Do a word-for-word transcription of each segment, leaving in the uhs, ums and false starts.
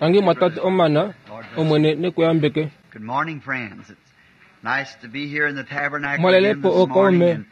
Tangi mwatate Omana, Omwene nekuyambeke. Good morning, friends. It's nice to be here in the tabernacle Mwalelepo again this morning okaume. and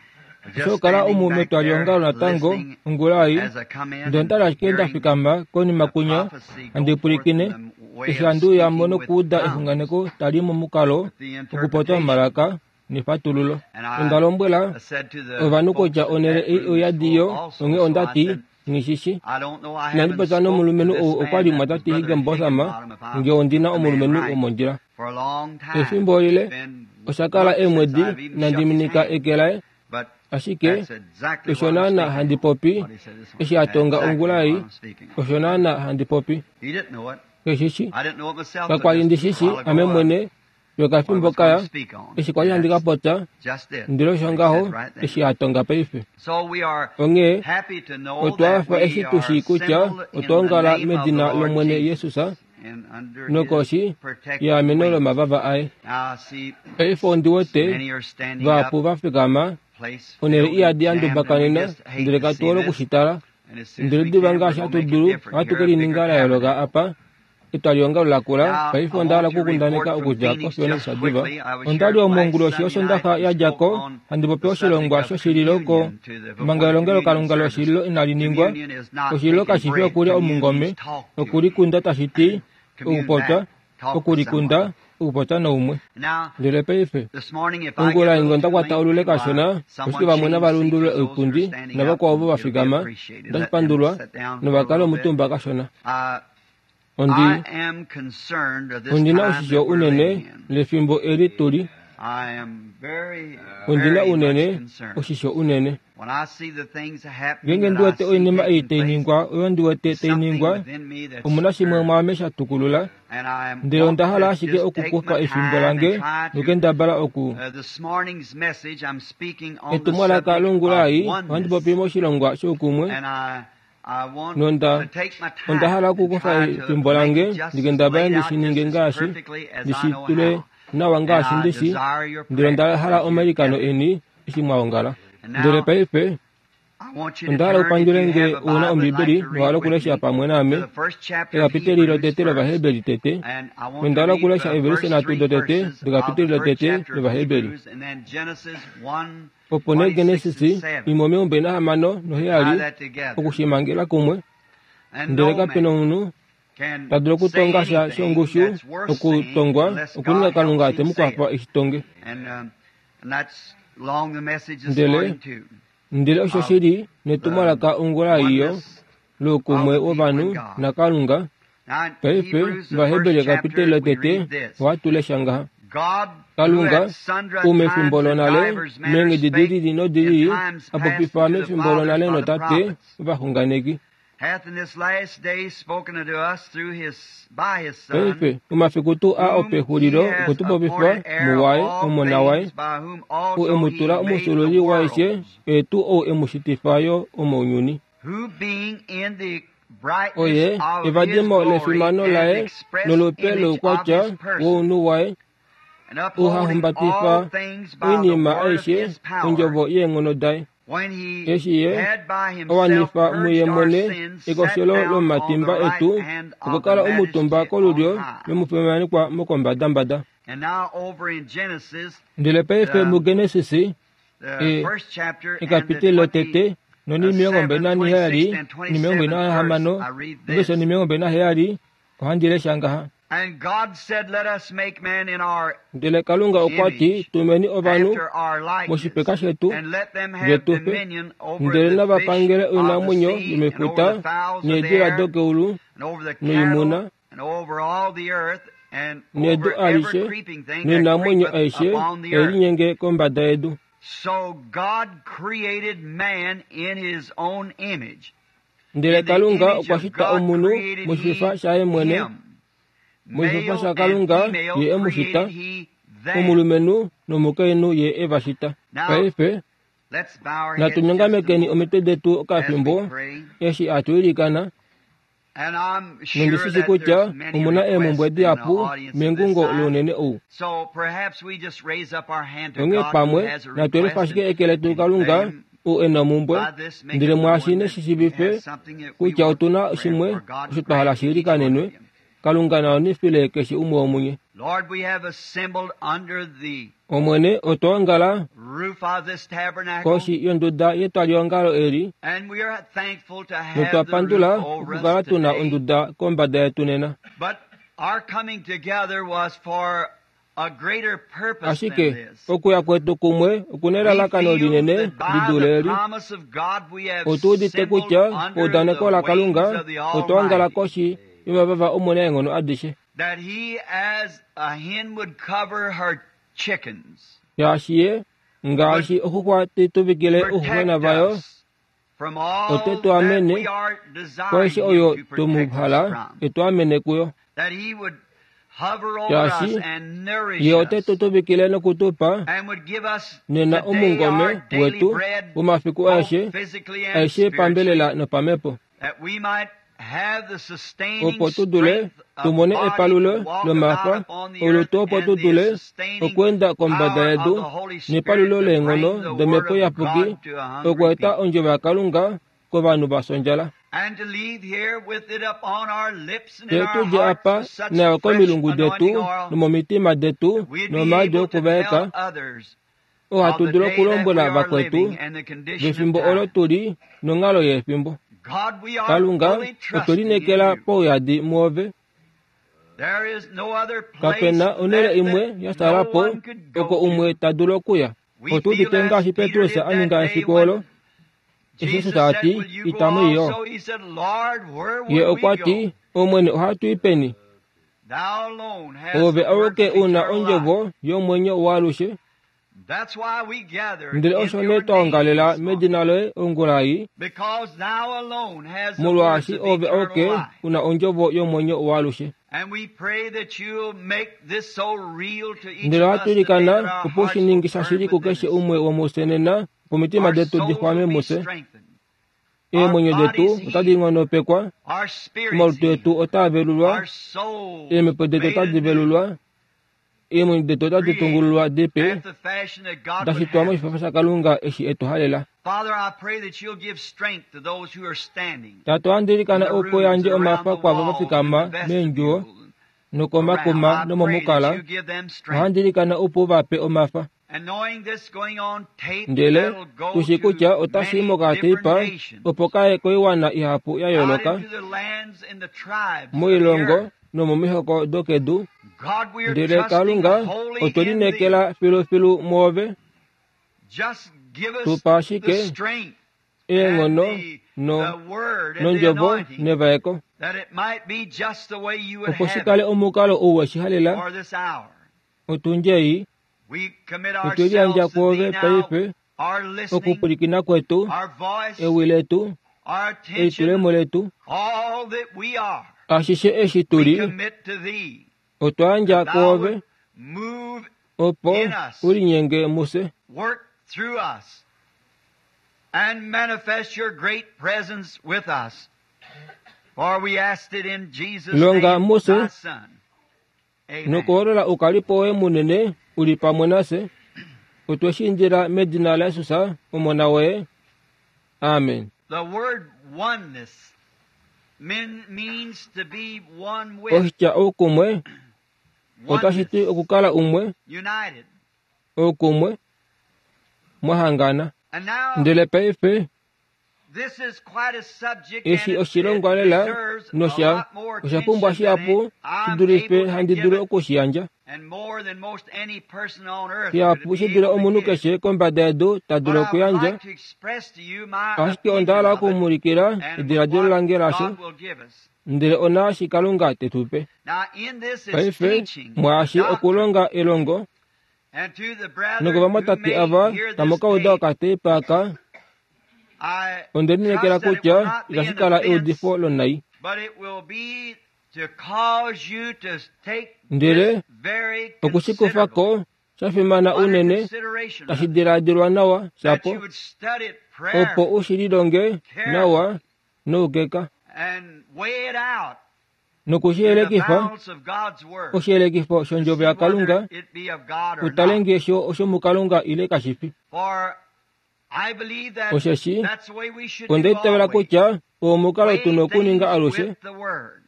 just Oshokala standing omu back metwalihongalo there natango listening ongula ei as I come in ndele and ondali ashike nda hearing fikama konima the kunya prophecy go handi forth pwilikine in the way eshi of handi uya mo speaking with nokuuda tongues, exunganeko tali momukalo with the okupopya interpretation. momalaka nefatululo. And I Onda lombwela said to the ovanhu folks kutya that onhele that ei room oyadi full yo also, onghee so I ondati said, nghishishi. I don't know, I Inandi haven't popya spoken to nomulumenhu this ou okwa man, li that was mwatati Brother Higginbotham Higginbotham, if nge I'm ondina the man omulumenhu right, womondjila. for a long time. Efimbo It's lile been oshakala months since eemwedi I've even inandi shook his minika hand. eke laye But ashike that's exactly osho what I'm naana speaking handi on. popi What he said this eshi morning. a tonga Exactly ongula what ei I'm speaking on. osho naana handi popi. He didn't know it. Keshishi I didn't know it myself till kakwali just ndi a shishi while ame ago uh, mwene what I yokafimbo was going kaya to speak on. eshi kwali And handi that's kapopya just it. ndele osho What he ngaho said right then. eshi a tonga paife. So we are Onghee happy to know otwa that hafa we eshi tu are shii kutya assembled in otwa the ongala name of the medina Lord lOmwene Jesus Jesus and under his nokoshi protective yeameno wings. lomavava aye. Now see, Paife ondi wete many are standing vahapu up, va fikama place onhele filled and iyadi ya jammed, and we ndumbakanena just hate ndele to katu see hole this. okushitala And as soon as ndele we diva can, we're ngaashi going to hatu make it dulu different ohatu here, ke a lininga bigger la yooloka tabernacle. apa etwalihongalo lakula Now, paife I onda hala want to okukundaneka report from okudja Phoenix koFiona just shadiva. quickly. I was Onda here li last omonguloshi Sunday night yOshondaxa and ya dja spoke ko on handi popi the oshilongwa subject of shoshililo ko communion to the before manga the elongelo communion kalunga service. loshililo inali ningwa. Communion is not Oshililo taking kashi fi bread. okulya Communion omungome means talk to. okulikunda tashi ti Commune okupopya back. Talk to okulikunda someone. okupopya naumwe. Now, Ndele paife this morning, if I get ongula a inge little onda too kwata olule lengthy, kashona why, oshike someone vamwe change nava seats for lundulule those that are oipundi standing up, navakwao ovo and va it'll be fikama appreciated. ndashi Let them pandulwa sit down for a novakale little bit. omutumba kashona. Uh, Ondi I am concerned of this ondina time oshisho that we're unene living in. lefimbo eli tuli. I am very, Ondina very much unene concerned. oshisho unene. When I see the things happening Ngeenge that ndi I wete see oinima ei taking tai place, ningwa oyo ndi wete there's tai something ningwa within me that's omuna shimwe stirred. mwaame sha tukulula And I am ndele onda wanting hala to ashike just take okukufa my efimbo time and lange try to. nokendabala oku Uh, this morning's message, I'm speaking on the etumwalaka subject longula of ei ohandi oneness. popi moshilongwa shoukumwe And I, I want nonda to take my onda hala time and okukufa try to efimbo make lange it just as ndikendabale laid ndi out shi just ninge as ngaashi perfectly as ndi I shi know tule how. nawa And ngaashi I ndi shi desire your ndele onda prayers hala as you omailikano gather. eni eshi mwa ongala. And Ndele now paife I want you to onda hala turn, if upandule you nge have a una Bible and like ombibeli to nowa read with okulesha me, pamwe to naame the first chapter of ekapiteli Hebrews lotete first. lovaheberi tete And I want onda to hala read okulesha the everise first nhatu three dotete verses of the dekapiteli first lotete chapter of lovaheberi. Hebrews and then Genesis one Opo nee twenty-six and Genesis seven. imwe omilongo mbali nahamano Tie noheyali that together. okushimangela kumwe And ndele no kape na man omunhu can ta dulu say okutonga sha anything shongushu that's worth saying okutongwa unless okuninga God Kalunga helps te him mu say kwafa it. eshi tonge. And, um, and that's along the message this Ndele morning too ndele osho of shili the netumwalaka ongula iyo oneness loukumwe of the people wovanhu and God. naKalunga. Now in Paife Hebrews, the Vaheberi first ekapiteli chapter, we lotete read this. ohatu lesha ngaha. God, who Kalunga at sundry ou mefimbo times and lonale divers manners meenghedi spake dilili in nodilili times a past popifa unto the mefimbo fathers lonale by the notate prophets, ovaxunganeki. hath in this last day spoken unto us through his by his Son, Paife momafiku tuu aa whom he opexulilo has okwe tu popifa appointed heir of muwaye all omona waye things, by whom ou also e mu he tula made the omusululi waishe worlds, oye tuu ou e mu shitifa yo omounyuni. who being in the brightness Oye of his evadimo glory lefimano and the laye express nolupe image of loukwatya his person, wounhu waye and upholding all uhahumbatifa things by the oinima word of aishe his power, ondjovo yeenghono daye. when he Eshi ye had by himself awanifa muye purged our mwene sins, sat ekoshelo down on the lomatimba right etu hand okwa of the kala omutumba majesty on kolulyo high. lomufimanekwa mokombadambada. And now over in Genesis, Ndele paife the, muGenesis the e first chapter and the ekapiteli lotete nonimilongo mbali twenty-seventh, naniheyali twenty-sixth, and nimilongo twenty-seventh verse, nahamano I read noveso this. nimilongo mbali naheyali ohandi lesha ngaha. And God said, Let us make man in our Ndele Kalunga okwa ti image, tumeni ovanhu after our likeness, moshipeka shetu and let them have vetufe dominion over ndele the nava fish pangele of the oinamwenyo sea, and over yomefuta the fowls of the needila air, dokeulu and over the noimuna cattle, and over all the earth, and nedu over every alishe creeping thing that noinamwenyo creepeth aishe upon the earth. elinyenge kombada yedu. So God created man in his own image. Ndele In the Kalunga image okwa of shita God omunhu created moshifa he shaye mwene him. moshifa Male sha and Kalunga female ye e mu shita created he them. omulumenhu nomukainhu ye e va shita. Now, Paife let's bow our natu heads just a nyongamekeni moment omitwe detu as we okafimbo pray. eshi atu ilikana And I'm sure nondishishi that kutya there's many omuna eemhumbwe requests in the dihapu audience of this mengungo size. lounene ou. So perhaps we just raise up our hand to Onghee God who pamwe has a natu elifa request ashike and, eke letu and let Kalunga him ou e na omhumbwe by this make ndele it mwaashi known that neshi we shiivife have something that we kutya want otuna prayer shimwe for. God osho twa hala grant shi each one ilikanenwe of you. Kalunga na wanifile keshe umwe womunye. Lord, we have assembled under the Omwene otwa ongala roof of this tabernacle, koshi yonduda yetwalihongalo eli and we are thankful to have notwa the pandula roof over okukala us tuna today. onduda kombada yetu nena. But our coming together was for a greater purpose than Ashike this. okuya kwetu kumwe okuna We elalakano feel linene that by li dule the eli. promise of God we have Otu udite assembled kutya under eudaneko the la wings Kalunga of the otwa ongala Almighty. koshi yomavava omunaenghono adishe. That he, as a hen would cover her chickens, Shaashi ye ngaashi oxuxwa tituvikile ouxuxwena protect vayo us from all ote tu that amene we are desiring kwaishe him oyo to protect us tumuhala from. etu amene kuyo. That he would hover over us Shaashi and nourish ye ote us tu tuvikile nokutupa and would give us nena today our omungome daily wetu bread, womafiku both aeshe physically and aeshe spiritually, pambelela nopamhepo that we might have the sustaining opo tu dule strength of tumone body epalulo to walk about lomafa upon the earth olutu opo and tu the dule sustaining okuenda kombada power of yedu the Holy Spirit nepalulo to bring leenghono the Word domhepo of iyapuki God to a hungry okueta people. ondjovo yakalunga kovanhu vasondjala. And to leave here with it up on our lips and in Te our tudje hearts apa with such nayo fresh komilungu anointing detu oil, nomomitima detu we'd be nomaadi able to okuvaeka tell others ohatu of the dulu day that we okulombwela are vakwetu living and the condition of vefimbo olo time. tuli nonghalo yefimbo. God, we are Kalunga fully otwe trusting in lineekela you. pouyadi mwoove. There is no other place Kapena onhele left imwe that ya no salapo one could go oko to. umwe ta dulu okuya. We Otu feel udite as ngaashi Peter Petrus did a that ninga day efiku when olo eshi Jesus ta said, ti Will you go itamu iyo. also? He said, Lord, where Ye would we okwa go? ti Omwene ohatu i peni? Thou alone hast Ove the words auke of una eternal life. ondjovo yomwenyo waalushe. That's why we gather Ndele in osho your nee twa name ongalela this morning, medina loye ongula ei because thou alone has the words molwaashi of ove eternal auke life. una ondjovo yomwenyo waalushe. And we pray that you'll make this so real to each Ndele of us ohatu today that ilikana our opo hearts shi will ningisa burn shili within kukeshe us. umwe womufye nena opo omitima Our detu souls will dixwame be mufye. strengthened, our Eemwenyo detu bodies otadi healed, nghonopekwa, our spirits omalutu etu healed, otaa velulwa, our souls eemhepo detu made otadi anew, velulwa, eemwenyo detu otadi created tungululwa dipe, after the fashion that God da would shitwa have it. moshifafa shakalunga eshi etu halela. Father, I pray that you'll give strength to those who are standing Tate ohandi in ilikana the opo rooms yandje and around omafa the kwaavo va walls and in fikama the meendjuwo vestibule and around. nokomakuma I pray that nomomukala you give them strength. ohandi ilikana opo vape omafa. And knowing this going on tape, Ndele that'll go tushi to kutya otashi many mokateipa different nations, opo kaye koiwana ihapu ya out yooloka into the lands and the tribes of the moilongo earth. nomomihoko dokedu. God, we are Ndele trusting Kalunga wholly otwe in Thee. lineekela filufilu mwoove Just give us tupa the ashike strength and eenghono the, no the word and the nondjovo anointing nevaeko that it might be just the way you would opo have shi kale it omukalo ou weshi halela for this hour. otundje ei We commit otwe liyandja ourselves to kwoove Thee now, paife our listening, okupulikina kwetu our voice, ewi letu our elitulemo attention, letu all that we are. ashishe eshi We tuli commit to Thee otwa yandja that Thou kwoove would move opo in us, ulinyenge muse work through us, and manifest your great presence with us. For we asked it in Jesus' longa name, muse thy Son. Amen. nokuholola ukalipo woye munene uli pamwe nase otwe shi indila medina laYesus omona woye. Amen. The word oneness mean, means to be one with, Oshitya oukumwe otashi ti oneness, okukala umwe united. oukumwe mwahangana. And now, Ndele paife this is quite a subject and eshi it, it oshilongwa lela deserves a nosha lot more osha pumbwa attention than shihapu shi I'm dulife able to handi give dulu it, okushiyandja. and more than most any person on earth could Shihapu be shi dule able to omunhu give. keshe kombada yedu ta But dulu I would okuyandja, like to express to you my ashike onda hala opinion of it okumuulikila and ediladilo what lange lasho God will give us. ndele onaashi Kalunga te tu pe. Now, in this is Paife teaching, mwaashi doctrine, okulonga elongo and to the brethren who nokovamwatate may ava hear tamu this ka uda tape, okateipa aka I onde lineekela trust that it kutya will not be itashi an kala offense, eudifo lonai. but it will be to cause you to take Ndele this very okushikufako considerable sha fimana under unene consideration, tashi rather, diladilwa nawa that shapo you would study it opo prayerfully, u shi lilonge nawa carefully, noukeka and weigh it out noku shi in the yelekifa balance of God's Word oshiyelekifo to shondjovo see yakalunga whether it be of God or utale not. ngee sho oshomukalunga ile kashi fi. For I believe that Osheshi that's the way we should onda do itavela always. kutya oo omukalo Weigh tuna okuninga things alushe with the Word.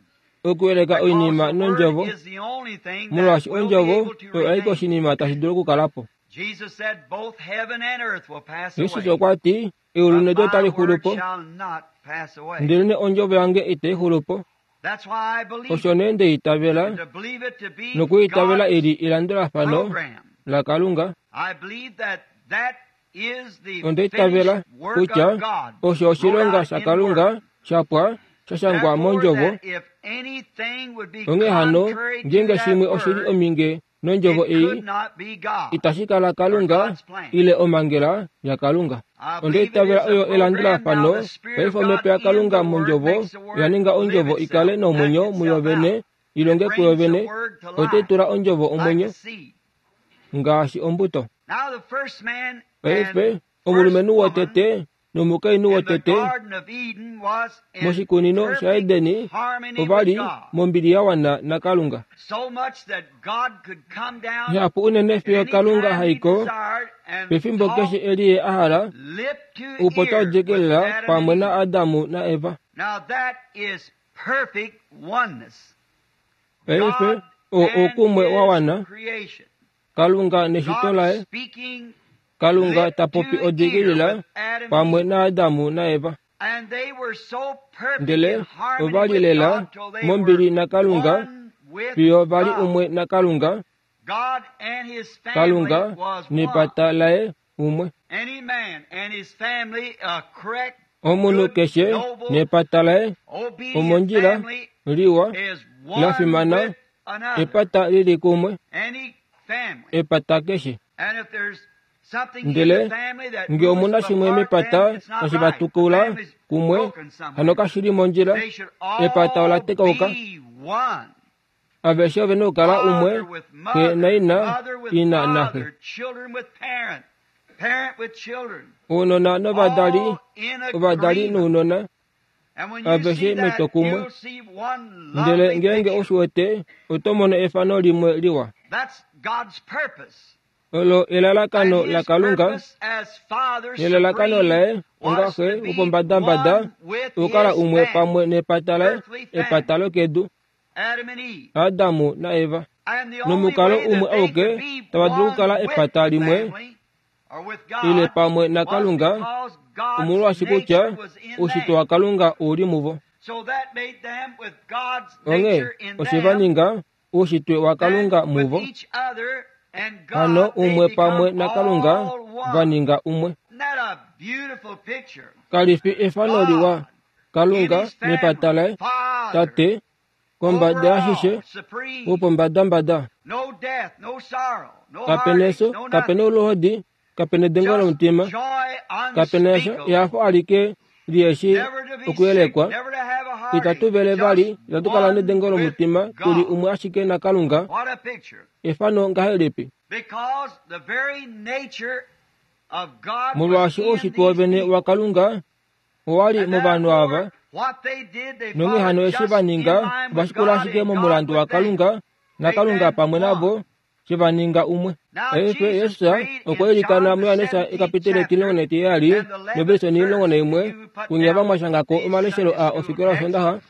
Okuyeleka Because oinima the nondjovo, word is the only thing that molwaashi will be ondjovo able to oyo aike remain. oshinima tashi dulu okukala po. Jesus said, both heaven and earth will pass Jesus away, okwa ti, eulu but nedu my otali xulu word po, shall not pass away. ndelene ondjovo yange itai xulu po. That's why I believe Osho it. nee nde itavela, And to believe it to be nokuitavela God's ili elandulafano program. laKalunga. I believe that that is the Onda itavela finished work kutya of God osho wrote oshilonga out in shaKalunga word. shapwa sha shangwa Therefore, mondjovo. that if anything would be Onghee hano, contrary to ngeenge that shimwe oshi li word, ominge nondjovo it ei, could not be God itashi kala or Kalunga God's plan. ile omhangela yaKalunga. I Onda believe it itavela is a oyo program. Now elandulafano. the Spirit Paife of omhepo God in yaKalunga the Word mondjovo makes the oya Word ninga live ondjovo ikale itself, act nomwenyo muyo itself vene, out. i It longe kuyo brings the vene, Word to otai life tula ondjovo like omwenyo a seed. ngaashi ombuto. Now the first man Paife and first omulumenhu woman wotete nomukainhu in the wotete Garden of Eden was in moshikunino perfect shaEdeni harmony ova with li God. mombili ya wana naKalunga. So much that God could come down Ihapu unene at fiyo any Kalunga time he haiko desired and pefimbo talk keshe eli ye a hala, lip to opo ear with taodjekelela Adam pamwe and na Eve. Adamu naEva. Now that is perfect oneness. Paife God oo and oukumwe wa His wana, creation. Kalunga neshito God laye, speaking Kalunga lip ta popi to ear odikilila with Adam and pamwe Eve. naAdamu naEva. And they were so perfect in Ndele harmony ova li with lela God till they were mombili naKalunga one with fiyo va li God. umwe naKalunga, God and His family Kalunga was one. nepata laye umwe. Any man and his family, a correct, Omunhu good, keshe noble, nepata laye obedient omondjila family liwa is la one fimana with another. epata lili kumwe Any family. epata keshe. And if there's something in Ndele the family that nge moves omuna them shimwe apart, mepata then it's not tashi right. The vatukula family's kumwe broken hano somewhere. kashi li mondjila They should epata ola all tekauka. be one. Aveshe ove na okukala umwe, Father with xe mother, naina, mother with ina naxe. father, children with parent, parent with children, Ounona novadali, all in ovadali agreement. nounona, And when you aveshe see that, metwokumwe. you'll see one Ndele lovely ngeenge picture. oshi wete, oto mono efano limwe liwa. That's God's purpose. Olo And elalakano his laKalunga purpose as Father nelalakano Supreme laye onga was xe to be wopombadambada one with okukala his umwe family, pamwe nepata laye earthly epata family, lokedu Adam and Eve. Adamu naEva. And the only Nomukalo way umwe that they auke could be tava dulu one okukala with epata the limwe family or with ile God pamwe was naKalunga because God's omolwaashi kutya nature was in oushitwe them. waKalunga ouli muvo. So that made them with God's Onghee nature in oshe va them, ninga oushitwe waKalunga then with muvo, each other and hano God they umwe pamwe become naKalunga all va one. ninga umwe. Isn't that a beautiful picture? Kali fi efano liwa God in Kalunga his nepata family, laye Father, Tate kombada yaashishe overall, supreme, wopombadambada. no death, no sorrow, no Kapena heartaches, eso, no kapena nothing. oluhodi, kapena edengo Just lomutima, joy kapena esho unspeakable. ehafo alike lieshi Never to be sick, okuyelekwa. never to have a heartache, Itatu vele vali, just itatu kala one nedengo with lomutima, tuli God. umwe ashike naKalunga. What a picture. Efano ngahelipi? Because the very nature of God was Molwaashi in oushitwe these wovene people. waKalunga owali And movanhu ava, therefore, what they did, they nonghee hano followed eshi just va in ninga line ova with shikula God ashike and God momulandu with them. waKalunga Made naKalunga them pamwe navo one. she va ninga umwe. Now Paife Jesus Jesus prayed okwa in ilikana John the muYohanesa seventeenth ekapitele chapter etilongo netiheyali and the eleventh novelisoni omulongo verse. naimwe If you put kunya down vamwashangako these omaleshelo Sunday a school ofikola texts, Osondaha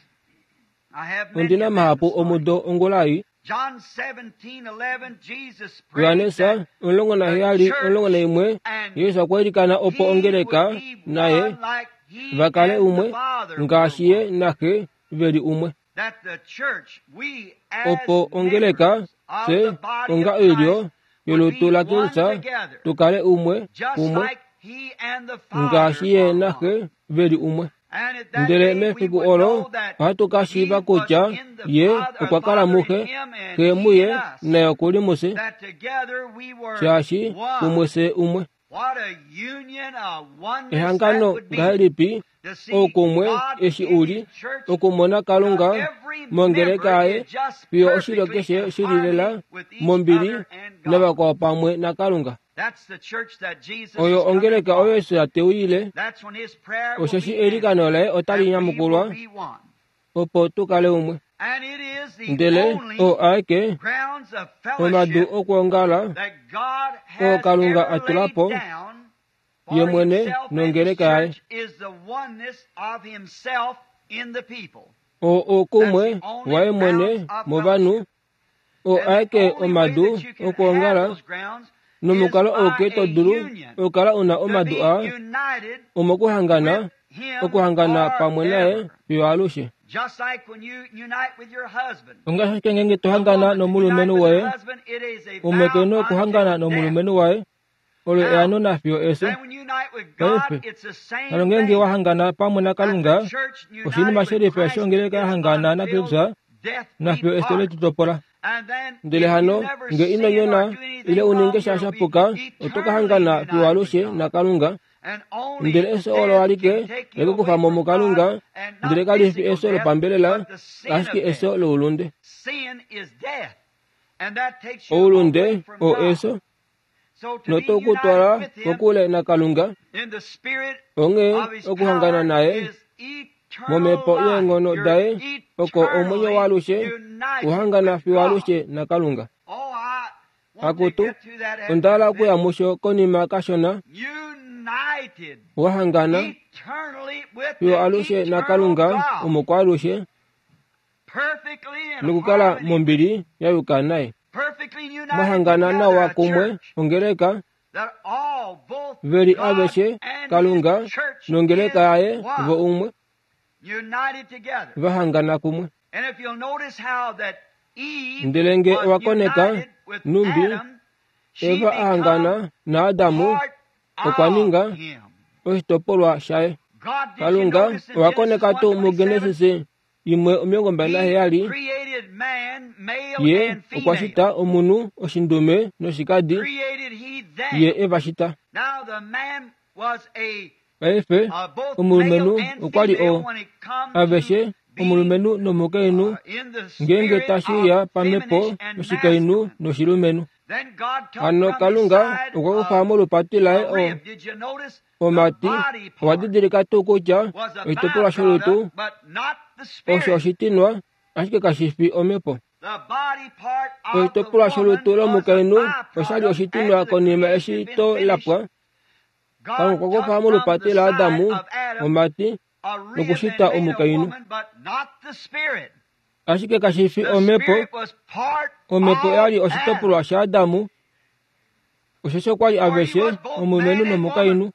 I have many ondina of them mahapu this morning. omudo ongula ei. John seventeen eleven, Jesus prayed Yohanesa that omulongo the naheyali omulongo church naimwe and Jesus okwa ilikana opo he would ongeleka be naye one like he va kale and the umwe Father were ngaashi ye one. naxe veli umwe. That the church, we as Opo ongeleka members of fye the body onga of oilyo Christ would yolutu be la one Kristus together, tukale umwe just kumwe like he and the ngaashi Father ye are one. naxe veli umwe. And at that Ndele day we mefiku would olo know that ohatu ka he shiiva was kutya in the ye Father, okwa kala Father in muxe, him and xe he in muye us. naye okuli mufye, That together we were shaashi kumwe one. fye umwe. What a union, a oneness that Ehangano would be ngahelipi to see oukumwe God eshi in uli his church. okumona Now Kalunga every mongeleka member yaye is just fiyo oshilyo perfectly keshe in shi lilela harmony with each mombili other and God. navakwao pamwe naKalunga. That's the church that Jesus Oyo is coming ongeleka oyo for. Yesu ateuyile, That's when his prayer will osheshi be eilikano answered laye otali and we will nyamukulwa be one. opo tukale umwe. And it is the Ndele only oo aeke grounds of omadu fellowship okwoongala that God oo has Kalunga ever a tula laid po down ye for mwene himself and his nongeleka yaye. church is the oneness of himself in the people. Oo oukumwe waye mwene movanhu oo aeke omadu okwoongala nomukalo ouke to dulu okukala una omadu aa omokuhangana okuhangana pamwe naye fiyo alushe. Ongaashi ashike ngeenge tohangana nomulumenhu woye, umwe ke na okuhangana nomulumenhu waye, olo eano nafiyo efyo. Paife, hano ngeenge wahangana pamwe naKalunga, oshinima shelifa eshi ongeleka yahangana naKristus nafiyo efyo letu topola. Ndele hano nge ino nyona ile uninge sha shapuka, oto ka hangana fiyo alushe naKalunga. Ndele efyo olo alike lekukufa mo muKalunga, ndele kali fi efyo lopambelela, ashike efyo loulunde. Oulunde oo efyo, noto kutwala kokule naKalunga. Onghee okuhangana naye momhepo yeenghono daye oko omwenyo waalushe, uhangana fiyo alushe naKalunga. Akutu, onda hala okuya musho konima kashona. Wahangana fiyo alushe naKalunga omukwaalushe nokukala mombili ya yuka naye. Mwahangana nawa kumwe ongeleka veli aveshe Kalunga nongeleka yaye vo umwe vahangana kumwe. Ndele nge owakoneka numbi Eva ahangana naAdamu okwa ninga oshitopolwa shaye. Kalunga owakoneka tuu muGenesis imwe omilongo mbali naheyali ye okwa shita omunhu oshindume noshikadi, ye eva shita. Paife omulumenhu okwa li o aveshe omulumenhu nomukainhu ngeenge tashi uya pamhepo yoshikainhu noshilumenhu. Hano Kalunga okwa kufa molupati laye o omati. Owa didilika tuu kutya oshitopolwa sholutu osho oshitinwa, ashike kashi fi omhepo. Oshitopolwa sholutu lomukainhu oshali oshitinwa konima eshi to lapwa. Kalunga okwa kufa molupati laAdamu omati nokushita omukainhu, ashike kashi fi omhepo. Omhepo oyali oshitopolwa shaAdamu, osheshi okwali aveshe omulumenhu nomukainhu.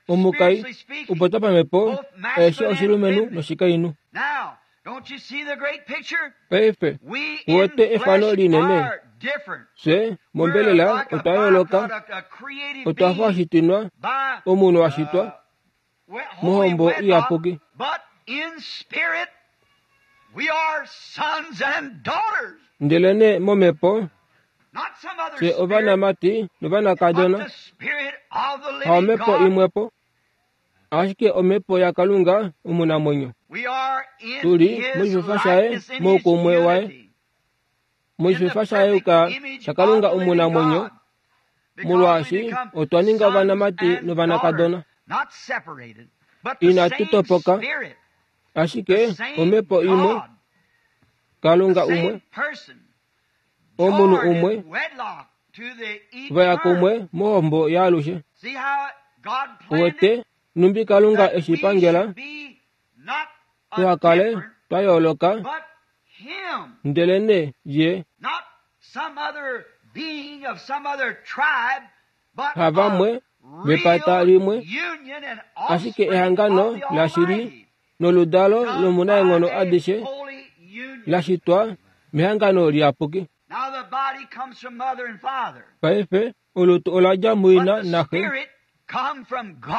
Omukai upota pamhepo aeshe oshilumenhu noshikainhu. Paife uwete efano linene. Fye mombelela otwa yooloka, otwa fa oshitinwa, omunhu wa shitwa mohombo iyapuki. Ndelene momhepo fye ovanamati novanakadona, haomhepo imwepo, ashike omhepo yaKalunga omunamwenyo. Tuli moshififa shaye moukumwe waye, moshififa shayuka shaKalunga omunamwenyo, molwaashi otwa ninga ovanamati novanakadona. Inatu topoka, ashike omhepo imwe, Kalunga umwe, omunhu umwe, vaya kumwe mohombo yaalushe. Uwete numbi Kalunga eshi pangela tuhakale twa yooloka, ndelene ye havamwe vepata limwe, ashike ehangano lashili noludalo lomunaenghono adishe lashitwa mehangano liyapuki. Paife olutu oladja muina naxe,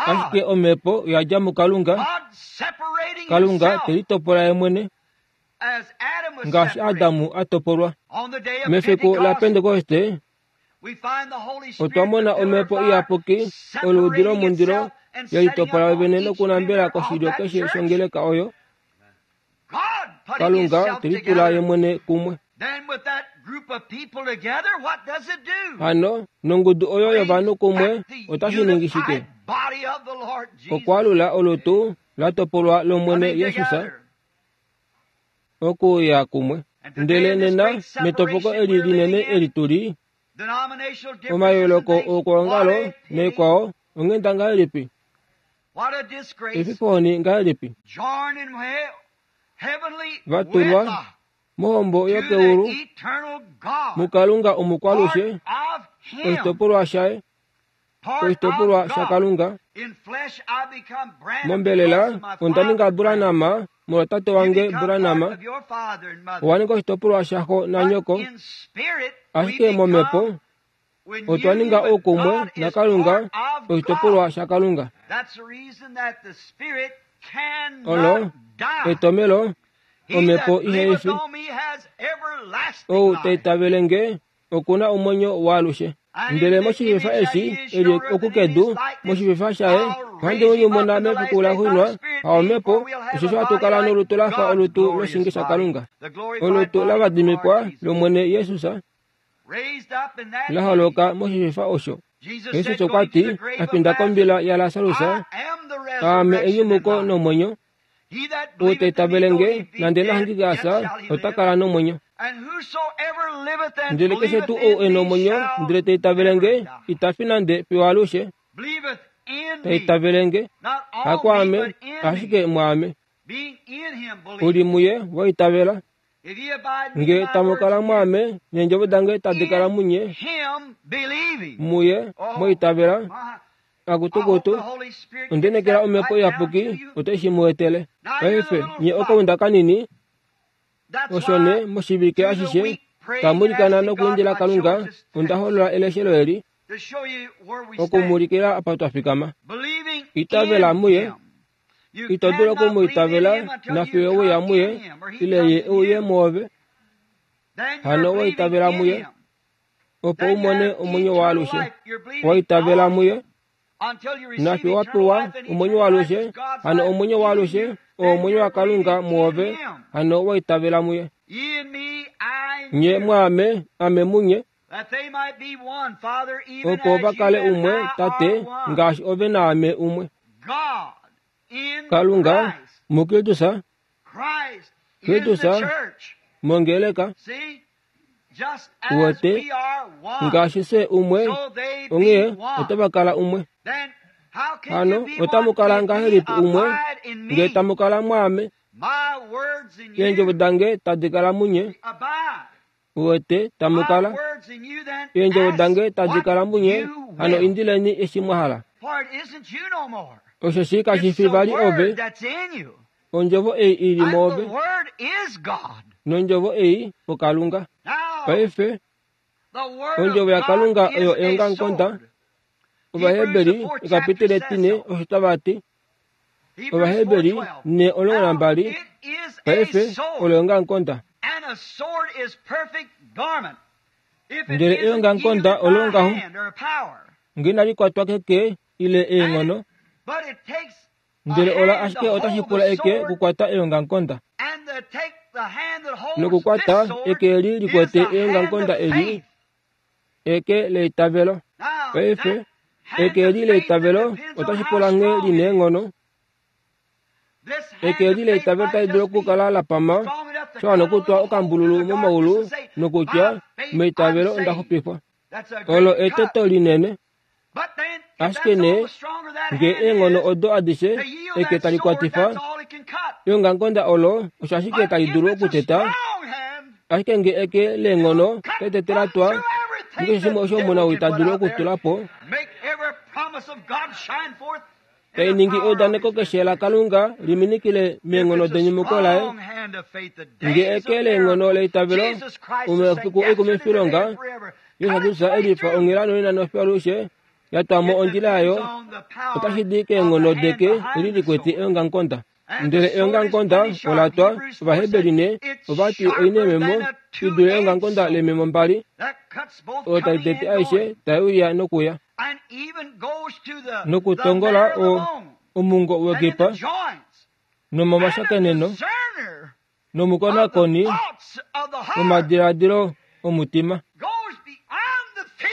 ashike omhepo oyadja muKalunga. Kalunga telitopola ye mwene ngaashi Adamu a topolwa. Mefiku laPentekoste otwa mona omhepo iyapuki oluudi lomundilo yelitopola vene nokunambela koshilyo keshe shongeleka oyo. Kalunga telitula ye mwene kumwe. Hano nongudu oyo yovanhu kumwe otashi ningi shike? Okwaalula olutu latopolwa lOmwene Jesus okuya kumwe. Ndele nena metopoko eli linene eli tuli omayooloko okwoongalo naikwao onghenda ngahelipi? Efifoni ngahelipi? Vatulwa mohombo yokeulu mukalunga omukwalushe oshitopolwa shaye oshitopolwa shakalunga. Mombelela onda ninga Branham molwa tate wange Branham, owa ninga oshitopolwa shaxo nanyoko, ashike momhepo otwa ninga oukumwe naKalunga oshitopolwa shaKalunga. Olo etomelo omhepo ihaifi. Ou taitavele nge okuna omwenyo waalushe. Ndele moshififa eshi eli okukedu moshififa shaye ohandi mu nyumuna mefiku laxuuninwa haomhepo, osheshi ohatu kala nolutu lafa olutu loshinge shaKalunga, olutu lavadimikwa lOmwene Jesus la holoka moshififa osho. Jesus okwa ti a finda kombila yaLasarus, aame enyumuko nomwenyo, ou taitavele nge nande nahangike asa ota kala nomwenyo. Ndele keshe tuu ou e nomwenyo ndele taitavele nge ita fi nande fiyo alushe. Taitavele nge hakwaame ashike mwaame. Uli muye waitavela nge tamukala mwaame neendjovo dange tadi kala munye muye mwaitavela. Akutukutu ondenekela omhepo iyapuki otai shi mu etele. Paife nye okaunda kanini osho ne moshivike ashishe tamulikana nokuindila Kalunga onda holola eleshelo eli okumulikila apa twa fikama. Itavela muye, ito dulu okumuitavela nafiyo uya muye ile ye uye mwoove. Hano waitavela muye opo umone omwenyo waalushe. Waitavela muye nafiyo wapewa omwenyo waalushe. Hano omwenyo waalushe oo omwenyo waKalunga mwoove. Hano waitavela muye. Nye mwaame ame munye opo vakale umwe tate ngaashi ove naame umwe. Kalunga muKristus, Kristus mongeleka uwete ngaashi se umwe onghee otava kala umwe. Hano otamukala ngahelipi umwe nge tamukala mwaame, eendjovo dange tadi kala munye. Uwete tamukala eendjovo dange tadi kala munye. Hano indileni eshi mwa hala. Osho kashi fi vali ove, ondjovo ei ili mwoove, nondjovo ei oKalunga. Paife ondjovo yaKalunga oyo eongamukonda. Ovaheberi ekapitile etine osho tava ti. Ovaheberi ne omulongo nambali paife olo eongamukonda. Ndele eongamukonda olo ngaho nge inali kwatwa keke ile eenghono, ndele ola ashike otashi pula eke kukwata eongamukonda. Nokukwata eke eli likwete eongamukonda eli eke leitavelo. Paife eke eli leitavelo otashi pula nghee lina eenghono. Eke eli leitavelo otali dulu okukala la pama sha wana okutwa okambululu momaulu nokutya meitavelo onda xupifwa. Olo eteto linene. Ashike nee nge eenghono odo adishe eke tali kwatifa eongamukonda olo osho ashike tali dulu okuteta. Ashike nge eke leenghono tali la twa mukeshe shimwe osho omuna ita dulu okutula po, tai ningi eudaneko keshe laKalunga liminikile meenghono denyumuko laye. Nge eke leenghono leitavelo omafiku eikumifilonga Jesus Kristus elifa onghela nonena nofiyo alushe yatwamo ondjila yayo otashi di keenghono deke eli likwete eongamukonda. Ndele eongamukonda ola twa Ovaheberi ne ovati oina eememo i dule eongamukonda leememo mbali oyo tali tete aishe tai uya nokuya nokutongola omungo wekipa nomomashakeneno nomukonakoni womadiladilo omutima.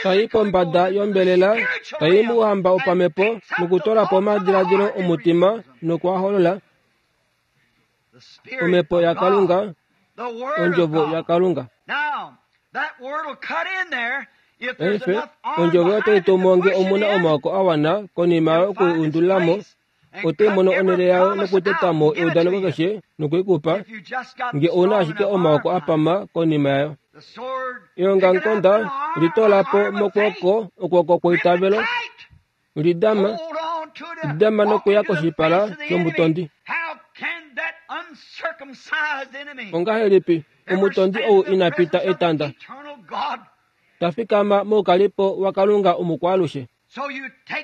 Tai pombada yombelela tai muhamba opamepo nokutola po omadiladilo omutima nokuaholola omhepo yaKalunga, ondjovo yaKalunga. Paife ondjovo otai tumo nge omuna omaoko a wana konima yokuundulilamo Ote mono onhele yayo nokuteta mo eudaneko keshe nokuikupa nge ouna ashike omaoko apama konima yayo. Eongamukonda litoola po mokwooko okwooko kweitavelo, lidama, lidama nokuya koshipala shomutondi. Ongahelipi omutondi ou ina pita etanda ta fikama moukalipo waKalunga omukwaalushe?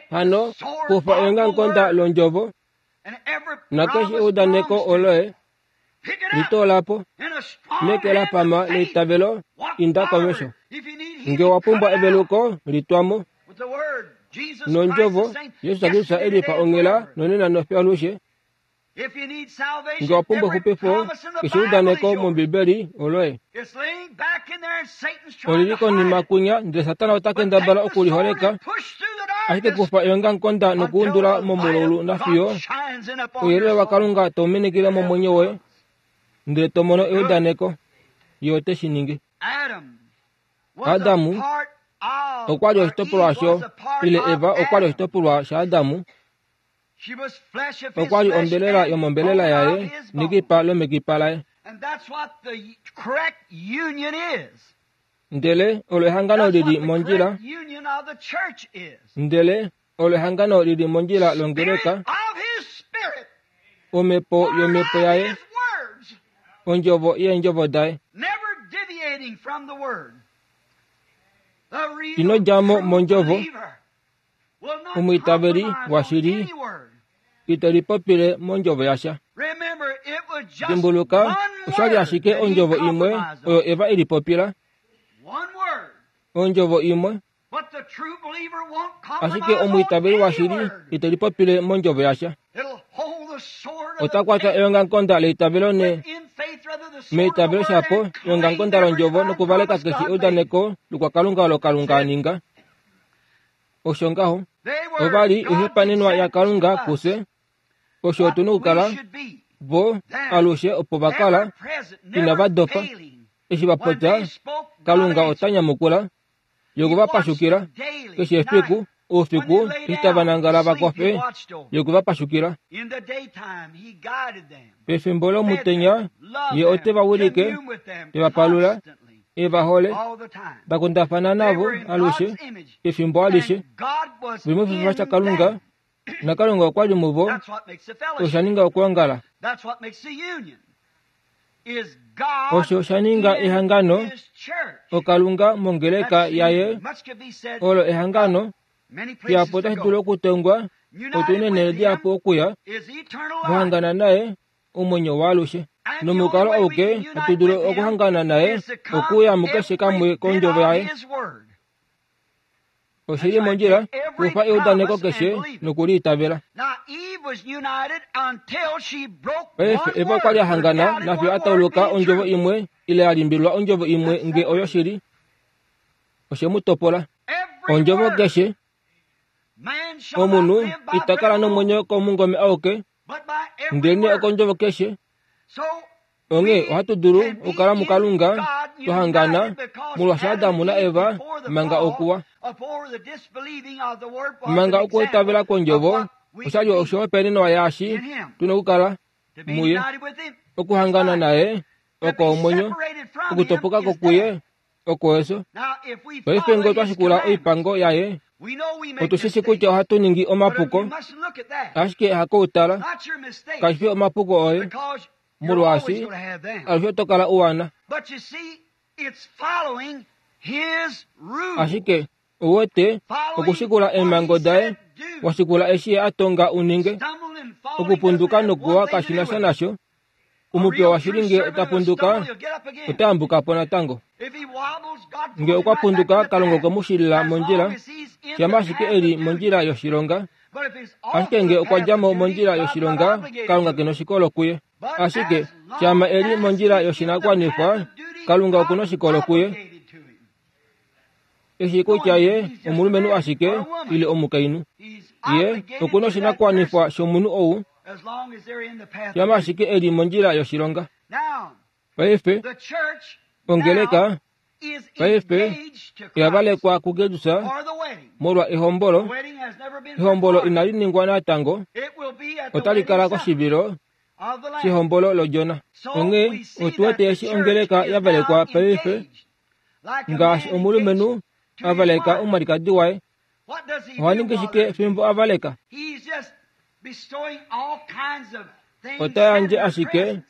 Hano kufa eongamukonda londjovo nakeshe eudaneko oloye litoola po meke la pama leitavelo, inda komesho. Nge wa pumbwa eveluko, litwamo nondjovo. Jesus Kristus elifa onghela nonena nofiyo alushe. Nge wa pumbwa exupifo, keshe eudaneko mOmbibeli oloye. Olili konima kunya, ndele Satana ota kendabala okuliholeka, ashike kufa eongamukonda nokuundula momulaulu nafiyo ouyelele waKalunga tau minikile momwenyo woye, ndele to mono eudaneko. Ye ote shi ningi. Adamu okwa li oshitopolwa sho, ile Eva okwa li oshitopolwa shaAdamu. Okwa li ombelela yomombelela yaye nekipa lomekipa laye. Ndele olo ehangano lili mondjila. Ndele olo ehangano lili mondjila longeleka. Omhepo yomhepo yaye, ondjovo yeendjovo daye. Ino dja mo mondjovo. Omwiitaveli washili ite lipopile mondjovo yasha. Dimbuluka, oshali ashike ondjovo imwe oyo Eva ilipopila. Ondjovo imwe. Ashike omwiitaveli washili ite lipopile mondjovo yasha. Ota kwata eongamukonda leitavelo ne meitavelo shapo eongamukonda londjovo nokuvaleka keshe eudaneko lokwakalunga olo Kalunga a ninga. Osho ngaho ova li oihopaenenwa yaKalunga kufye. Osho otu na okukala vo alushe opo va kala inava dopa. Eshi va popya, Kalunga ota nyamukula. Ye okwe va pashukila keshe efiku, oufiku eshi tava nangala va kofe, ye okwe va pashukila. Pefimbo lomutenya ye ote va wilike, te va palula, e va hole, va kundafana navo alushe efimbo alishe. Veli moshififa shaKalunga, naKalunga okwa li muvo. Osha ninga okwoongala. Osho sha ninga ehangano oKalunga mongeleka yaye. Olo ehangano dihapu otashi dulu okutongwa otu neenhele dihapu okuya vahangana naye omwenyo waalushe. Nomukalo auke hatu dulu okuhangana naye okuya mukeshe kamwe kondjovo yaye. Oshili mondjila kufa eudaneko keshe nokuliitavela. Paife Eva okwa li a hangana nafiyo a tauluka ondjovo imwe ile a limbililwa ondjovo imwe nge oyo shili. Oshe mu topola. Ondjovo keshe. Omunhu ita kala nomwenyo komungome auke, ndelenee okondjovo keshe. Onghee ohatu dulu okukala muKalunga twa hangana molwaashi Adamu naEva manga okuwa. Manga okuitavela kwondjovo oshali oshihopaenenwa yaashi tuna okukala muye. Okuhangana naye oko omwenyo, okutopoka ko kuye oko efyo. Paife ngee otwa shikula oipango yaye, otu shi shi kutya ohatu ningi omapuko, ashike hakoutala kashi fi omapuko oye, molwaashi alushe oto kala u wana. Ashike ouwete okushikula eemhango daye, washikula eshi ye a tonga u ninge. Okupunduka nokuwa kashi na sha nasho. Omupya washili nge ota punduka, ota yambuka po natango. Nge okwa punduka, Kalunga okwe mu shilila mondjila, shama ashike e li mondjila yoshilonga. Ashike nge okwa dja mo mondjila yoshilonga, Kalunga ke noshikolo kuye. Ashike shama e li mondjila yoshinakuwanifwa, Kalunga oku noshikolo kuye. Eshi kutya ye omulumenhu ashike ile omukainhu, ye oku noshinakuwanifwa shomunhu ou, shama ashike e li mondjila yoshilonga. Paife ongeleka Paife oyavalekwa kuKristus molwa ehombolo. Ehombolo inali ningwa natango, otali kala koshivilo shehombolo lOdjona. Onghee otu wete eshi ongeleka ya valekwa paife ngaashi omulumenhu a valeka omwalikadi waye. Oha ningi shike fimbo a valeka? Ota yandje ashike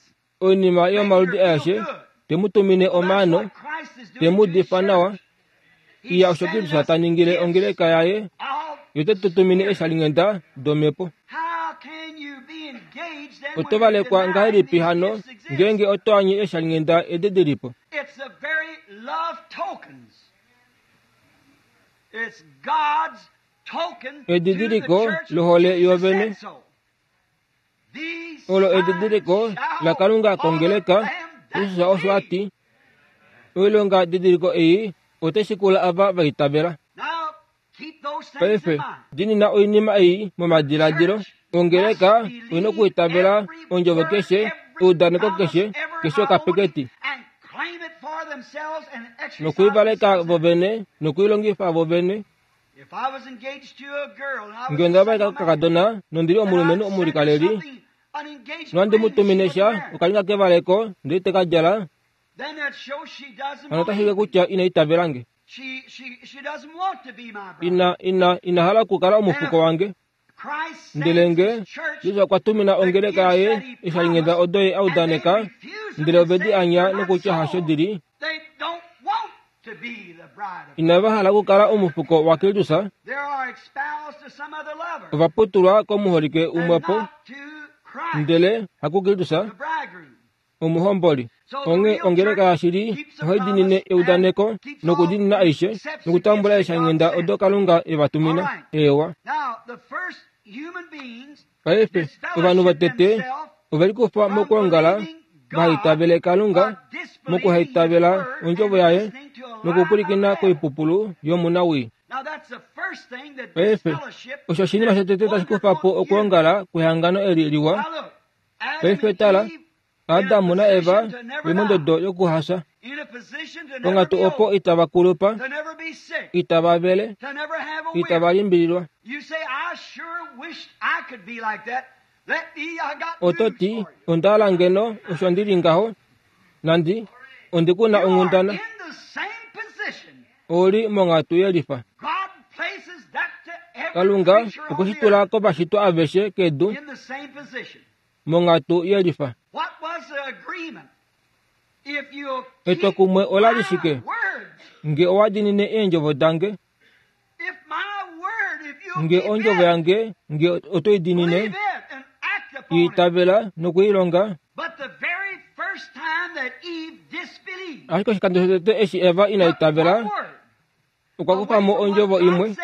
oinima yomaludi aeshe, te mu tumine omaano, te mu difa nawa. Iya osho Kristus ta ningile ongeleka yaye, yo te tu tumine eeshalinghenda domhepo. Oto valekwa ngahelipi hano ngeenge oto anye eeshalinghenda edi dilipo? Edidiliko lohole yovene olo edidiliko laKalunga kongeleka. Jesus osho a ti, oilonga didiliko ei otai shikula ava va itavela. Paife dinina oinima ei momadiladilo. Ongeleka oina okuitavela ondjovo keshe, eudaneko keshe, keshe okapeketi, nokuivaleka vovene nokuilongifa vovene. Ngee onda valeka kokakadona nondili omulumenhu omulikaleli, nohandi mu tumine sha okalinga kevaleko ndele te ka djala, hano otashi ulike kutya ina itavela nge. Ina, ina, ina hala okukala omufuko wange. Ndele nge Jesus okwa tumina ongeleka yaye eeshalinghenda odo ye a udaneka, ndele ove di anya nokutya hasho dili, inava hala okukala omufuko waKristus, ova putulwa komuholike umwepo, ndele hakuKristus, omuhomboli. Onghee ongeleka yashili ohai diinine eudaneko nokudiinina aishe nokutambula eeshalinghenda odo Kalunga e va tumina. Eewa. Paife ovanhu votete ove likufa mokwoongala vahaitavele Kalunga, mokuhaitavela ondjovo yaye nokupwilikina koipupulu yomunawii. Paife osho oshinima shotete tashi kufa po okwoongala kwehangano eli liwa. Paife tala, Adamu naEva ve mondodo yokuhasa, ponghatu opo itava kulupa, itava vele, itava limbililwa. Oto ti, onda hala ngeno osho ndi li ngaho, nandi ondi ku na onghundana. Ouli monghatu yelifa. Kalunga okwe shi tula kovashitwa aveshe kedu monghatu yelifa. Etwokumwe ola li shike? Nge owa diinine eendjovo dange, nge ondjovo yange nge oto i diinine, i itavela nokuilonga. Ashike oshikando shotete eshi Eva ina itavela, okwa kufa mo ondjovo imwe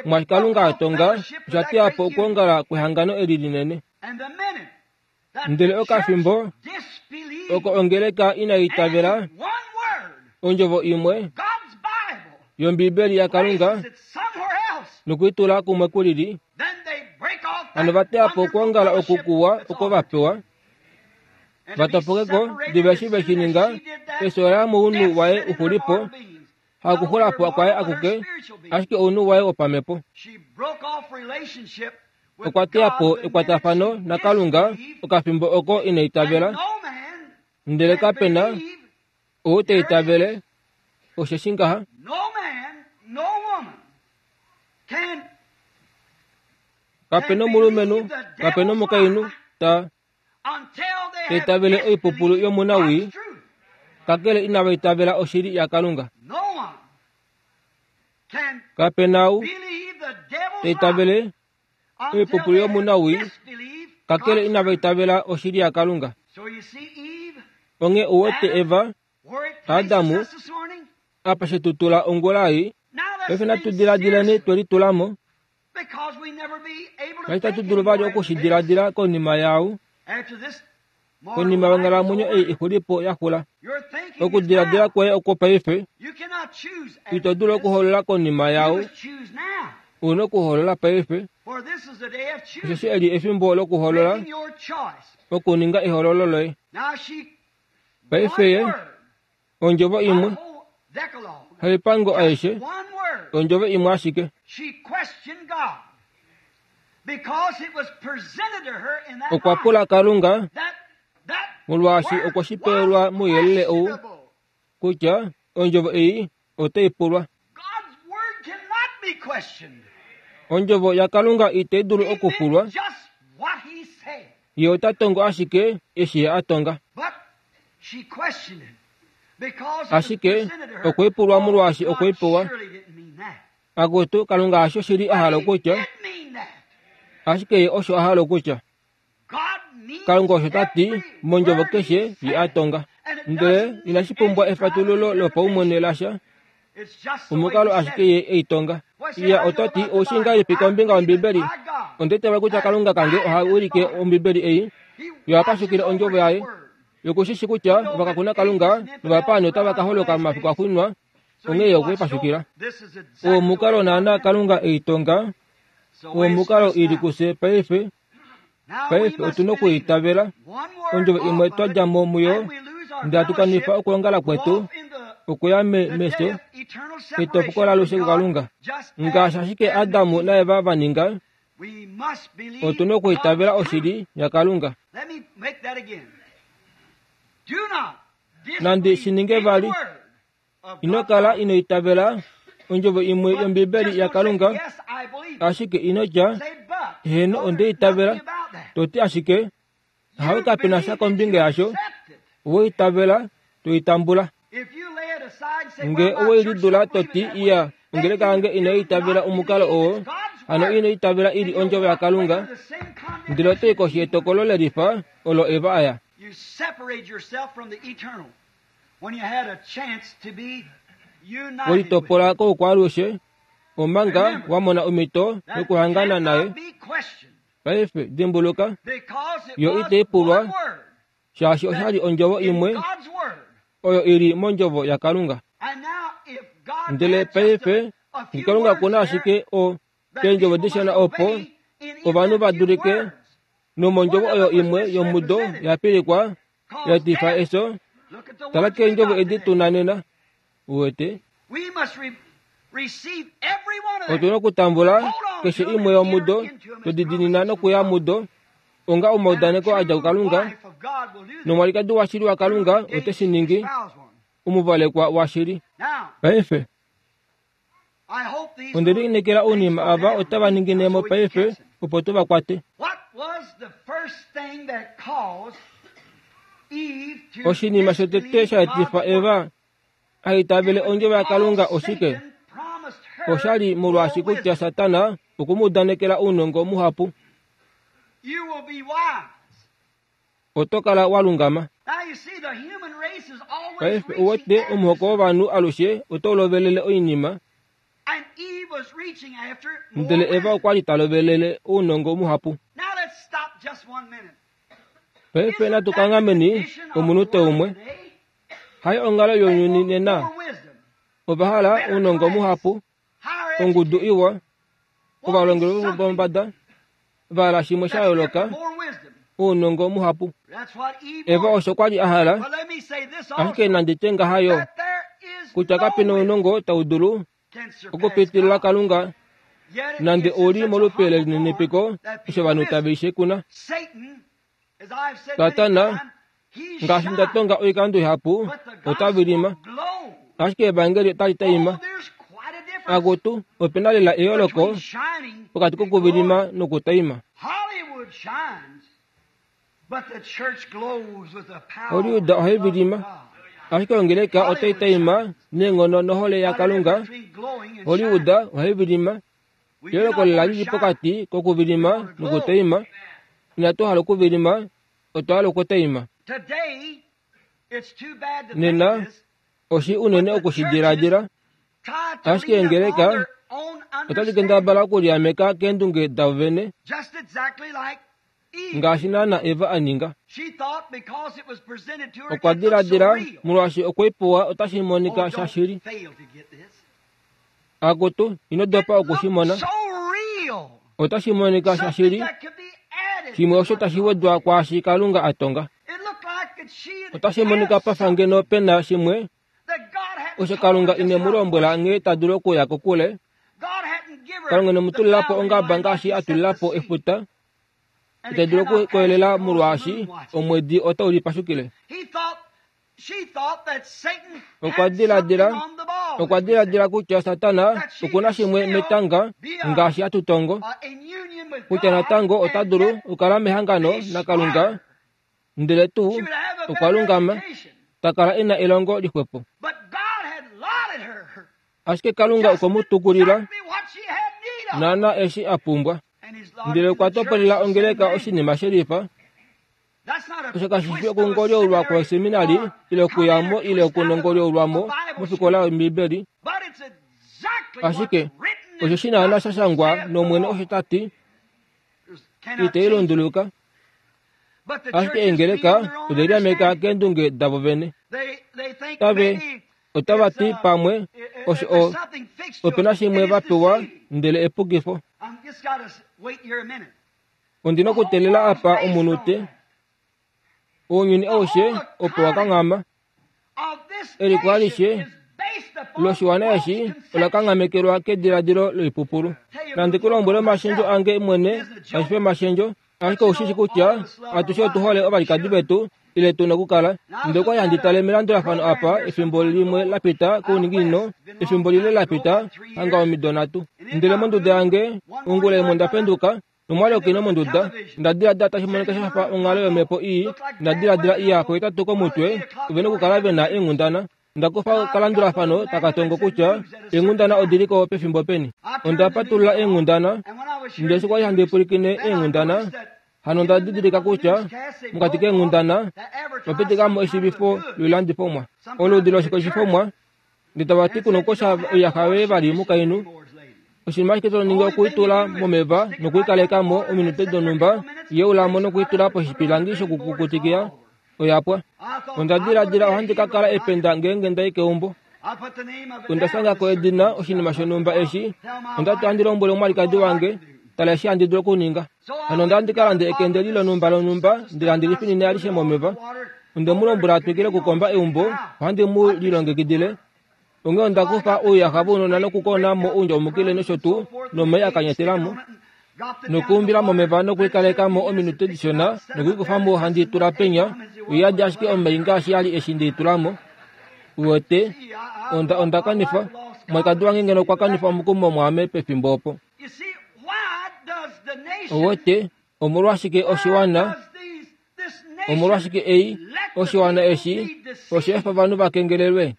mwashi Kalunga a tonga, osha teya po okwoongala kwehangano eli linene. Ndele okafimbo oko ongeleka ina itavela ondjovo imwe yOmbibeli yaKalunga nokuitula kumwe kulili, hano va teya po okwoongala oku kuwa oko va pewa, va topokeko diva eshi ve shi ninga, efyo la mounhu waye uxulipo, hakuxulapo kwaye akuke, ashike ounhu waye wopamhepo. Okwa teya po ekwatafano naKalunga okafimbo oko ina itavela, ndele kapena ou te itavele, osheshi ngaha. Kapena omulumenhu, kapena omukainhu ta itavele oipupulu yomunawii, kakele inava itavela oshili yaKalunga. Kapena ou te itavele oipupulu yomunawii, kakele inava itavela oshili yaKalunga. Onghee ou wete Eva, Adamu, apa she tu tula ongula ei, paife natu diladileni twe litulamo, kali tatu dulu vali okushidiladila konima yaau, konima yonghalamwenyo ei ixulipo yaxula. Okudiladila kwoye okwo paife, ito dulu okuhoolola konima yaau, ouna okuhoolola paife, osheshi eli efimbo lokuhoolola, okuninga ehoololo loye. Paife ye ondjovo imwe, Haipango aishe ondjovo imwe ashike. Okwa pula Kalunga molwaashi okwe shi pewelwa mouyelele ou kutya ondjovo ei otai pulwa. Ondjovo yaKalunga itai dulu okupulwa. Ye ota tongo ashike eshi ye a tonga. Ashike okwe pulwa molwaashi okwe pewa. Akutu Kalunga hasho shili a hala okutya, ashike ye osho a hala okutya. Kalunga osho ta ti mondjovo keshe ye a tonga. Ndele inashi pumbwa efatululo lopaumwene lasha, omukalo ashike ye ei tonga. Iya ota ti oushi ngahelipi kombinga yOmbibeli? Onda itavela kutya Kalunga kange oha wilike Ombibeli ei, yo apashukile ondjovo yaye. Yokushishi kutya ovakakuna Kalunga novapaani otava ka holoka momafiku axuuninwa, onghee ye okwe i pashukila. Omukalo naana Kalunga ei tonga, omukalo ili kufye paife. Paife otuna okuitavela ondjovo imwe twa dja mo muyo, ndele hatu kanifa okwoongala kwetu okuya mefyo, etopoko laalushe kuKalunga. Ngaashi ashike Adam naEva va ninga, otuna okuitavela oshili yaKalunga. Nandi shi ninge vali, ino kala ino itavela ondjovo imwe yOmbibeli yaKalunga, ashike ino tya heeno onde itavela, to ti ashike hawe kapena sha kombinga yasho, owe itavela to itambula. Nge owe lidula to ti iya ongeleka yange inai itavela omukalo oo, hano ino itavela ili ondjovo yaKalunga, ndele oto i koshi yetokolo lelifa olo Eva aya. Welitopola koukwaalushe omanga wa mona omhito yokuhangana naye. Paife dimbuluka, yo itai pulwa shaashi oshali ondjovo imwe oyo ili mondjovo yaKalunga. Ndele paife Kalunga okuna ashike o eendjovo dishona opo ovanhu va dulike nomondjovo oyo imwe yomudo ya pilikwa ya etifa efyo. Tala keendjovo edi tuna nena. Uwete, otuna okutambula keshe imwe yomudo todidinina nokuya mudo onga omaudaneko a dja kuKalunga, nomwalikadi washili waKalunga ote shi ningi omuvalekwa washili. Paife onde lineekela ounima ava otava ningine mo paife opo tu va kwate. Oshinima shotete sha etifa Eva a itavele ondjovo yaKalunga oshike? Oshali molwaashi kutya Satana okwe mu udanekela ounongo muhapu. Oto kala wa lungama. Paife uwete omuhoko wovanhu alushe otau lovelele oinima, ndele Eva okwa li ta lovelele ounongo muhapu. Paife natu kanghameni omunute umwe. Hai onghalo younyuni nena. Ova hala ounongo muhapu, ongudu iwa, ovalongeli vopombada, va hala shimwe sha yooloka, ounongo muhapu. Eva osho kwa li a hala, ashike nandi tye ngaha yo, kutya kape na ounongo tau dulu okupitilila Kalunga, nande ouli molupe lelininipiko osho ovanhu tave i shekuna. Satana, ngaashi nda tonga oikando ihapu, ota vilima, ashike evangeli otali taima. Akutu, opena lela eyooloko pokati kokuvilima nokutaima. Hollywood ohai vilima, ashike ongeleka otai taima neenghono nohole yaKalunga. Hollywood ohai vilima, eyooloko lela lili pokati kokuvilima nokutaima. Inatu hala okuvilima, otwa hala okutaima. Nena oshi unene okushidiladila, ashike eengeleka otadi kendabala okuliameka keendunge davo vene, ngaashi naana Eva a ninga. Okwa diladila molwaashi okwe i pewa otashi monika shashili. Akutu, ino dopa oku shi mona. Otashi monika shashili, shimwe osho tashi wedwa kwaashi Kalunga a tonga. Otashi monika pafa ngeno pena shimwe Osho Kalunga ine mu lombwela nghee ta dulu okuya kokule. Kalunga ine mu tulila po ongaba ngaashi a tulila po efuta. Ita dulu okukoyelela molwaashi omwedi otau lipashukile. Okwa diladila okwa diladila kutya Satana okuna shimwe metanga ngaashi atutongo, kutya natango ota dulu okukala mehangano naKalunga, ndele tuu okwa lungama, ta kala ena elongo lixwepo. Ashike Kalunga okwe mu tukulila naana eshi a pumbwa, ndele okwa topolela ongeleka oshinima shelifa. Osho kashi fi okungolyoulwa kwoseminari ile okuyamo ile okunongolyoulwamo mofikola yOmbibeli, ashike osho shi naana sha shangwa nOmwene osho ta ti, itai lunduluka. Ashike eengeleka ode liameka keendunge davo vene. Tave otava ti pamwe osho o opena shimwe va pewa ndele epukifo. Ondina okuteelela apa omunute. Ounyuni aushe opo wakanghama. Eliko alishe loshiwana eshi ola kanghamekelwa kediladilo loipupulu. Nandi ku lombwele omashendjo ange mwene, kashi fi omashendjo, ashike oushi shi kutya atushe otu hole ovalikadi vetu ile tu na okukala. Ndele okwali handi tale melandulafano apa efimbo limwe la pita kouninginino, efimbo lile la pita, hanga omido nhatu. Ndele monduda yange ongula imwe onda penduka nomwali okina monduda, nda diladila tashi monika sha fa onghalo yomhepo ii, nda diladila iya pohetatu komutwe ovena okukala vena eenghundana. Nda kufa okalandulafano taka tongo kutya eenghundana odiliko pefimbo peni. Onda patulula eenghundana, ndele eshi kwali handi pwilikine eenghundana, hano onda didilika kutya mokati keenghundana opitikamo eshivifo loilandifomwa, oludi loshikeshifomwa, ndele tava ti kuna okukosha oiyaxa yoye vali mukainhu. Oshinima ashike to ningi okuitula momeva nokuikalekamo ominute donhumba, yeulamo nokuitula poshipilangi shokukukutikia, oyapwa. Onda diladila ohandi ka kala ependa ngeenge ndai keumbo. Onda shangako edina oshinima shonhumba eshi, onda ti ohandi lombwele omwalikadi wange, tala eshi handi dulu okuninga. Hano onda handi ka lande ekende lonhumba lonhumba ndele handi lifinine alishe momeva. Onde mu lombwela a twikile okukomba eumbo, ohandi mu lilongekidile. Onghee onda kufa ouyaxa vounona nokukona mo oundjaumukile nosho tuu nomai a kanyatelamo, nokuumbila momeva nokuikalekamo ominute dishona nokuikufamo handi tula penya, oyadi ashike omai ngaashi ali eshi ndeitulamo. Uwete, onda onda kanifa omwalikadi wange ngeno okwa kanifa omukumo mwaame pefimbo opo. Uwete, omolwashike oshiwana, omolwashike ei oshiwana eshi osha efa ovanhu va kengelelwe?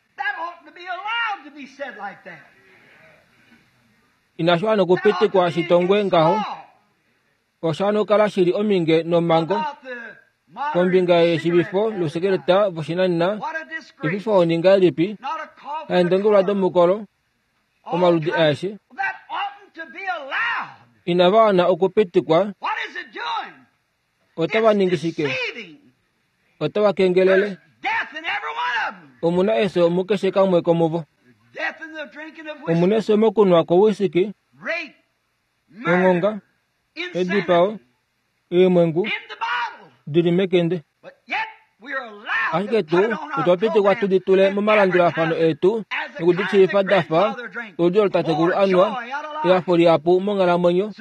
Inashi wana okupitikwa shitongwe ngaho. Osha wana okukala shili ominge nomhango kombinga yeshivifo lousekeleta voshinanena. Efifo oninga elipi haendongelwa domukolo omaludi aeshe inava wana okupitikwa. Otava ningi shike? Otava kengelele. Omuna efyo mukeshe kamwe komuvo. Omuna efyo mokunwa kwowisiki, onghonga, edipao, eemwengu dili mekende. Ashike tuu otwa pitikwa tu di tule momalandulafano etu nokudishiifa dafa oludi olotatekulu anwa, ehafo lihapu monghalamwenyo,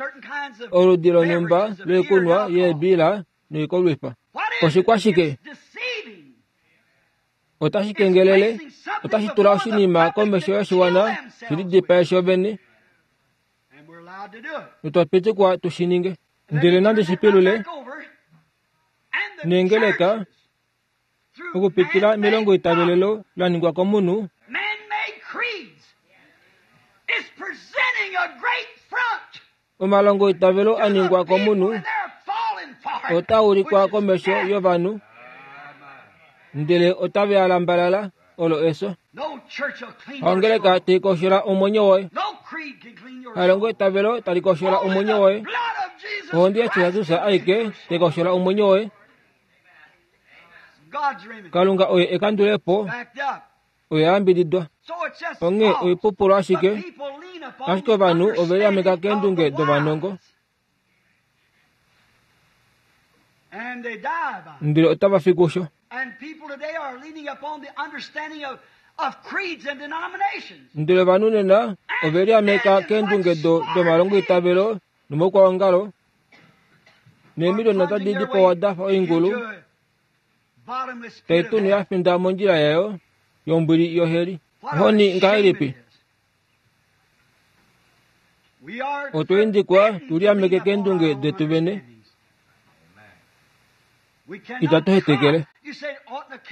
oludi lonhumba loikunwa yeebila noikolwifa. Oshikwashike? Otashi kengelele, otashi tula oshinima komesho yoshiwana shi lidipae shovene, notwa pitikwa tu shi ninge. Ndele nande shi pilule neengeleka okupitila melongo itavelelo la ningwa komunhu, omalongo itavelo a ningwa komunhu otaa ulikwa komesho yovanhu, ndele otave a lambalala olo efyo. Ongeleka tai koshola omwenyo woye, halongo itavelo tali koshola omwenyo woye, ohonde yaJesus aike tai koshola omwenyo woye. Kalunga oye ekandulepo, oye ayambididwa. Onghee oipupulu ashike, ashike ovanhu ove liameka keendunge dovanongo, ndele otava fi kusho. Ndele ovanhu nena ove liameka keendunge domalongoitavelo nomaukwaongalo, neemiliona otadi dipawa da fa oingulu tai tunu ya finda mondjila yayo yombwili yoheli. Ohoni ngahelipi? Otwa indikwa tuliameke keendunge detu vene. Itatu hetekele.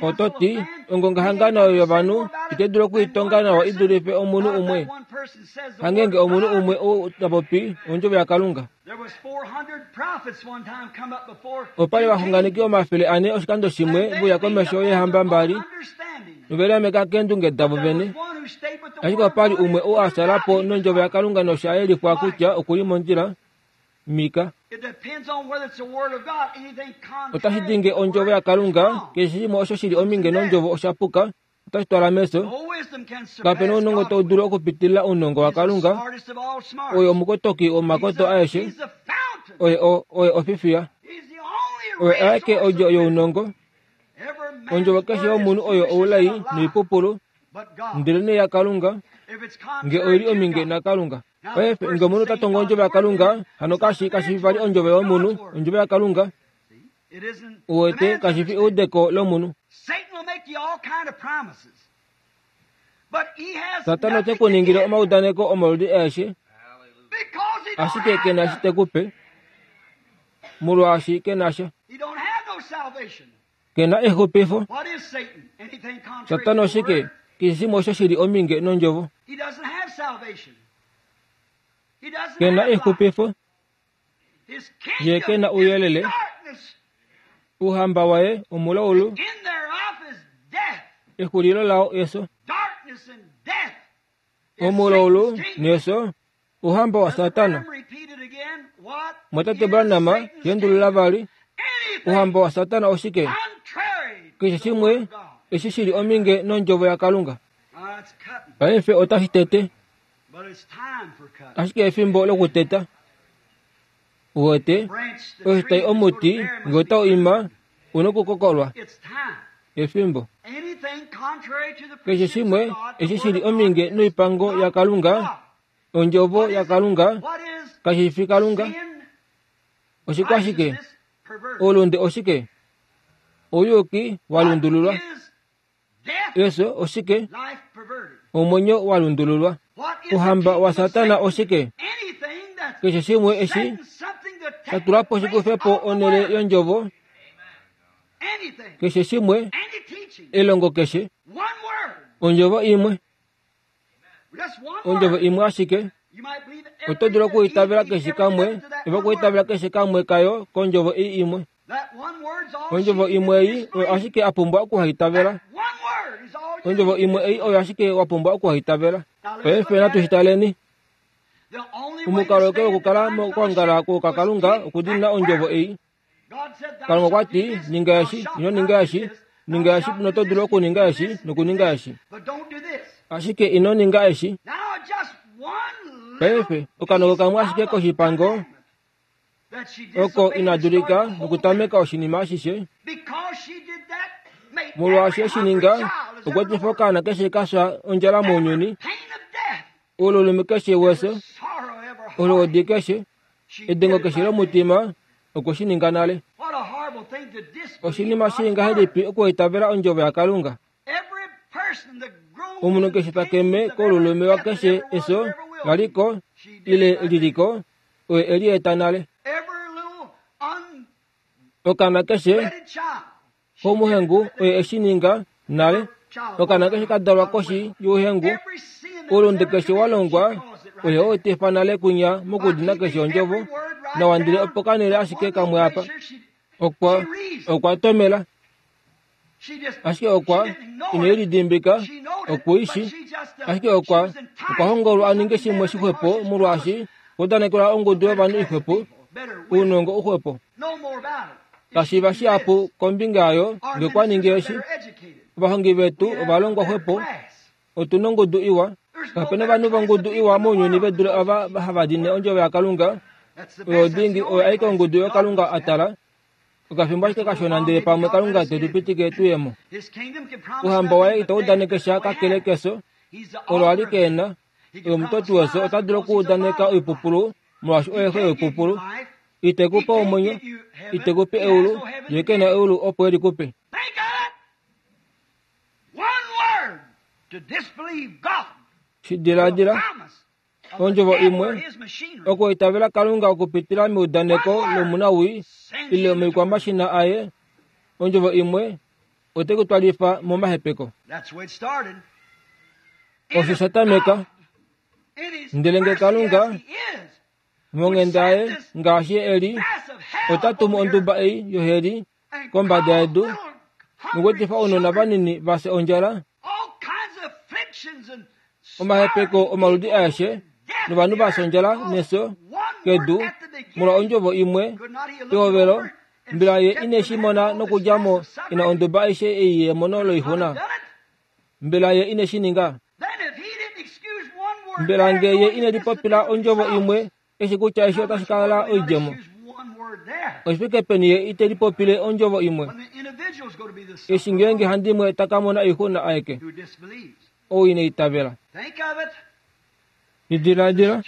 Oto ti ongongahangano yovanhu itai dulu okuitonga nawa i dulife omunhu umwe. Hangenge omunhu umwe ou ta popi ondjovo yaKalunga. Opa li ovaxunganeki omafele ane oshikando shimwe veuya komesho yeehamba mbali noveliameka keendunge davo vene. Ashike opa li umwe ou a sala po nondjovo yaKalunga nosha yelifwa kutya okuli mondjila. Mika. Otashi dinge ondjovo yaKalunga, keshe shimwe osho shili ominge nondjovo osha puka, otashi twala mefyo. Kape na ounongo tau dulu okupitilila ounongo waKalunga. Oye omukotoki womakoto aeshe, oye oye ofifiya, oye aeke odjo younongo. Ondjovo keshe yomunhu oyo oulai noipupulu, ndelenee yaKalunga nge oili ominge naKalunga. Paife nge omunhu ota tongo ondjovo yaKalunga, hano kashi kashi fi vali ondjovo yomunhu, ondjovo yaKalunga. Uwete, kashi fi eudeko lomunhu. Satana ote ku ningile omaudaneko omaludi aeshe, ashike ke na shi te ku pe, molwaashi ke na sha. Ke na exupifo. Satana oshike? Keshe shimwe osho shili ominge nondjovo. Ke na exupifo. Ye ke na ouyelele. Ouhamba waye omulaulu, exulilo lao efyo. Omulaulu nefyo, ouhamba waSatana. Mwatate Branham yendulula vali, ouhamba waSatana oshike? Keshe shimwe eshi shili ominge nondjovo yaKalunga. Paife otashi tete, ashike efimbo lokuteta. Uwete, oshitai omuti nge otau ima, una okukokolwa. Efimbo. Keshe shimwe eshi shili ominge noipango yaKalunga, ondjovo yaKalunga, kashi fi Kalunga. Oshikwashike? Oulunde oshike? Ouyuki wa lundululwa. Efyo oshike? Omwenyo wa lundululwa. Ouhamba waSatana oshike? Keshe shimwe eshi sha tula po shikufe po onhele yondjovo. Keshe shimwe, elongo keshe, ondjovo imwe, ondjovo imwe ashike. Oto dulu okuitavela keshe kamwe, ove okuitavela keshe kamwe kayo kondjovo ei imwe. Ondjovo imwe ei oyo ashike a pumbwa okuhaitavela. Ondjovo imwe ei oyo ashike wa pumbwa okuhaitavela. Paife natu shi taleni. Omukalo wake wokukala mokwoongala kwokakalunga okudina ondjovo ei. Kalunga okwa ti, ninga eshi, ino ninga eshi, ninga eshi noto dulu okuninga eshi nokuninga eshi. Ashike ino ninga eshi. Paife okanoko kamwe ashike koshipango oko ina dulika nokutameka oshinima ashishe. Molwaashi eshi ninga, okwa etifa okaana keshe ka fya ondjala mounyuni, oululume keshe wefyo, oluhodi keshe, edengo keshe lomutima, okwe shi ninga nale. Oshinima shii ngahelipi okuitavela ondjovo yaKalunga? Omunhu keshe ta keme koululume wakeshe efyo laliko ile liliko, oye e lieta nale. Okaana keshe komuhengu oye eshi ninga nale. Okaana keshe ka dalwa koshi youhengu, oulunde keshe wa longwa oye o etifa nale kunya mokudina keshe ondjovo. Nawa ndele opo kanele ashike kamwe apa. Okwa okwa tomela, ashike okwa ine lidimbika, okuishi, ashike okwa okwa hongolwa a ninge shimwe shixwepo molwaashi odanekelwa ongudu yovanhu ixwepo, ounongo uxwepo. Kashiva shihapu kombinga yayo nge kwa ningi eshi. Ovahongi vetu ovalongwa xwepo, otu nongudu iwa. Kape na ovanhu vongudu iwa mounyuni ve dule ava hava dine ondjovo yaKalunga. Oyo dingi oyo aike ongudu yoKalunga a tala. Okafimbo ashike kashona ndele pamwe Kalunga te tu pitike tuyemo. Ouhamba waye itau udaneke sha kakele kefyo olo ali keena. Oye omutoti wefyo ota dulu okuudaneka oipupulu molwaashi oye xe yoipupulu. Ite ku pe omwenyo, ite ku pe eulu, ye ke na eulu opo e li ku pe. Shi diladila, ondjovo imwe, okuitavela Kalunga okupitila meudaneko lomunawii ile moikwamashina aye, ondjovo imwe ote ku twalifa momahepeko. Osho sha tameka, ndele nge Kalunga monghenda yaye ngaashi e li, ota tumu onduba ei yoheli kombada yedu nokuetifa ounona vanini vafye ondjala, omahepeko omaludi aeshe novanhu vafye ondjala nefyo kedu molwa ondjovo imwe pehovelo. Mbela ye ine shi mona nokudja mo ina onduba aishe ei yemono loixuna? Mbela ye ine shi ninga? Mbela nge ye ine lipopila ondjovo imwe eshi kutya eshi otashi kala oidjemo? Oshifike peni ye ite lipopile ondjovo imwe eshi ngeenge handimwe ta ka mona oixuna aeke ou ine itavela? Diladila,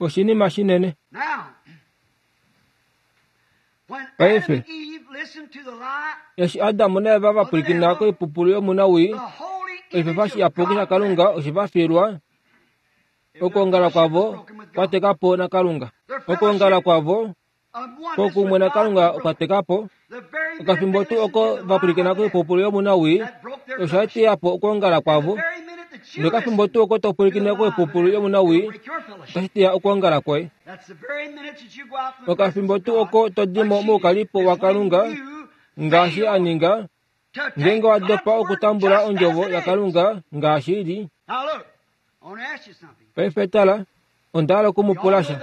oshinima shinene. Paife, eshi Adam naEva va pwilikina koipupulu yomunawii, oshifefa shiyapuki shaKalunga oshe va fiilwa. Okwoongala kwavo kwa teka po naKalunga. Okwoongala kwavo kwokumwe naKalunga okwa teka po. Okafimbo tuu oko va pwilikina koipupulu yomunawii, osha teya po okwoongala kwavo. Nokafimbo tuu oko to pwilikine koipupulu yomunawii, otashi teya okwoongala kwoye. Okafimbo tuu oko to di mo moukalipo waKalunga ngaashi a ninga, ngeenge wa dopa okutambula ondjovo yaKalunga ngaashi i li. Paife tala, onda hala oku mu pula sha.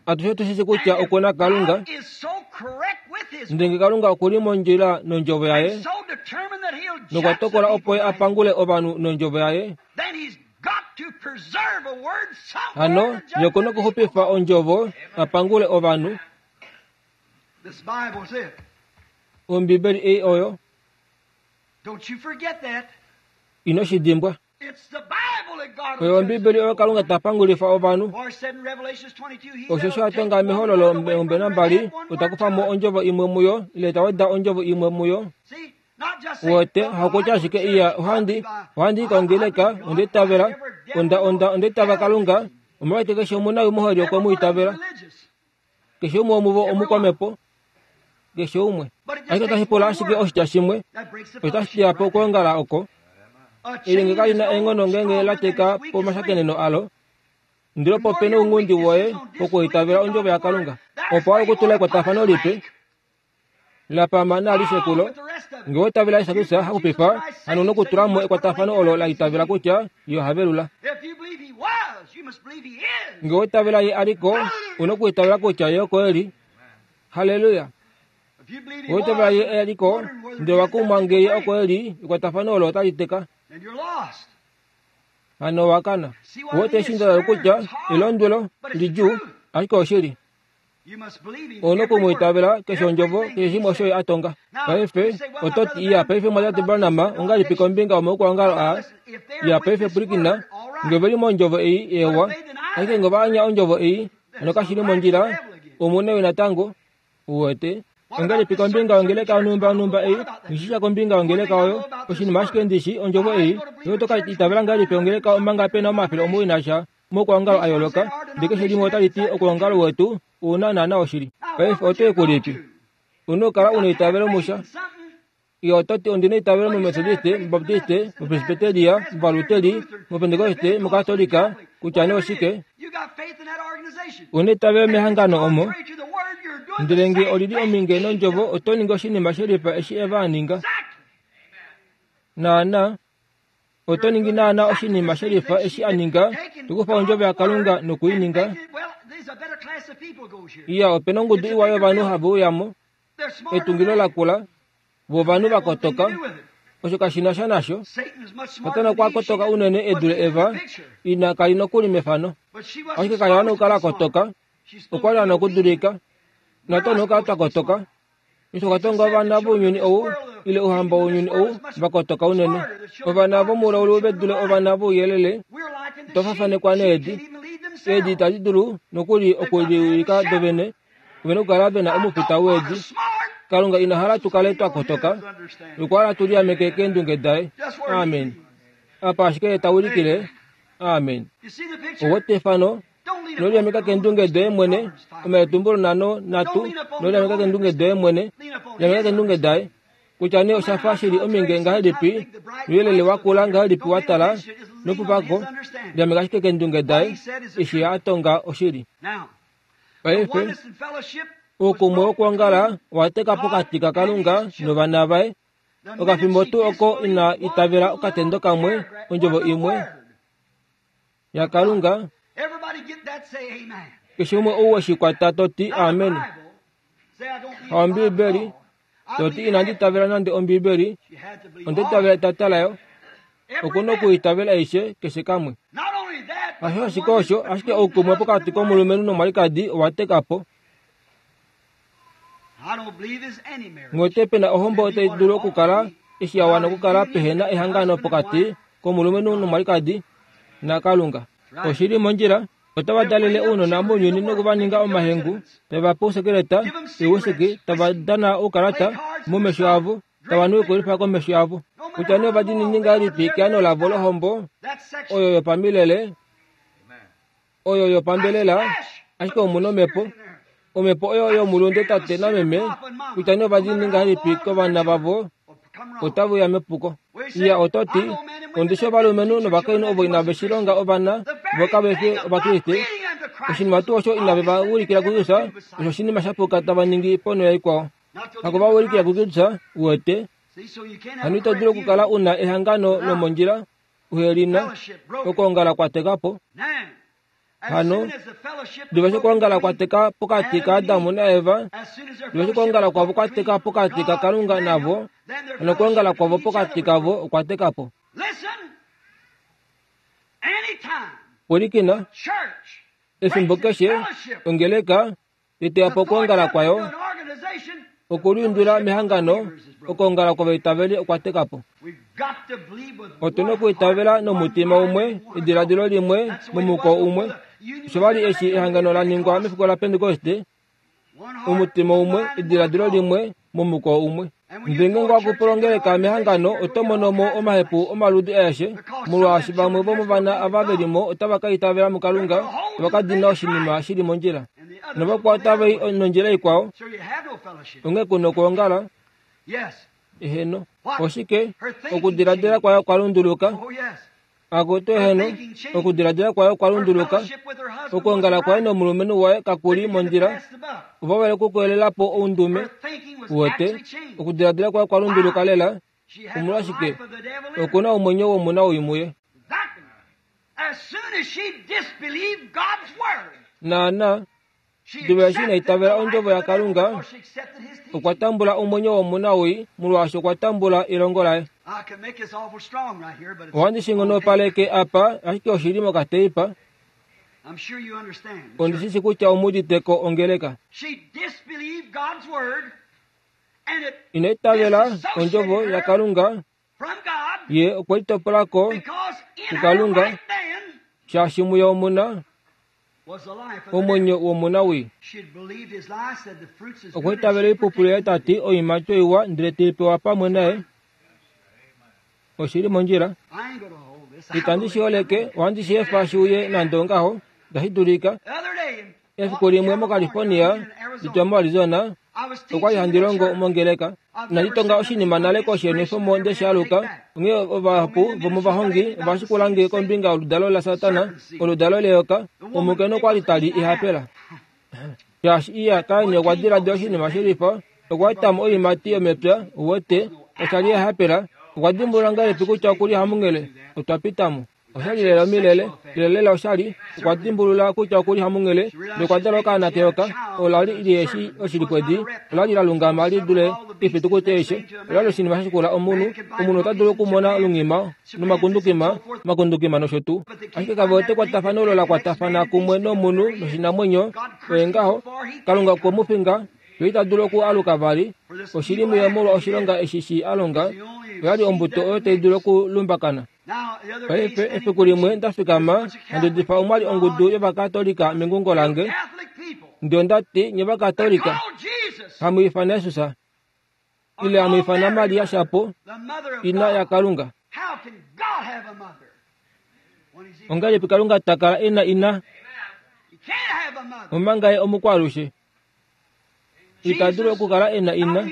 Atushe otu shi kutya oku na Kalunga, ndele Kalunga oku li mondjila nondjovo yaye, nokwa tokola opo ye a pangule ovanhu nondjovo yaye. Hano ye oku na okuxupifa ondjovo a pangule ovanhu. Ombibeli ei oyo. Ino shi dimbwa. Oyo Ombibeli oyo Kalunga ta pangulifa ovanhu. Osho sha tonga mehololo omilongo nambali, ota kufa mo ondjovo imwe muyo ile ta weda ondjovo imwe muyo. Wote hakutya ashike iya ohandi ohandi kongeleka onda itavela onda onda onda itava Kalunga omolwashike keshe omunawii moheli okwe mu itavela. Keshe umwe womuvo omukwamepo. Keshe umwe. Ashike otashi pula ashike oshitya shimwe, otashi teya po okwoongala oko. Elyenge kali na eenghono ngeenge la teka pomashakeneno alo, ndele opo pe nounghundi woye wokuitavela ondjovo yaKalunga. Opo wa okutula ekwatafano lipe la pama nalishe kulo, nge wa itavela Jesus Kristus hakupifa, hano nokutula mo ekwatafano olo la itavela kutya ye oha velula. Nge wa itavela ye aliko, una okuitavela kutya ye oko eli. Halleluya! Wa itavela ye aliko, ndele wa kumwa nge ye oko eli, ekwatafano olo otali teka. Hano wa kana. Wote eshi nda kutya elondwelo lidjuu, ashike oshili. Ono kumwitavela keshe ondjovo keshe shimwe osho ye a tonga. Paife oto ti iya paife mwatate Branham ongahelipi kombinga yomaukwaongalo aa? Iya paife pwilikina, nge ve li mondjovo ei ewa, ashike nge ova anya ondjovo ei, hano kashi li mondjila, omu natango uwete. Ongahelipi kombinga yongeleka yonhumba yonhumba ei, ngishisha kombinga yongeleka oyo, oshinima ashike ndishi ondjovo ei, yo oto ka itavela ngahelipi ongeleka omanga pe na omafele omuwoi nasha moukwaongalo a yooloka, ndele keshe limwe otali ti okwoongalo wetu una naana oshili. Paife oto i kulipi? Una okukala una eitavelo musha. Iye oto ti ondina eitavelo muMethodiste, muBaptiste, muPresbyteria, muValuteli, muPentekoste, muKatolika, kutya nee oshike. Una eitavelo mehangano omo. Ndele nge olili ominge nondjovo oto ningi oshinima shelifa eshi Eva a ninga. Naana, oto ningi naana oshinima shelifa eshi a ninga, tokufa ondjovo yaKalunga nokuininga. Iya, ope na ongudu iwa yovanhu hava uyamo, etungilo lakula, vovanhu vakotoka, osho kashi na sha nasho. Satana okwa kotoka unene e dule Eva, ina kali nokuli mefano. Ashike kali a nokukala a kotoka, okwa li a nokudulika. Natu nokukala twa kotoka. Osho okwa tonga ovana vounyuni ou ile ouhamba wounyuni ou va kotoka unene. Ovana vomulaulu ve dule ovana vouyelele. Otwa fafanekwa needi. Eedi itadi dulu nokuli okuliwilika dovene. Ovena okukala vena omufita weedi. Kalunga ina hala tu kale twa kotoka. Okwa hala tu liameke keendunge daye. Amen. Apa ashike ta ulikile. Amen. Owete efano noliameka keendunge doye mwene. Omaetumbulo nano natu noliameka keendunge doye mwene. Liameka keendunge daye. Kutya nee oshafa shili ominge ngahelipi, nouyelele wakula ngahelipi wa tala nopupako, liameka ashike keendunge daye eshi a tonga oshili. Paife oukumwe wokwoongala owa teka pokati kaKalunga novana vaye. Okafimbo tuu oko ina itavela okatendo kamwe ondjovo imwe yaKalunga. Keshe umwe ou weshikwata toti amen. Haombibeli toti inandi itavela nande ombibeli, onde itavela etata layo. Okuna okuitavela aishe keshe kamwe. Hasho ashike osho, ashike oukumwe pokati komulumenhu nomwalikadi owa teka po. Nghote pena ohombo otai dulu okukala eshi ya wana okukala pehena ehangano pokati komulumenhu nomwalikadi naKalunga. Oshili mondjila. Otava dalele ounona mounyuni nokuvaninga omahengu, tava pe ousekeleta, ouwhisky, tava dana oukalata momesho avo, tava nu oikolwifa komesho avo. Kutya nee ovadiinini ngahelipi keano lavo lohombo oyo yopamilele, oyo yopambelela, ashike omuna omhepo. Omhepo oyo yomulunde tate nameme, kutya nee ovadiinini ngahelipi kovana vavo, otave uya mepuko. Iya ototi, ondishi ovalumenhu novakainhu ovo inave shi longa ovana vo kave fi Ovakriste. Oshinima tuu osho inave va ulikila kuKristus, osho oshinima sha puka tava ningi ponho yaikwao. Haku va ulikila kuKristus, uwete. Hano ito dulu okukala una ehangano lomondjila uhe li na okwoongala kwa teka po. Hano, diva eshi okwoongala kwa teka pokati kaAdamu naEva, diva eshi okwoongala kwavo kwa teka pokati kaKalunga navo, hano okwoongala kwavo pokati kavo okwa teka po. Pwilikina, efimbo keshe ongeleka iteya po okwoongala kwayo, okuliundula mehangano, okwoongala kwovaitaveli okwa teka po. Otuna okuitavela nomutima umwe, ediladilo limwe, momuko umwe. Osho vali eshi ehangano la ningwa mefiku laPentekoste, omutima umwe, ediladilo limwe, momuko umwe. Ndele ngenge wakupulongeleka mehangano, oto mono mo omahepu omaludi aeshe, molwaashi vamwe vomovana ava ve li mo otava ka itavela muKalunga, tava ka dina oshinima shi li mondjila, novakwao otava i nondjila ikwao. Onghee kuna okwoongala. Eheno. Oshike? Okudiladila kwayo kwa lunduluka. Akutu eheno. Okudiladila kwayo kwa lunduluka. Okwoongala kwaye nomulumenhu waye kakuli mondjila. Ova vale okukeelela po oundume. Uwete? Okudiladila kwayo kwa lunduluka lela. Omolwashike? Okuna omwenyo womuna woimuye. Naana, diva eshi ina itavela ondjovo yaKalunga, okwa tambula omwenyo womuna woi, molwaashi okwa tambula elongo laye. Ohandi shi nghonopaleke apa, ashike oshili mokateipa. Ondi shi shi kutya omu udite ko ongeleka. Ina itavela ondjovo yaKalunga, ye okwe litopola ko kuKalunga, shaashi muye omuna omwenyo womuna wii. Okwa itavela oipupulu yaye ta ti oiimati oiwa ndele te i pewa pamwe naye. Oshili mondjila. Itandi shi holeke, ohandi shi efa shi uye nande ongaho, itashi dulika. Efiku limwe moCalifornia, nditwa moArizona, okwa li handi longo mongeleka. Inandi tonga oshinima nale koshenwefomo nde shi aluka. Onghee ovahapu vomovahongi ova shikula nge kombinga yoludalo laSatana, oludalo leyoka, omukainhu okwa li tali ihapela. Shaashi iya Kain okwa diladila oshinima shilifa, okwa eta mo oiimati yomepya, uwete, osha li ehapela. Okwa dimbulula ngahelipi kutya okuli hamunghele? Otwa pita mo. Oshali lela omilele, lela lela oshali. Okwa dimbulula kutya okuli hamunghele, nokwa dala okaana keyoka. Ola li liheshi oshilipwedi, ola li la lungama li dule oifitukuti aishe. Ola li oshinima sha shikula omunhu. Omunhu ota dulu okumona olungima nomakundukima, makundukima nosho tuu. Ashike kave wete ekwatafano olo la kwatafana kumwe nomunhu noshinamwenyo. Oye ngaho, Kalunga okwe mu finga, yo ita dulu oku aluka vali. Oshili muye molwa oshilonga eshi shi a longa. Oya li ombuto oyo tai dulu okulumbakana. Paife, efiku limwe nda fikama handi udifa omwa li ongudu yOvakatolika mengungo lange. Ndele onda ti, nye Ovakatolika, hamu ifana Jesus, ile hamu ifana Maria shapo, ina yaKalunga. Ongahelipi Kalunga ta kala e na ina, omanga ye omukwalushe? Ita dulu okukala e na ina.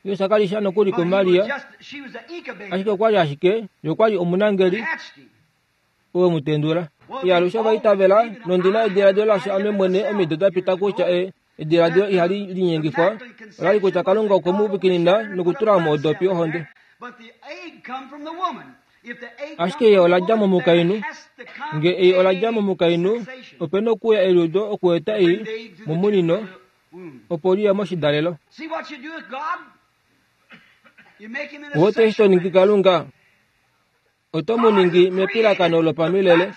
Jesus ka li sha nokuli kuMaria, ashike okwa li ashike, ye okwa li omunangeli oo mu tendula. Ye alushe ova itavela, nondi na ediladilo lasho ame mwene omido da pita kutya e ediladilo ihali linyengifwa, ola li kutya Kalunga okwe mu vikinina nokutula mo odopi yohonde. Ashike ye ola dja momukainhu. Nge ei ola dja momukainhu, ope nokuuya eliudo okueta ei momunino, opo li ye moshidalelo. Owote eshi to ningi Kalunga, oto mu ningi mepilakano lopamilele.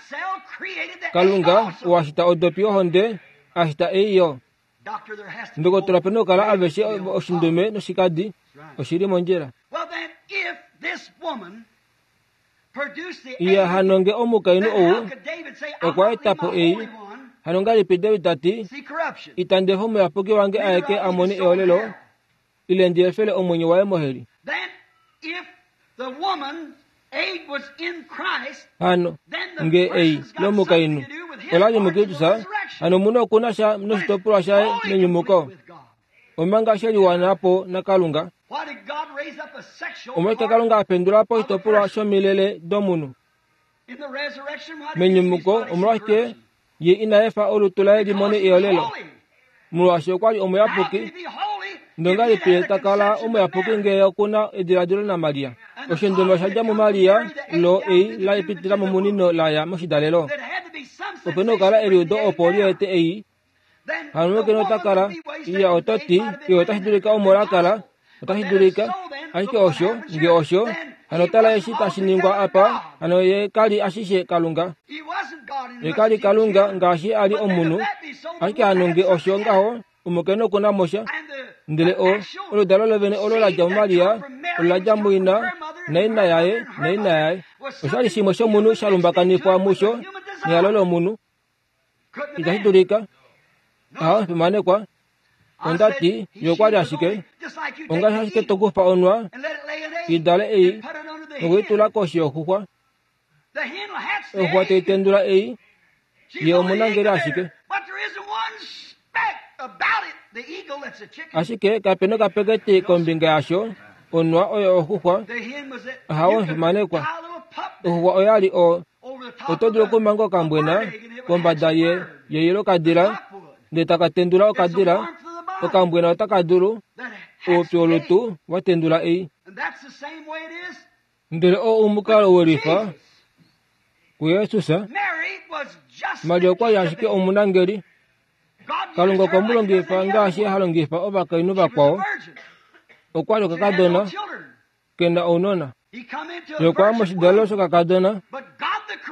Kalunga owa shita odopi yohonde, a shita ei yo. Ndokotola pe nokukala aveshe oshindume noshikadi, oshi li mondjila. Iya hano nge omukainhu ou okwa eta po ei, hano ngahelipi David ta ti, itandi efa omuyapuki wange aeke a mone eolelo, ile ndi efele omwenyo waye moheli. Hano nge ei lomukainhu ola li muKristus, hano omunhu oku na sha noshitopolwa shaye menyumuko, omanga she liwana po naKalunga. Omolwashike Kalunga a pendula po oshitopolwa shomilele domunhu menyumuko? Omolwashike ye ina efa olutu laye li mone eolelo? Molwaashi okwa li omuyapuki. Ndongahelipi ye ta kala omuyapuki ngee oku na ediladilo naMaria? Oshindume osha dja muMaria, lo ei la pitila momunino la ya moshidalelo. Ope nokukala eliudo opo li ete ei. Hano omulumenhu ota kala, iya oto ti, iye otashi dulika omo la kala, otashi dulika, ashike osho, nge osho, hano tala eshi tashi ningwa apa, hano ye ka li ashishe Kalunga. Ye ka li Kalunga ngaashi a li omunhu, ashike hano nge osho ngaho, omukainhu oku na mosha. Ndele o, oludalo lovene olo la dja muMaria, olo la dja muina, naina yaye, naina yaye. Osha li shimwe shomunhu sha lumbakanifwa musho nehalo lomunhu. Itashi dulika. Aha, fimanekwa. Onda ti, ye okwa li ashike. Ongaashi ashike to kufa onwa, i dale ei, nokuitula koshi yoxuxwa. Oxuxwa tai tendula ei, ye omunangeli ashike. Ashike kape nokapeketi kombinga yasho, onwa oyo oxuxwa. Ahawe, fimanekwa. Oxuxwa oya li o, oto dulu okumanga okambwena kombada ye yei lokadila, ndele taka tendula okadila. Okambwena otaka dulu oupyu wolutu wa tendula ei. Ndele oo omukalo welifa kuJesus. Maria okwa li ashike omunangeli. Kalunga okwe mu longifa ngaashi ha longifa ovakainhu vakwao. Okwa li okakadona ke na ounona. Ye okwa ya moshidalelo shokakadona.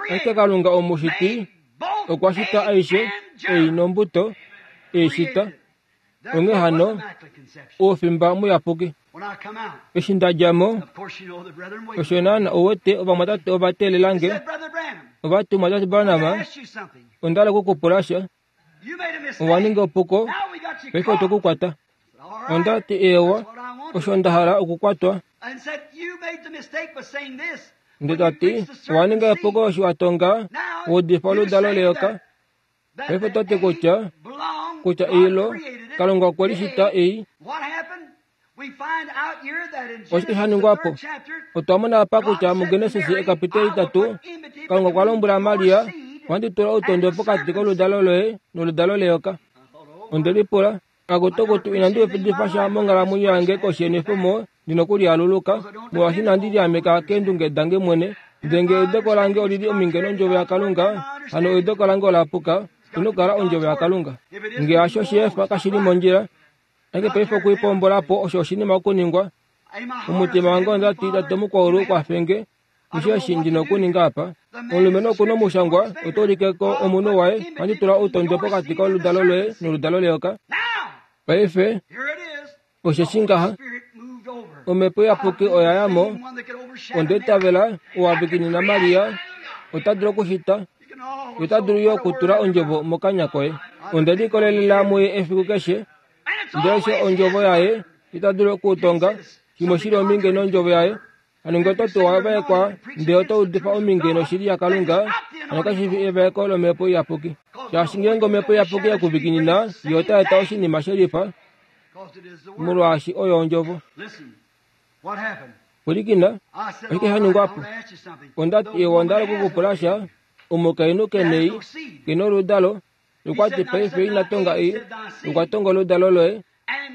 Ashike Kalunga omushiti okwa shita aishe ei nombuto ei shita. Onghee hano, oufimba muyapuki. Eshi nda dja mo, osho naana ouwete ovamwatate ova teelela nge. Ova ti, Mumwatate Branham, onda hala okukupula sha. Owa ninga epuko, paife otwe ku kwata. Onda ti, eewa, osho nda hala okukwatwa. Ndele ta ti, owa ninga epuko eshi wa tonga wa udifa oludalo leyoka. Paife oto ti kutya, kutya eilo, Kalunga okwe li shita ei. Oshike sha ningwa po? Otwa mona apa kutya muGenesis ekapiteli itatu, Kalunga okwa lombwela Maria, ohandi tula outondwe pokati koludalo loye noludalo leyoka. Onde lipula, akutukutu inandi udifa sha monghalamwenyo yange koshi yenwefomo ndi nokulialuluka, molwaashi inandi liameka keendunge dange mwene, Ndenge eudeko lange olili ominge nondjovo yaKalunga, hano eudeko lange ola puka, inokala ondjovo yaKalunga. Nge hasho sheefa kashili mondjila, ashike paife okuipombolapo osho oshinima okuningwa. Omutima wange ondati tate mukwaulu kwafenge, osheshi ndina okuninga apa. Omulumenhu okuna omushangwa oto ulikeko omunhu waye, ohandi tula outondwe pokati koludalo loye noludalo leyoka. Paife osheshi ngaha omhepo iyapuki oya ya mo, onda itavela owavikinina Maria ota dulu okushita, ota dulu yo okutula ondjovo mokanya koye. Onda likolelela muye efiku keshe, ndele osho ondjovo yaye ita dulu okutonga shimwe shili ominge nondjovo yaye. Hano ngee oto tuwa vaekwa ndele oto udifa ominge noshili yaKalunga, hano kashi fi evaeko lomhepo iyapuki. Shaashi ngeenge omhepo iyapuki yekuvikinina, yo ota eta oshinima shelifa, molwaashi oyo ondjovo. Pwilikina, oshike sha ningwa po? Ondati ewa onda hala okukupula sha, omukainhu kenei kena oludalo, okwati paife ina tonga ei, okwa tonga oludalo loye,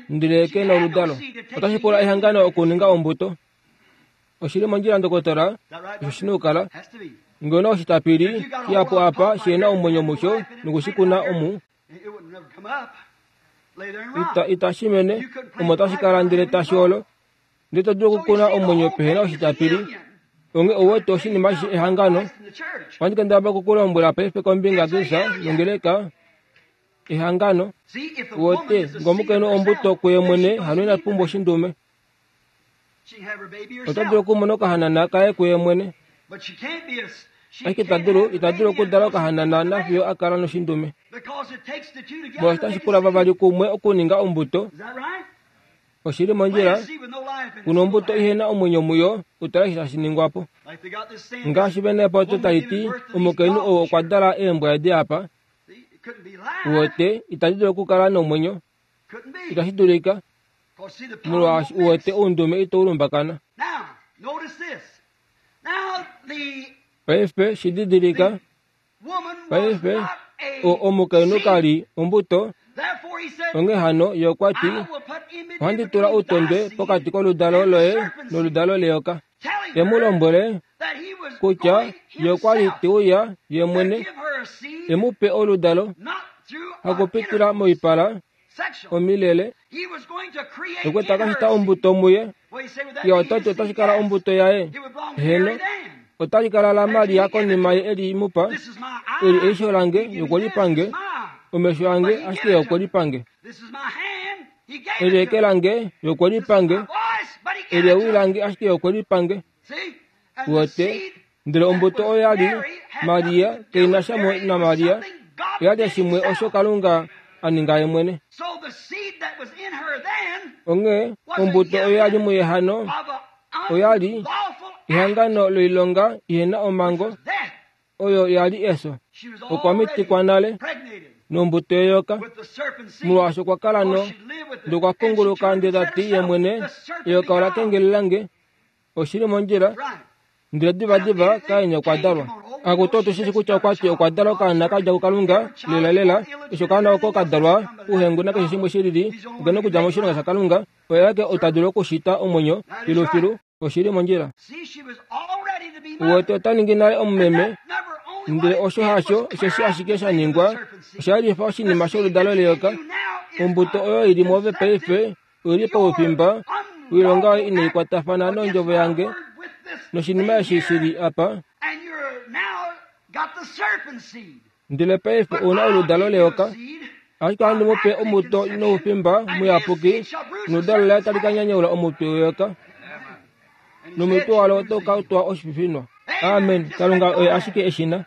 ndele kena oludalo. Otashi pula ehangano okuninga ombuto. Oshili mondjila ndokotola, osho shina okukala. Ngee una oshitapili shihapu apa shihena omwenyo musho nokushikuna omu, ita itashi mene, omo tashi kala ndele tashi olo. Ndele to dulu okukuna omwenyo pehena oshitapili. Onge ouwete oshinima eshi ehangano. Ohandi kendabala okukulombwela paife kombinga yaKristus nongeleka ehangano. Uwete, ngomukainhu ombuto kuye mwene hano ina pumbwa oshindume. Ota dulu okumona okahanana kaye kuye mwene. Ashike ita dulu, ita dulu okudala okahanana nafiyo a kala noshindume. Molwaashi otashi pula vavali kumwe okuninga ombuto. Oshili mondjila, kuna ombuto ihena omwenyo muyo, utala eshi tashi ningwa po. Ngaashi vena epoto tali ti, omukainhu ou okwa dala eembwa edi apa. Uwete, itadi dulu okukala nomwenyo. Itashi dulika, molwaashi uwete oundume ito ulumbakana. Paife shi didilika, paife omukainhu ka li ombuto, onghee hano ye okwa ti, ohandi tula outondwe pokati koludalo loye noludalo leyoka. Te mu lombwele kutya ye okwa li te uya ye mwene e mu pe oludalo, hakupitila moipala omilele, okwe ta ka shita ombuto muye. Ye ota ti otashi kala ombuto yaye. Heno, otali kala laMaria konima ye eli mu pa. Eli eisho lange, ye okwe li pange. Omesho ange, ashike ye okwe li pange. Eli eke lange, ye okwe li pange. Eli ewi lange, ashike ye okwe li pange. Uwete, ndele ombuto oyo ya li Maria, keina sha naMaria, oya li shimwe osho Kalunga a ninga ye mwene. Onghee ombuto oyo ya li muye hano oya li ehangano loilonga ihena omhango, oyo ya li eso. Okwa mitikwa nale nombuto yeyoka, molwaashi okwa kala no ndokwa punguluka ndele ta ti ye mwene, eyoka ola kengelela nge. Oshili mondjila, ndele divadiva Kain okwa dalwa. Akutu otu shi kutya okwa ti okwa dalwa okaana ka dja kuKalunga, lelalela, eshi okaana oko ka dalwa uhengu nakeshe shimwe shilili, okena okudja moshilonga shaKalunga, oye aeke ota dulu okushita omwenyo filufilu. Oshili mondjila. Uwete ota ningi nale omumeme, ndele osho hasho osheshi ashike sha ningwa, osha lifa oshinima sholudalo leyoka. Ombuto oyo ili mwoove paife oili poufimba woilonga oyo inai kwatafana nondjovo yange noshinima eshi shili apa. Ndele paife ouna oludalo leyoka, ashike ohandi mu pe ombuto noufimba muyapuki, noludalo laye tali ka nyanyaula omutwe weyoka, nomutwe walo otau ka twa oshififinwa. Amen. Kalunga oye ashike eshina.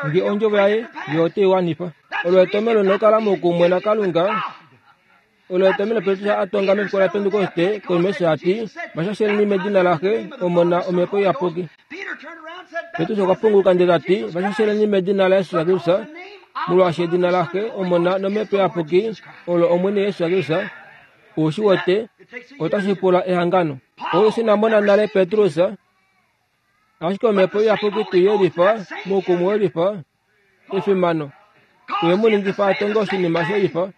Nge ondjovo yaye, ye ote i wanifa. Olo etomelo nokala moukumwe naKalunga. Olo etomelo Petrus a tonga mefiku laPentekoste konima eshi a ti, Vashasheleni medina laXe, Omona, Omhepo Iyapuki. Petrus okwa punguluka ndele ta ti, Vashasheleni medina laJesus Kristus, molwaashi edina laXe, Omona nOmhepo Iyapuki olo Omwene Jesus Kristus. Ou shi wete, otashi pula ehangano. Ou ina mona nale Petrus, ashike Omhepo Iyapuki te yelifa moukumwe welifa efimano, oye mu ningifa a tonge oshinima shelifa.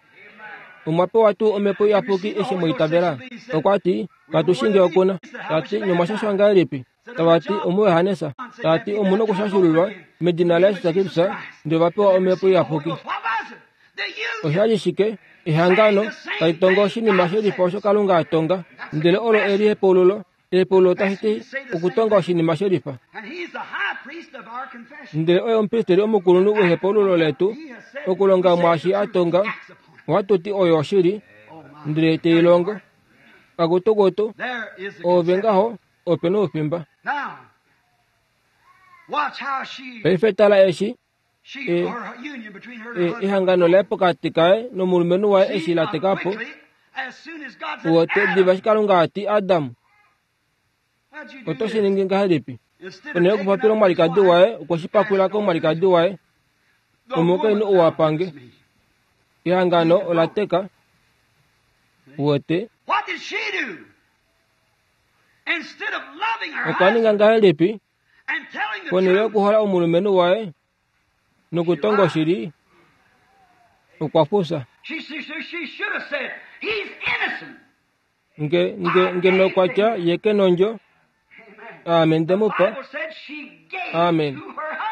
Omwa pewa tuu Omhepo Iyapuki eshi mwa itavela? Okwa ti, katu shi nge okuna. Ta ti, nomwa shashwa ngahelipi? Tavati omuYohanesa. Tati omuna okushashululwa medina laJesus Kristus ndele va pewa omhepo iyapuki. Osha li shike? Ehangano tali tongo oshinima shelifa osho Kalunga a tonga, ndele olo eli ehepaululo. Ehepaululo otashi ti okutonga oshinima shelifa. Ndele oye omupristeli omukulunhu wehepaululo letu, okulonga mwaashi a tonga. Ohatu ti oyo oshili, ndele te i longo. Kakutukutu, ove ngaho ope noufimba. Paife tala eshi ehangano laye pokati kaye nomulumenhu waye eshi la teka po. Uwete diva eshi Kalunga a ti Adam, oto shi ningi ngahelipi? Ponhele yokupopila omwalikadi waye, okwe shi pakwila komwalikadi waye. Omukainhu ou a pange. Ehangano ola teka. Uwete okwa ninga ngahelipi? Ponhele yokuhola omulumenhu waye nokutonga oshili, okwa fufya. Nge, nge, ngeno kwa tya ye ke nondjo, aame nde mu pa. Amen.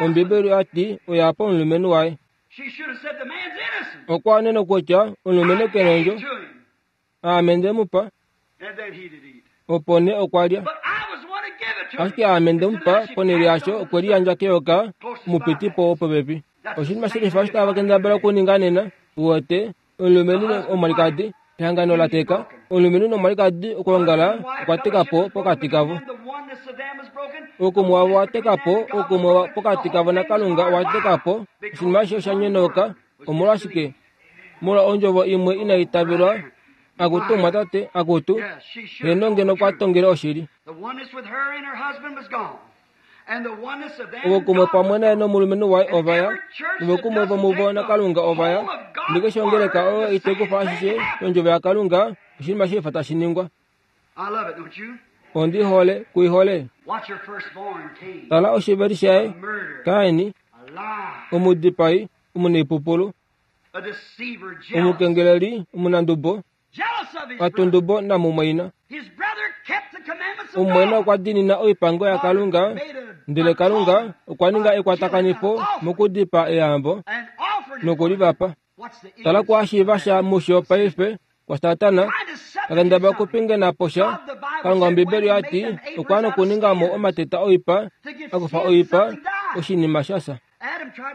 Ombibeli oya ti oya pa omulumenhu waye. Okwa anena kutya omulumenhu ke nondjo, aame nde mu pa. Opo nee okwa lya. Ashike aame nde mu pa, ponhele yasho okwe liyandja keyoka omupitipo wopopepi. Oshinima shelifa osho tava kendabala okuninga nena. Uwete omulumenhu nomwalikadi, ehangano la teka. Omulumenhu nomwalikadi okwoongala okwa teka po pokati kavo. Oukumwe wavo wa teka po, oukumwe pokati kavo naKalunga owa teka po. Oshinima eshi osha nyonauka. Omolwashike? Molwa ondjovo imwe inai tavelwa. Akutu mwatate, akutu, heno ngeno kwa tongele oshili. Oukumwe pamwe naye nomulumenhu waye ova ya, novokumwe vomuvo naKalunga ova ya. Ndele ongeleka oyo itekufa ashishe yondjovo yaKalunga, oshinima shelifa tashi ningwa. Ondi hole, kuihole. Tala oshiveli shaye, Kaini, omudipai, omunaipupulu, omukengeleli, omunandubo, atundubo namumwaina. Omumwaina okwa diinina oipango yaKalunga, ndele Kalunga okwa ninga ekwatakanifo mokudipaa eyambo nokulivapa. Tala kwaashiiva sha musho paife kwaSatana akendabala okupingena po sha. Kalunga Ombibeli oya ti okwa nokuninga mo omateta oipa, akufa oipa, oshinima sha fya.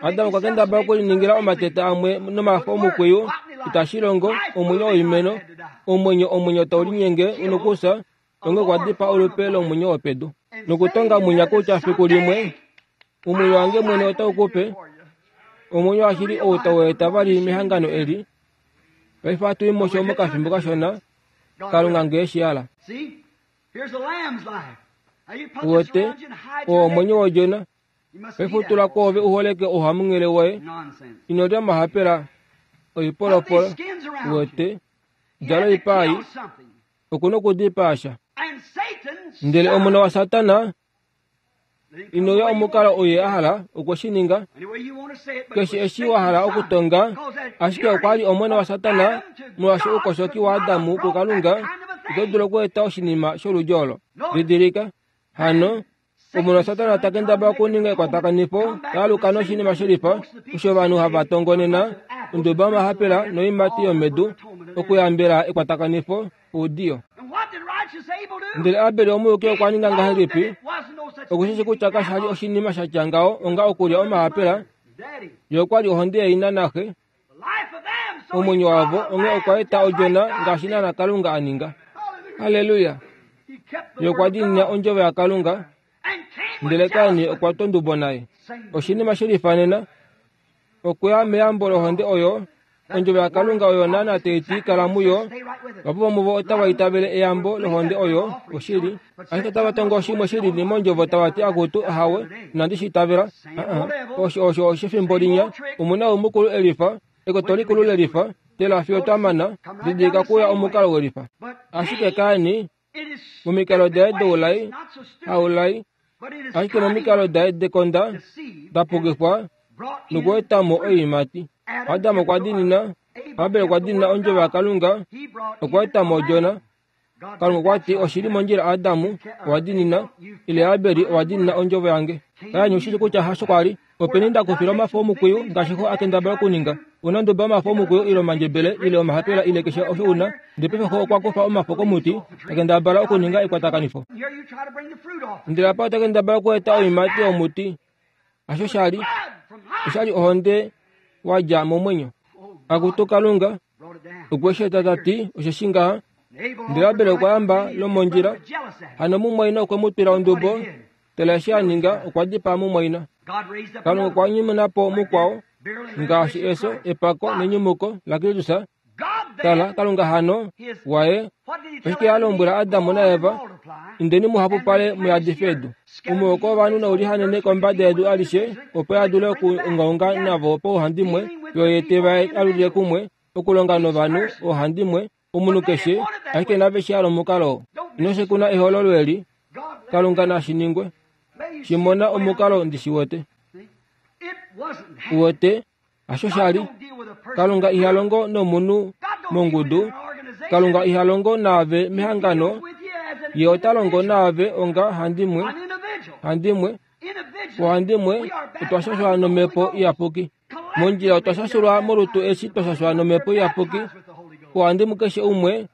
Adam okwa kendabala okuliningila omateta amwe nomafo omukwiyu, itashi longo, omwenyo woimeno, omwenyo omwenyo tau linyenge unokufya, onge okwa dipaa olupe lomwenyo wopedu. Nokutonga mwinya kutya fiku limwe omwenyo wange mwene otau kupe omwenyo washili ou tau eta vali mehangano eli. Paife ohatu i musho mokafimbo kashona, Kalunga ngee shi hala. Uwete, oo omwenyo wodjona. Paife tula kwoove u holeke ouhamunghele woye. Ino lya omahapela, oipolopolo. Uwete, djala oipa ei. Oku nokudipaa sha. Ndele omona waSatana ino ya omukalo ou ye a hala, okwe shi ninga. Keshe eshi wa hala okutonga, ashike okwa li omona waSatana molwaashi oukoshoki waAdamu kuKalunga ito dulu okweeta oshinima sholudi olo. Didilika, hano, omona waSatana ta kendabala okuninga ekwatakanifo taaluka noshinima shelifa osho ovanhu hava tongonena onduba yomahapela noiimati yomedu okuyambela ekwatakanifo oudiyo. Ndele Abel omuyuki okwa ninga ngahelipi? Okushishi kutya kasha li oshinima sha tya ngaho onga okulya omahapela. Ye okwa li ohonde yaina naxe, omwenyo wavo, onghee okwa eta odjona ngaashi naana Kalunga a ninga. Halleluya! Ye okwa diinina ondjovo yaKalunga, ndele Kain okwa twa ondubo naye. Oshinima shelifa nena, okuya meyambo lohonde oyo, ondjovo yaKalunga oyo naana tai ti kala muyo. Vahapu vomuvo otava itavele eyambo lohonde oyo oshili, ashike otava tongo shimwe shilili mondjovo tava ti akutu ahawe, inandi shi itavela. Osho osho oshefimbo linya, omuna womukulu elifa, ekoto likulu lelifa, tela fiyo twamana, didilika kuya omukalo welifa. Ashike Kain, momikalo daye doulai, haulai, ashike momikalo daye dekonda, da pukifwa nokueta mo oiimati. Adam okwa diinina, Abel okwa diinina ondjovo yaKalunga, okwa eta mo odjona. Kalunga okwa ti oshili mondjila Adamu owa dinina ile Abeli owa dinina ondjovo yange. Kain ushi kutya hasho kwali. Openi nda kufila omafo omukwiyu ngaashi xo a kendabala okuninga. Una nduba omafo omukwiyu ile omandjebele ile omahapela ile keshe osho una. Ndele paife xo okwa kufa omafo komuti ta kendabala okuninga ekwatakanifo. Ndele apa ota kendabala okueta oiimati yomuti. Hasho shali. Oshali ohonde wadja momwenyo. Akutu Kalunga okwe shi eta tati osheshi ngaha. Ndele Abel okwa yamba lomondjila. Hano mumwaina okwe mu twila ondubo. Tala eshi a ninga okwa dipaa mumwaina. Kalunga okwa nyumuna po mukwao ngaashi eso, epako nenyumuko laKristus. Tala Kalunga hano waye oshike a lombwela Adamu naEva, indeni muhapupale muyadife edu. Omuhoko wovanhu naulihanene kombada yedu alishe opo a dule okuungaunga navo pauhandimwe, yo ye te va alulile kumwe okulonga novanhu oohandimwe, omunhu keshe ashike nave shi hala omukalo oo. Ino shekuna ehololo eli, Kalunga nashi ningwe. Shimona omukalo ndi shi wete. Uwete, hasho shali. Kalunga iha longo nomunhu mongudu. Kalunga iha longo naave mehangano. Ye ota longo naave onga handimwe, handimwe, ohandimwe otwa shashwa nomhepo iyapuki. Mondjila otwa shashulwa molutu eshi twa shashwa nomhepo iyapuki. Ohandimwe keshe umwe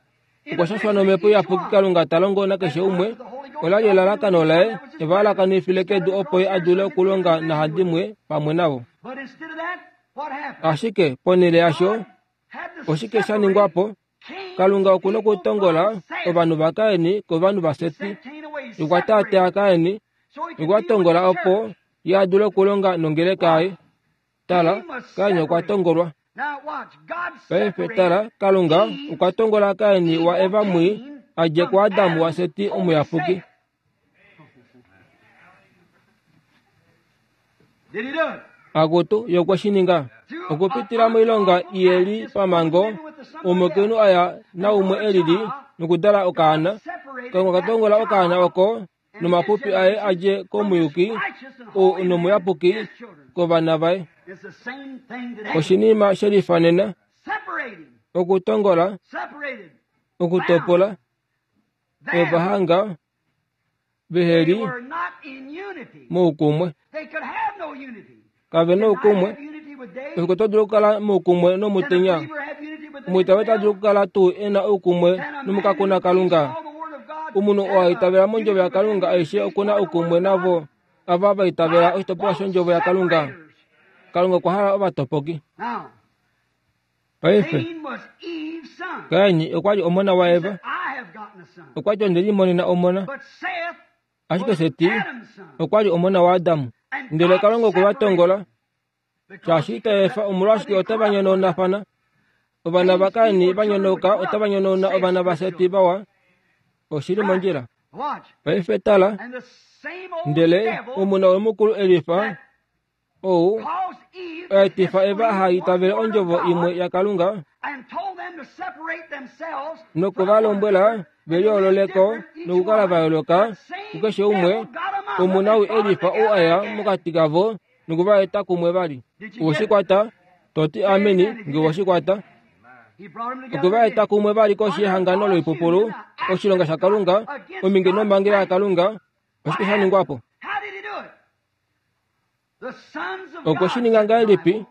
okwa shashwa nomhepo iyapuki. Kalunga ta longo nakeshe umwe. Ola li elalakano laye eva alakanifile kedu opo ye a dule okulonga nahandimwe pamwe navo. Ashike ponhele yasho oshike sha ningwa po? Kalunga okuna okutongola ovanhu vaKain kovanhu vaSeti. Okwa taataa Kain, okwa tongola opo ye a dule okulonga nongeleka yaye. Tala, Kain okwa tongolwa. Paife tala, Kalunga okwa tongola Kain wa Eva mwii a dje kuAdamu waSeti omuyapuki. Akutu ye okwe shi ninga okupitila moilonga iyeli pamango. Omukainhu aya naumwe elili nokudala okaana. Kalunga okwa tongola okaana oko nomapupi aye a dje komuyuki ou nomuyapuki kovana vaye. Oshinima she lifanena okutongola, okutopola ovahanga veheli moukumwe. Kave noukumwe. Efiko to dulu okukala moukumwe nomutenya. Omwiitaveli ota dulu okukala tuu e na oukumwe nomukakuna Kalunga. Omunhu oo a itavela mondjovo yaKalunga aishe okuna oukumwe navo ava va itavela oshitopolwa shondjovo yaKalunga. Kalunga okwa hala ovatopoki. Paife Kain okwa li omona waEva. Okwa ti onde limonena omona. Ashike Seti okwa li omona waAdamu. Ndele Kalunga okwe va tongola. Shaashi ita efa omolwashike otava nyonaunafana. Ovana vaKain va nyonauka otava nyonauna ovana vaSeti vawa. Oshili mondjila. Paife tala, ndele omuna womukulu elifa ou oetifa Eva aha itavele ondjovo imwe yaKalunga noku va lombwela ve liyoololeko nokukala va yooloka kukeshe umwe. Omuna ou elifa ou aya mokati kavo noku va eta kumwe vali. Owe shi kwata? Toti ameni nge owe shi kwata. Okwe va eta kumwe vali koshi yehangano loipupulu, oshilonga shaKalunga, ominge nomhangela yaKalunga. Oshike sha ningwa po? Okwe shi ninga ngahelipi?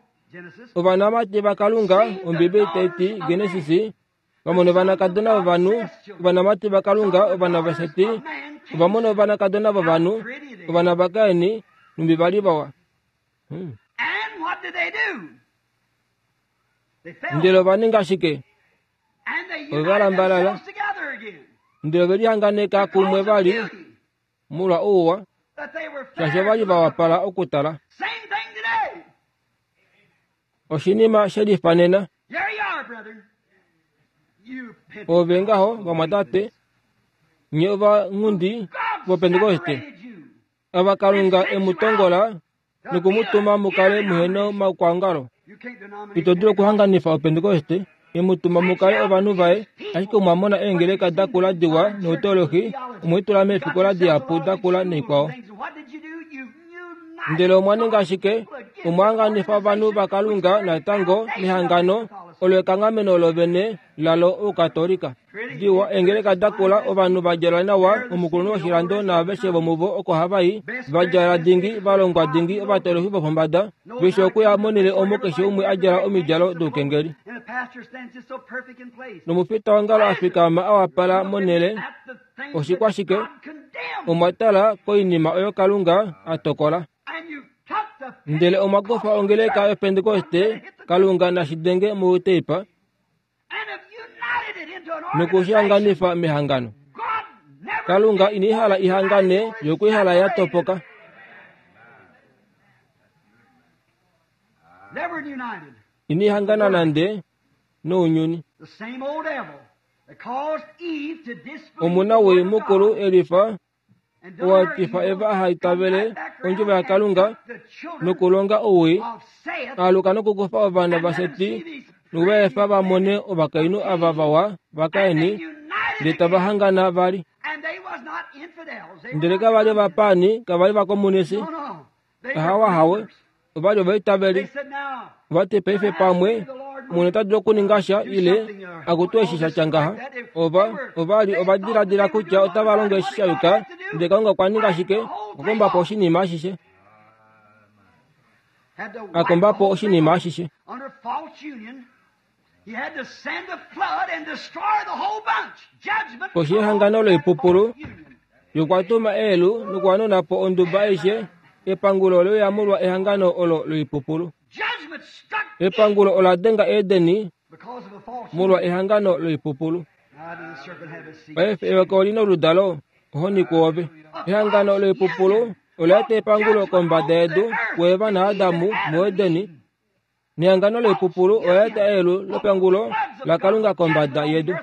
Ovanamati vaKalunga, Ombibeli tai ti Genesis, vamona ovanakadona vovanhu, ovanamati vaKalunga, ovana vaSeti, ovamona ovanakadona vovanhu, ovana vaKain, numbi vali vawa. Hmm. Ndele ova ninga shike? Ova lambalala. Ndele ove lihanganeka kumwe vali molwa ouwa, shaashi ova li va wapala okutala. Oshinima she lifanena. Ove ngaho vamwatate, nye ovanghundi voPentekoste, ava Kalunga e mu tongola nokumutuma mu kale muhena omaukwaongalo. Ito dulu okuhanganifa oPentekoste, e mu tuma mu kale ovanhu vaye, ashike omwa mona eengeleka dakula diwa nouteolohi, omwe litula meefikola dihapu dakula naikwao. Ndele omwa ninga shike? Omwa hanganifa ovanhu vaKalunga natango mehangano Olo ekanghameno lovene lalo Oukatolika. Diwa eengeleka dakula ovanhu va djala nawa omukulunhu woshilando naaveshe vomuvo oko hava i va djala dingi valongwa dingi ovatolofi vopombada veshe okuya monhele omo keshe umwe a djala omidjalo doukengeli. Nomufita wongalo a fikama a wapala monhele oshikwashike omwa tala koinima oyo Kalunga a tokola. Ndele omwa kufa ongeleka yoPentekoste Kalunga nashidenge mouteipa nokushihanganifa mehangano. Kalunga inai hala ihangane yokuihala ya topoka. Inai hangana nande nounyuni. Omuna woi mukulu elifa owatifa Eva aha itavele ondjovo yaKalunga nokulonga owii aluka nokukufa ovana vaSeti nokuvaefa vamone ovakainhu ava vawa vaKaini ndele tava hangana vali. Ndele kavali ovapaani kavali vakomunisi ahawahawe ovali ovaitaveli. Ovati paife pamwe Omwene ota dulu okuninga sha ile akutu eshi sha tya ngaha. Ova ovali ovadiladila kutya otava longo eshi sha yuka ndele Kalunga okwa ninga shike? Okwa komba po oshinima ashishe. A komba po oshinima ashishe. Koshi yehangano loipupulu yokwa tuma eelu nokuhanuna po onduba aishe epangulo oleuya molwa ehangano olo loipupulu. Epangulo ola denga Edeni molwa ehangano loipupulu. Paife eyoka olina oludalo ohoni kwoove. Ehangano loipupulu ola eta epangulo kombada yedu kuEva naAdamu muEdeni. Nehangano loipupulu ola eta eelu lepangulo laKalunga kombada yedu.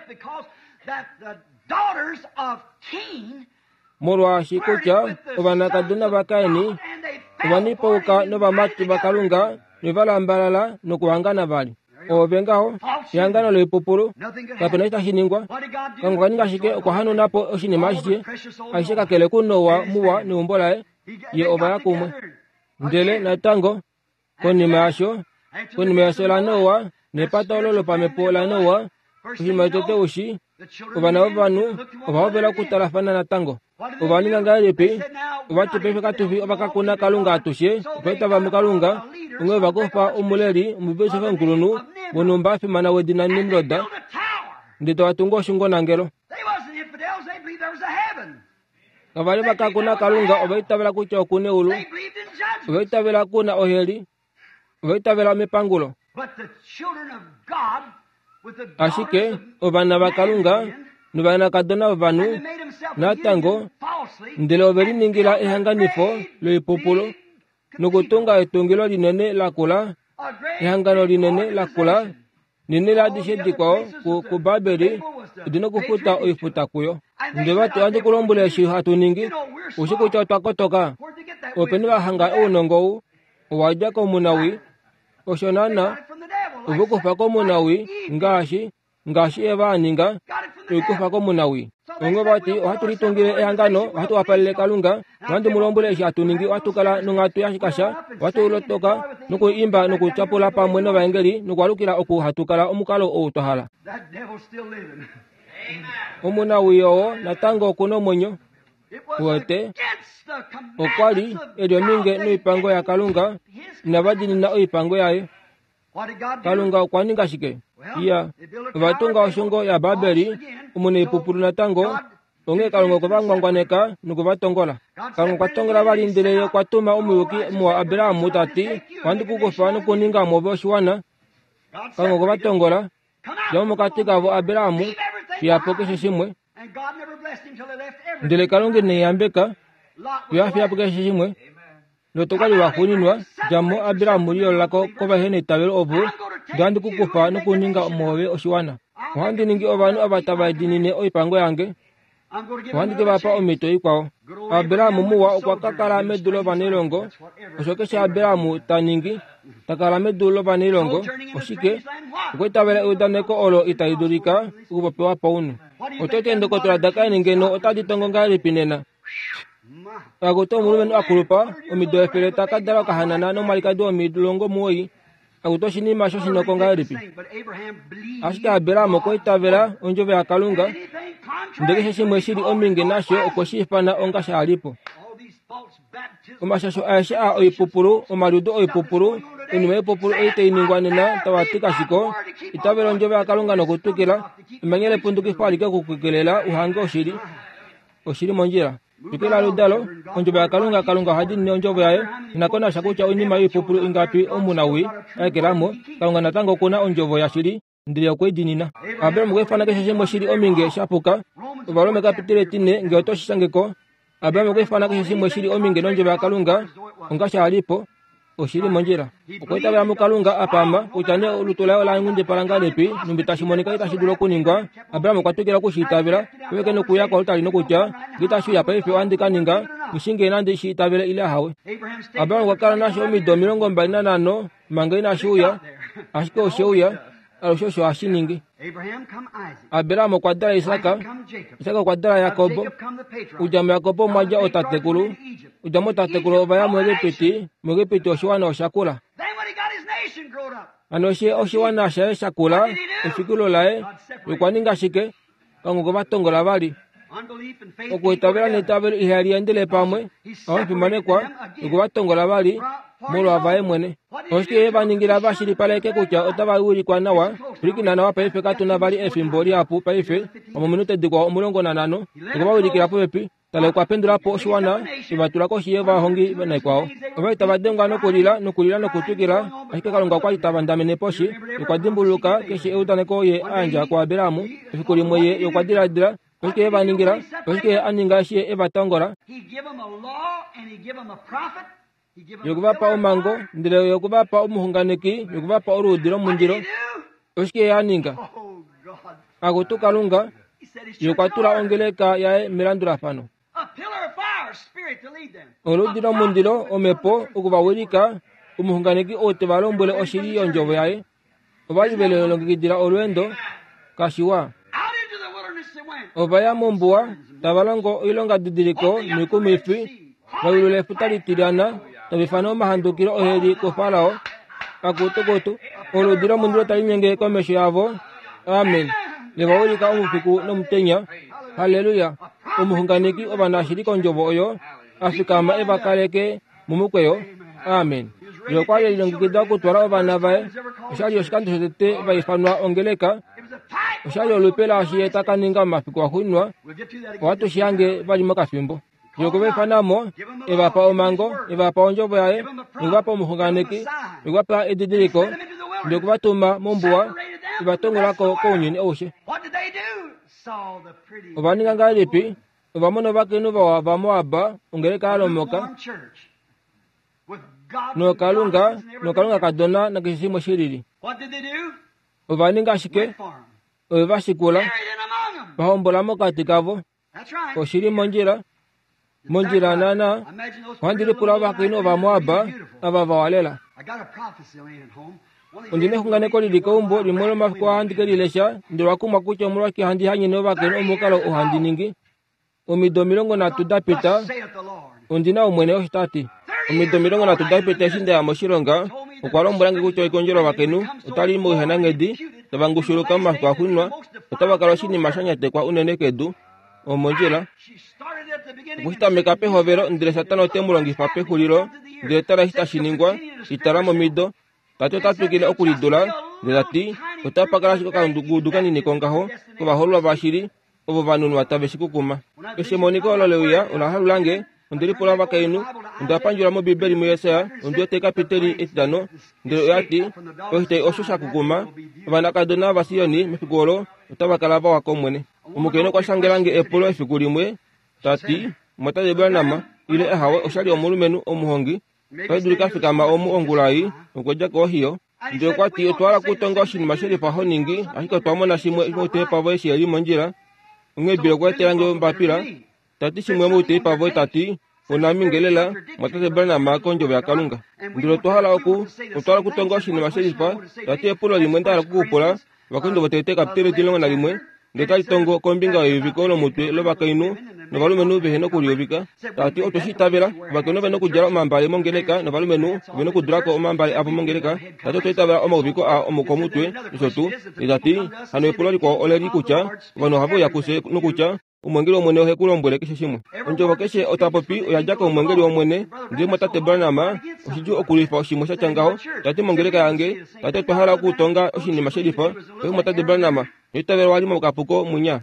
Molwaashi kutya ovanakadona vaKaini ovanipauka novamati vaKalunga novalambalala nokuhangana vali. Ove ngaho ehangano loipupulu kapena eshi tashi ningwa. Kalunga okwa ninga shike? Okwa hanuna po oshinima ashishe aishe kakele kuNoa muwa neumbo laye ye ova ya kumwe. Ndele natango konima yasho konima yefyo laNoa nepata olo lopamhepo laNoa oshinima shotete ushi ovana vovanhu ova hovela okutalafana natango. Ova ninga ngahelipi? Ovati paife katufi ovakakuna Kalunga atushe otwa muKalunga onghee ova kufa omuleli omubisofi omukulunhu wonhumba a fimana wedina Nimrod ndele tava tungu oshungonangelo. Kavali vakakuna Kalunga ova itavela kutya okuna eulu, ova itavela kuna oheli, ova itavela mepangulo. Ashike ovana vaKalunga novanakadona vovanhu natango ndele ove liningila ehanganifo loipupulu nokutunga etungilo linene lakula ehangano linene lakula nene laadishe dikwao kuBabeli odina okufuta oifuta kuyo. Ndele vati ohandi ku lombwele eshi hatu ningi ushi kutya otwa kotoka. Openi va hanga ounongo ou owa dja komunawi osho naana ove kufa komunawi ngaashi ngaashi Eva a ninga oikufa komunawi. Onghee vati ohatu litungile ehangano ohatu wapalele Kalunga nohandi mu lombwele eshi hatu ningi ohatu kala nonghatu yashikasha ohatu lotoka nokuimba nokutyapula pamwe novaengeli nokwaalukila oku hatu kala omukalo ou twa hala. Omunawi oo natango okuna omwenyo. Uwete okwa li eli ominge noipango yaKalunga inava diinina oipango yaye. Kalunga okwa ninga shike? Iya, ova tunga oshungo yaBabeli omunaipupulu natango onghee Kalunga okwe va ngwangwaneka nokuvatongola. Kalunga okwa tongola vali ndele ye okwa tuma omuyuki muwa Abrahamu tati ohandi ku kufa nokuninga mwoove oshiwana. Kalunga okwe va tongola dja mo mokati kavo Abrahamu fiya po keshe shimwe. Ndele Kalunga ine yambeka fiyo a fiya po keshe shimwe. Lot okwa li waxuuninwa dja mo Abrahamu liyoolola ko kovaheneitavelo ovo ndele ohandi ku kufa nokuninga mwoove oshiwana. Ohandi ningi ovanhu ava tava diinine oipango yange. Ohandi ke va pa omhito ikwao. Abrahamu muwa okwa ka kala medu lovanailongo. Osho keshe Abrahamu ta ningi ta kala medu lovanailongo. Oshike? Okwa itavela eudaneko olo itali dulika okupopiwa paunhu. Oto ti eendokotola daKaini ngeno otadi tongo ngahelipi nena? Akutu omulumenhu a kulupa omido efele ta ka dala okahanana nomwalikadi womilongo omuwoi Akuti oshinima shoshinoko ngahelipi? Ashike Abraham okwa itavela ondjovo yaKalunga, ndele keshe shimwe shili ominge nasho okwe shi ifana onga sha lipo. Omashasho aeshe a oipupulu, omaliudo oipupulu, oinima yoipupulu ei tai ningwa nena tava ti kashiko, itavela ondjovo yaKalunga nokutwikila, emanya lepundukifo alike okukukelela uhange oshili. Oshili mondjila. Twikila oludalo, ondjovo yaKalunga. Kalunga oha diinine ondjovo yaye. Inakonasha kutya oinima yoipupulu ingapi omunawii a ekelamo, Kalunga natango okuna ondjovo yashili, ndele okwe i diinina. Abraham okwa ifana keshe shimwe shili ominge shapuka. Ovarome kapitile etine, ngee oto shi shangeko. Abraham okwa ifana keshe shimwe shili ominge nondjovo yaKalunga onga sha lipo. Oshili mondjila. Okwa itavela muKalunga a pama kutya nee olutu laye ola nghundipala ngahelipi, numbi tashi monika itashi dulu okuningwa. Abraham okwa twikila okushi itavela, peveke nokuya koaltari nokutya, ngee itashi uya paife ohandi ka ninga, nghishinge nandi shi itavele ile ahawe. Abraham okwa kala nasho omido omilongo mbali nanhano manga inashi uya, ashike oshe uya, alushe osho hashi ningi. Abraham okwa dala Isak, Isak okwa dala Jakob, okudja muJakob omwa dja ootatekulu, okudja mootatekulu ova ya muEgipiti, muEgipiti oshiwana osha kula. Hano eshi oshiwana shaye sha kula, efikilo laye, okwa ninga shike? Kalunga okwe va tongola vali. Okuitavela neitavelo ihali endele pamwe, ovafimanekwa, okwe va tongola vali molwa vaye mwene. Oshike ye va ningila va shilipaleke kutya otava wilikwa nawa? Pwilikina nawa paife, katu na vali efimbo lihapu paife, omominute dikwao omulongo nanhano. Okwe va wilikila popepi. Tala, okwa pendula po oshiwana, e va tula koshi yovahongi naikwao. Ova li tava dengwa nokulila nokulila nokutwikila, ashike Kalunga okwa li ta vandamene poshi. Okwa dimbuluka keshe eudaneko ye a yandja kuAbraham. Efiku limwe ye okwa diladila, oshike ye va ningila? Oshike ye a ninga eshi ye e va tongola? Ye okwe va pa omhango, ndele ye okwe va pa omuxunganeki, ye okwe va pa oluudi lomundilo. Oshike ye a ninga? Akutu Kalunga, ye okwa tula ongeleka yaye melandulafano. Oluudi lomundilo, omhepo, oku va wilika, omuxunganeki ou te va lombwele oshili yondjovo yaye. Ova li ve lilongekidila olweendo, kashiwa. Ova ya mombuwa, tava longo oilongadidiliko noikumwifi, va yulula efuta litilyana, tava ifana omahandukilo oheli kuFarao. Akutukutu, oluudi lomundilo tali linyenge komesho yavo. Amen. Le va wilika omufiku nomutenya. Halleluya. Omuxunganeki ovanashili kondjovo oyo a fikama e va kaleke momukweyo. Amen. Ye okwa li e lilongekida okutwala ovana vaye. Osha li oshikando shotete va ifanwa ongeleka. Osha li olupe laashi ye ta ka ninga momafiku axuuninwa. Ohatu shi hange vali mokafimbo. Ye okwe va ifana mo, e va pa omhango, e va pa ondjovo yaye, nokwe va pa omuxunganeki, nokwe va pa edidiliko, ndele okwe va tuma mombuwa, e va tongola ko kounyuni aushe. Ova ninga ngahelipi? Ova mona ovakainhu vawa vaMoab, ongeleka ya lomoka, nokalunga nokalunga kadona nakeshe shimwe shilili. Ova ninga shike? Ove va shikula, va hombola mokati kavo. Oshili mondjila, mondjila naana. Ohandi lipula ovakainhu ovaMoab ava vawa lela. Ondi na exunganeko lili keumbo limwe lomafiku ohandi ke lilesha, ndele owa kumwa kutya omolwashike handi hanyene ovakainhu omukalo oo handi ningi. Omido omilongo nhatu da pita, ondi na Omwene osho ta ti. Omido omilongo nhatu da pita eshi nda ya moshilonga, okwa lombwela nge kutya ekondjo lovakainhu otali i moihananghedi, tava ngushuluka momafiku axuuninwa, otava kala oshinima sha nyatekwa unene kedu. Omondjila. Okushitameka pehovelo, ndele Satana ote mu longifa pexulilo, ndele tala eshi tashi ningwa, itala momido. Tati ota twikile okulidula, ndele tati otapa kala ashike okangudu kanini kongaho kovahoololwa vashili ovo va nunwa tave shi kukuma. Eshi emoniko olo le uya, ola halula nge, onde lipula ovakainhu, onda pandjula mOmbibeli muJesaja, ondi wete ekapiteli etitano, ndele oya ti, oshitai osho sha kukuma, ovanakadona vaSioni mefiku olo otava kala vawa kOmwene. Omukainhu okwa shangela nge epulo efiku limwe, ta ti, Mwatate Branham, ile ahawe oshali omulumenhu omuhongi, otai dulika fikama omu ongula ei, okwa dja koOhio. Ndele okwa ti, otwa hala okutonga oshinima shelifa ho ningi, ashike otwa mona shimwe mouteipa voye shiheli mondjila. Onghee Bill okwa etela nge ombapila, ta ti shimwe mouteipa voye ta ti, Onaminge lela, Mwatate Branham kondjovo yaKalunga. Ndele otwa hala oku, otwa hala okutonga oshinima shelifa, ta ti epulo limwe nda hala okukupula, Ovakorinto votete kapiteli etimulongo nalimwe, Ndele tali tongo kombinga yeuviko lomutwe lovakainhu novalumenhu vehe nokuliuvika. Tati otwe shi itavela, ovakainhu ove nokudjala omambale mongeleka novalumenhu ove nokudulako omambale avo mongeleka. Tati otwa itavela omauviko a okomutwe nosho tuu. Tati hano epulo likwao oleli kutya ovanhu ohave uya kufye nokutya omwengeli wOmwene ohe ku lombwele keshe shimwe. Ondjovo keshe otapopi oya dja komwengeli wOmwene. Ndele mwatate Branham oshidjuu okulwifa oshimwe sha tya ngaho. Tati mongeleka yange, tati otwa hala okutonga oshinima shelifa. Paife mwatate Branham, noitavela wali mokapuko munya.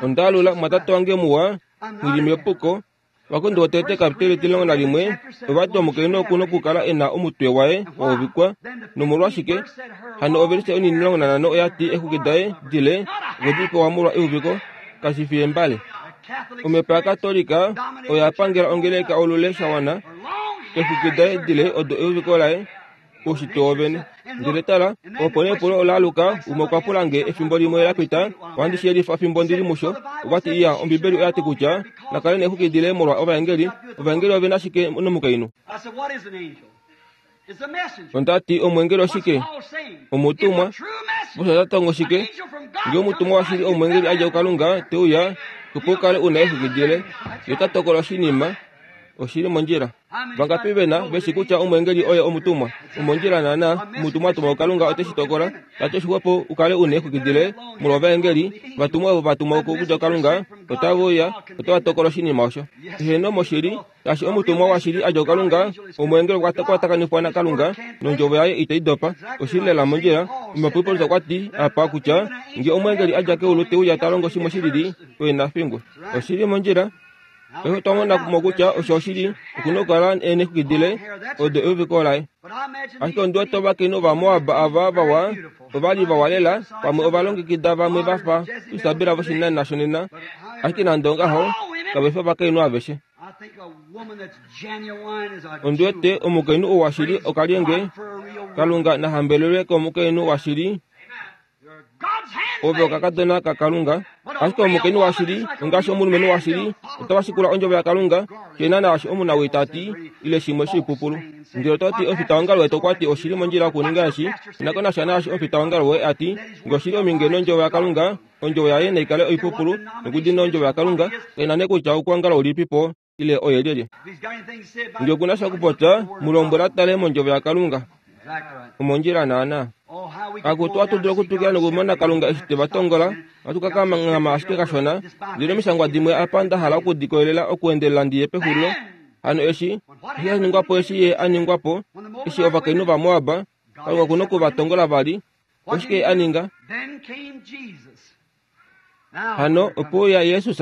Ondaalula mwatate wange muwa, ngili mepuko. Vakorinto votete kapiteli etilongo nalimwe ovati omukainhu oku nokukala e na omutwe waye wa uvikwa. Nomolwashike hano ovelise onimulongo nanhano oya ti exwiki daye dile okwe di pewa molwa euviko kashi fi embale. Omhepo yaKatolika oya pangela ongeleka olule shawana exwiki daye dile odo euviko laye oushitwe wovene. Ndele tala, opo nee epulo ola aluka. Umwe okwa pula nge efimbo limwe la pita, ohandi shi yelifa fimbo ndili musho. Okwa ti iya, Ombibeli oya ti kutya nakale neexwiki dile molwa ovaengeli. Ovaengeli ove na shike nomukainhu? Onda ti omwengeli oshike? Omutumwa. Osho ota tongo shike? Ngee omutumwa washili omwengeli a dja kuKalunga te uya, opo u kale u na exwiki dile, ye ota tokola oshinima. Oshili mondjila. Vangapi vena veshi kutya omwengeli oye omutumwa? Omondjila naana, omutumwa atumwa kuKalunga ote shi tokola. Tati oshixwepo u kale u na exwiki dile molwa ovaengeli vatumwa ovo vatumwa okudja kuKalunga otave uya, otava tokola oshinima osho. Eheno moshili, shaashi omutumwa washili a dja kuKalunga, omwengeli okwa kwatakanifwa naKalunga nondjovo yaye itai dopa. Oshili lela mondjila. Omupopi Paulus okwa ti apa kutya ngee omwengeli a dja keulu te uya ta longo shimwe shilili, oye na fingwe. Oshili mondjila. Paife otwa mona mo kutya osho oshili okuna okukala e neexwiki dile odo euviko laye. Ashike ondi wete ovakainhu Ovamoab ava vawa ova li vawa lela, pamwe ova longekida vamwe va fa Isabel voshinanena shonena, ashike nande ongaho kave fi ovakainhu aveshe. Ondi wete omukainhu ou washili okalyenge. Kalunga na hambelelwe komukainhu washili. Ove okakadona kaKalunga. Ashike omukainhu washili ongaashi omulumenhu washili otava shikula ondjovo yaKalunga, kena naashi omunawii ta ti ile shimwe shiipupulu. Ndele oto ti omufitaongalo wetu okwa ti oshili mondjila okuninga eshi, inako nasha naashi omufitaongalo woye a ti, ngee oshili ominge nondjovo yaKalunga, ondjovo yaye naikale oipupulu nokudina ondjovo yaKalunga, kaina nee kutya oukwangalo ulipipo ile oye lyelye. Ngee okuna sha okupopya, mu lombwela tale mondjovo yaKalunga. Omondjila naana. Akutu ohatu dulu okutwikila nokumona Kalunga eshi te va tongola, ohatu ka kanghama ashike kashona. Ndele omishangwa dimwe apa nda hala okudikolelela okuendelela ndi ye pexulilo. Hano eshi, eshi sha ningwa po eshi ye a ningwa po, eshi ovakainhu vaMoab, Kalunga okuna oku va tongola vali. Oshike ye a ninga? Hano ope uya Jesus.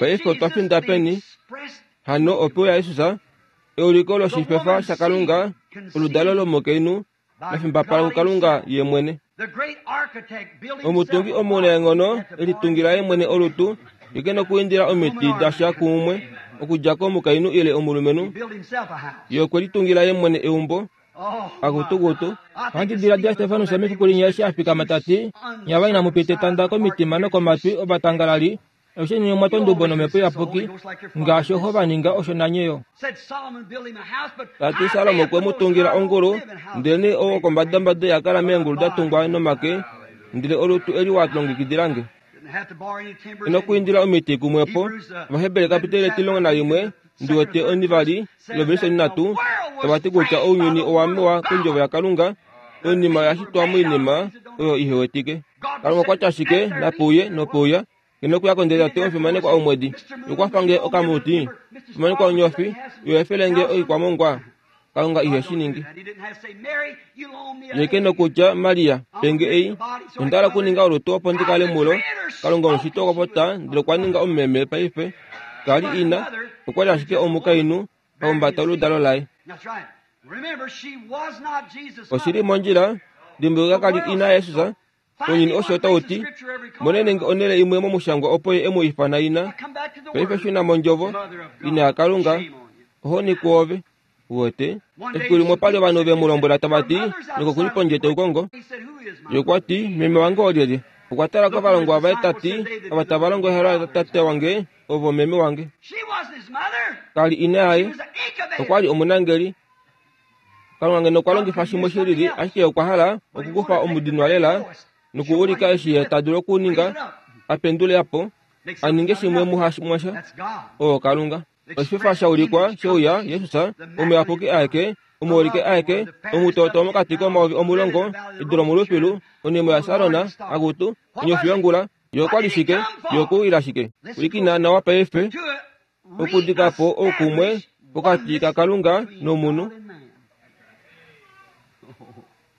Paife otwa finda peni? Hano ope uya Jesus, euliko loshifefa shaKalunga, oludalo lomukainhu, la fimbapala kuKalunga ye mwene. Omutungi omunaenghono e litungila ye mwene olutu, ye ke nokuindila omiti dasha kuumwe, okudja komukainhu ile omulumenhu. Ye okwe litungila ye mwene eumbo. Akutukutu. Ohandi diladila Stefanus mefiku linya eshi a fikama ta ti, nyava inamu pita etanda komitima nokomatwi ovatangalali, aishe nye omwa tondubo nomhepo iyapuki, ngaashi oho va ninga osho nanye yo. Ta ti Salomo okwe mu tungila ongulu, ndelenee ou wokombadambada iha kala meengulu da tungwa nomake, ndele olutu eli wa longekidila nge. Ino kuindila omiti kumwepo. Ovaheberi kapiteli etilongo nalimwe ndi wete onivali lovelise nhatu tava ti kutya ounyuni owa mewa kondjovo yaKalunga, oinima oya shitwa moinima oyo ihe wetike. Kalunga okwa tya ashike napeuye nopeuya, ngeno okuya kondele tate omufimanekwa omwedi, yokwafa nge okamuti, fimanekwa onyofi, yo efele nge oikwamongwa. Kalunga ihe shi ningi. Ye ke nokutya Maria, penge ei, onda hala okuninga olutu opo ndi kale mulo. Kalunga omushiti okwa popya ndele okwa ninga omumeme paife. Kali ina, okwa li ashike omukainhu a humbata oludalo laye. Oshili mondjila, dimbuluka kali ina yaJesus. Ounyuni osho tau ti, monene nge onhele imwe momushangwa opo ye e mu ifana ina. Paife shuna mondjovo, ina yaKalunga, ohoni kwoove. Uwete, efiku limwe opa li ovanhu ve mu lombwela tava ti, nyoko okuli pondje te ku kongo. Ye okwa ti, meme wange olyelye? Okwa tala kovalongwa vaye ta ti, ava tava longo ehalo latate wange, ovo meme wange. Kali ina yaye, okwa li omunangeli. Kalunga ngeno okwa longifa shimwe shilili, ashike okwa hala okukufa omudinwa lela Nokuulika eshi ye ta dulu okuninga apendule apo aninge shimwe muhashimwasha oo Kalunga. Oshifa shaulikwa sheuya Jesus omuyapuki aeke omuulike aeke omutoto mokati komayovi omulongo edu lomulufilu onemo yaSarona akutu onyofi yongula yokwali shike yokuwila shike ulikina nawa paife okudikapo oukumwe pokati kaKalunga nomunhu.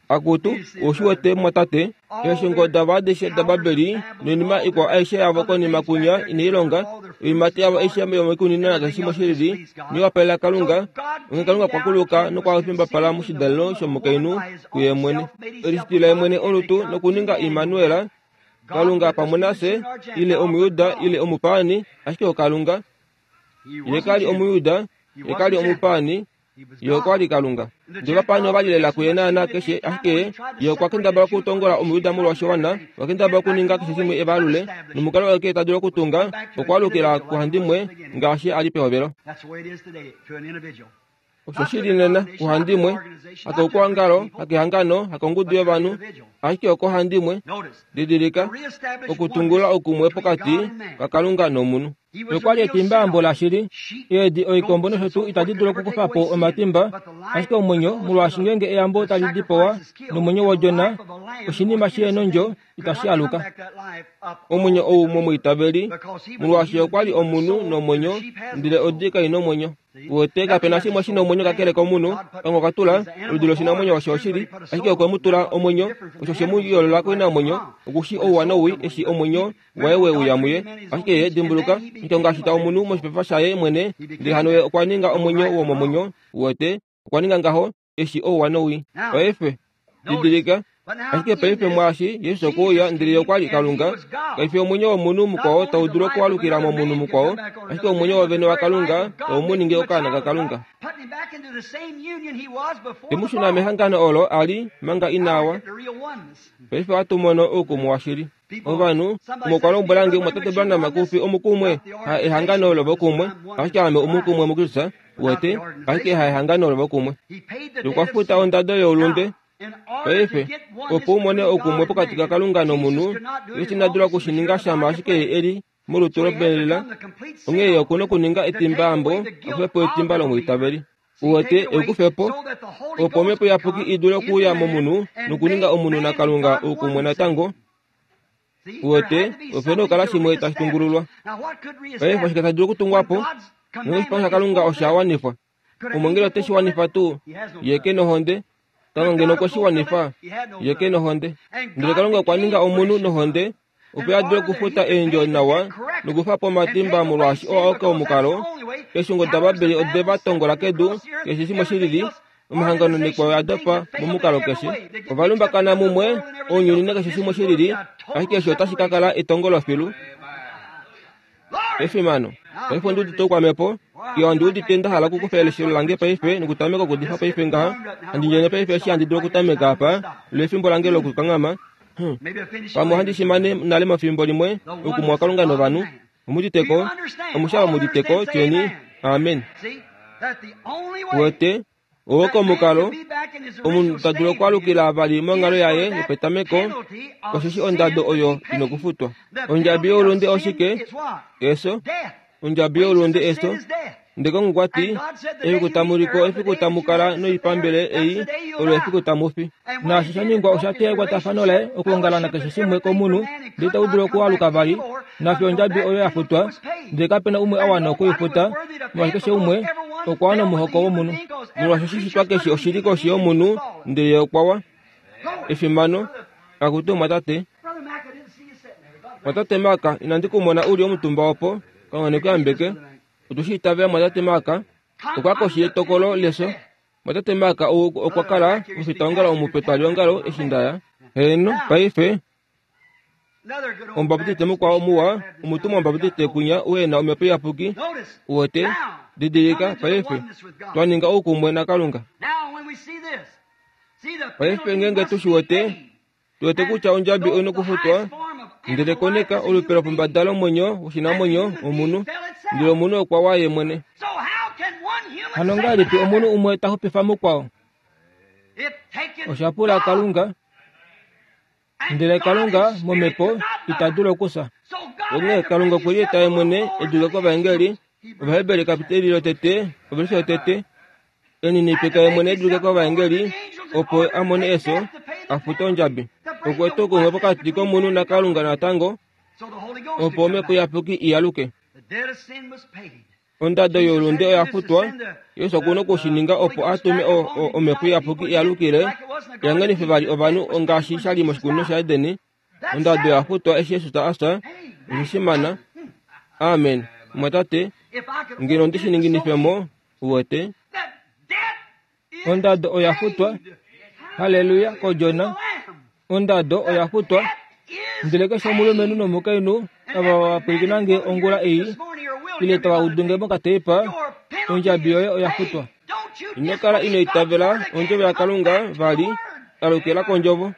Akutu oshiwete mwatate eeshingo davo adishe daBabeli noinima ikwao aishe yavo konima kunya inailonga oimati yavo aishe yomoikunino nakeshe shimwe shilili niwapalela Kalunga. Onghee Kalunga okwa kuluka nokwafimbapala moshidalelo shomukainhu kuye mwene elishitila ye mwene olutu nokuninga Immanuel Kalunga pamwe nafye ile Omuyuda ile omupaani ashike oKalunga. Ye kali Omuyuda ye kali omupaani ye okwa li Kalunga. Ndele ovapaani ova lilela kuye naana keshe ashike ye okwa kendabala okutongola Omuyuda molwashiwana okwa kendabala okuninga keshe shimwe evalule nomukalo wake ta dulu okutunga okwaalukila kuhandimwe ngaashi a li pehovelo. Osho shili nena kuhandimwe hakokuongalo hakehangano hakongudu yovanhu ashike okohandimwe. Didilika okutungula oukumwe pokati kaKalunga nomunhu. Okwali etimbayambo lashili eedi oikombo nosho tuu itadi dulu okukufa po omatimba ashike omwenyo molwaashi ngeenge eyambo tali dipawa nomwenyo wodjona oshinima shi nondjo itashi aluka. Omwenyo ou momwiitaveli molwaashi okwali omunhu nomwenyo ndele odi kai nomwenyo. Wete kapena shimwe shina omwenyo kakele komunhu. Kalunga okwa tula oludi loshinamwenyo osho oshili ashike okwe mu tula omwenyo osho she mu yoolola koinamwenyo okushi ouwa nowii eshi omwenyo waye we uya muye. Ashike ye dimbuluka Kalunga ashita omunhu moshipefa shaye mwene ndele hano ye okwa ninga omwenyo womomwenyo. Wete okwa ninga ngaho eshi ouwa nowii. Paife didilika ashike paife mwaashi Jesus okwa ndele ye okwa li Kalunga. Kaifi omwenyo womunhu mukwao tau dulu okualukila momunhu mukwao ashike omwenyo wovene waKalunga tau mu ningi okaana kaKalunga. Temushuna mehangano olo a li manga inawa. Paife ohatu mono oukumwe washili. Ovanhu umwe okwa lombwela nge mwatate Branham kufi omukumwe ha ehangano lovokumwe ashike ame omukumwe muKristus. Wete ashike ha ehangano lovokumwe. Okwa futa ondado youlunde. Paife opo umone oukumwe pokati kaKalunga nomunhu Jesus ina dula okushininga shama ashike eli molutu lobelela. Onghee ye okuna okuninga etimbayambo akufe po etimba lomwiitaveli. Uwete ekufe po opo omhepo iyapuki i dule okuuya momunhu nokuninga omunhu naKalunga oukumwe natango. Uwete opena okukala shimwe tashi tungululwa. Paife oshike tashi dulu okutungwa po ngeenge oshipango shaKalunga osha wanifwa. Omwengeli ote shi wanifa tuu ye ke nohonde. Kalunga ngeno okwe shi wanifa ye ke nohonde. Ndele Kalunga okwa ninga omunhu nohonde opo a dule okufuta eendjo nawa nokufa po omatimba molwaashi oo aoke omukalo. Eeshungo daBabeli ode va tongola kedu keshe shimwe shilili omahangano nekwao oya dopa momukalo keshe. Ova lumbakana mumwe ounyuni nakeshe shimwe shilili ashike osho otashi ka kala etongolo filu. Efimano. Paife ondi udite oukwamhepo. Iya ondi udite nda hala okukufa eleshelo lange paife nokutameka okudifa paife ngaha. Handi ndjene paife eshi handi dulu okutameka apa lefimbo lange lokukanghama. Pamwe ohandi shimane nale mefimbo limwe oukumwe waKalunga novanhu. Omuditeko omushava muditeko tyeni amen. Wete owoko omukalo omunhu ta dulu okualukila vali monghalo yaye yopetameko osheshi ondado oyo inokufutwa. Ondjabi youlunde oshike? Eso. Ondjabi youlunde eso. Ndele Kalunga okwa ti efiku tamu liko efiku tamu kala noipambele ei olo efiku tamu fi. Naashi sha ningwa osha teya ekwatafano laye okuongala nakeshe shimwe komunhu ndele itau dulu okualuka vali. Nafiyo ondjabi oyo ya futwa ndele kapena umwe a wana okuifuta molwaashi keshe umwe okwa wana omuhoko womunhu. Molwaashi oshishitwa keshe oshili koshi yomunhu ndele ye okwa wa. Efimano akutu mwatate. Mwatate Maka inandi kumona uli omutumba opo Kalunga nekuyambeke. Otushi itavela mwatate Maka okwa koshi yetokolo leso. Mwatate Maka ou okwa kala mufitaongalo omupe twaliongalo eshi ndaya. Heeno paife omubaptiste mukwao muwa omutumwa omubaptiste kunya uena omhepo iyapuki. Uwete didilika paife twaninga oukumwe naKalunga. Paife ngeenge tushiwete tuwete kutya ondjabi oina okufutwa ndele koneka olupe lopombada lomwenyo woshinamwenyo omunhu ndele omunhu okwa wa ye mwene. Hano ngahelipi omunhu umwe ta xupifa mukwao? Osha pula Kalunga Ndele Kalunga momhepo ita dulu okufya. Onghee Kalunga okwe lieta ye mwene e dulike kovaengeli, Ovaheberi kapiteli lotete, ovelishe yotete, eninipika ye mwene e dulike kovaengeli, opo a mone efyo, a fute ondjabi. Okwe eta oukumwe pokati komunhu naKalunga natango, opo omhepo iyapuki i aluke. Ondado youlunde oya futwa. Jesus okuna okushininga opo a tume omhepo iyapuki i alukile, ihangenife vali ovanhu ngaashi sha li moshikunino shaEden. Ondado oya futwa eshi Jesus a fya. Oshishimana. Amen. Mwatate, ngeno ondi shi ninginife mo, uwete. Ondado oya futwa. Haleluya kOdjona. Ondado oya futwa. Ndele keshe omulumenhu nomukainhu ava va pwilikina nge ongula ei, ile tava udu nge mokateipa, ondjabi yoye oya futwa. Ino kala ino itavela ondjovo yaKalunga vali, alukila kondjovo.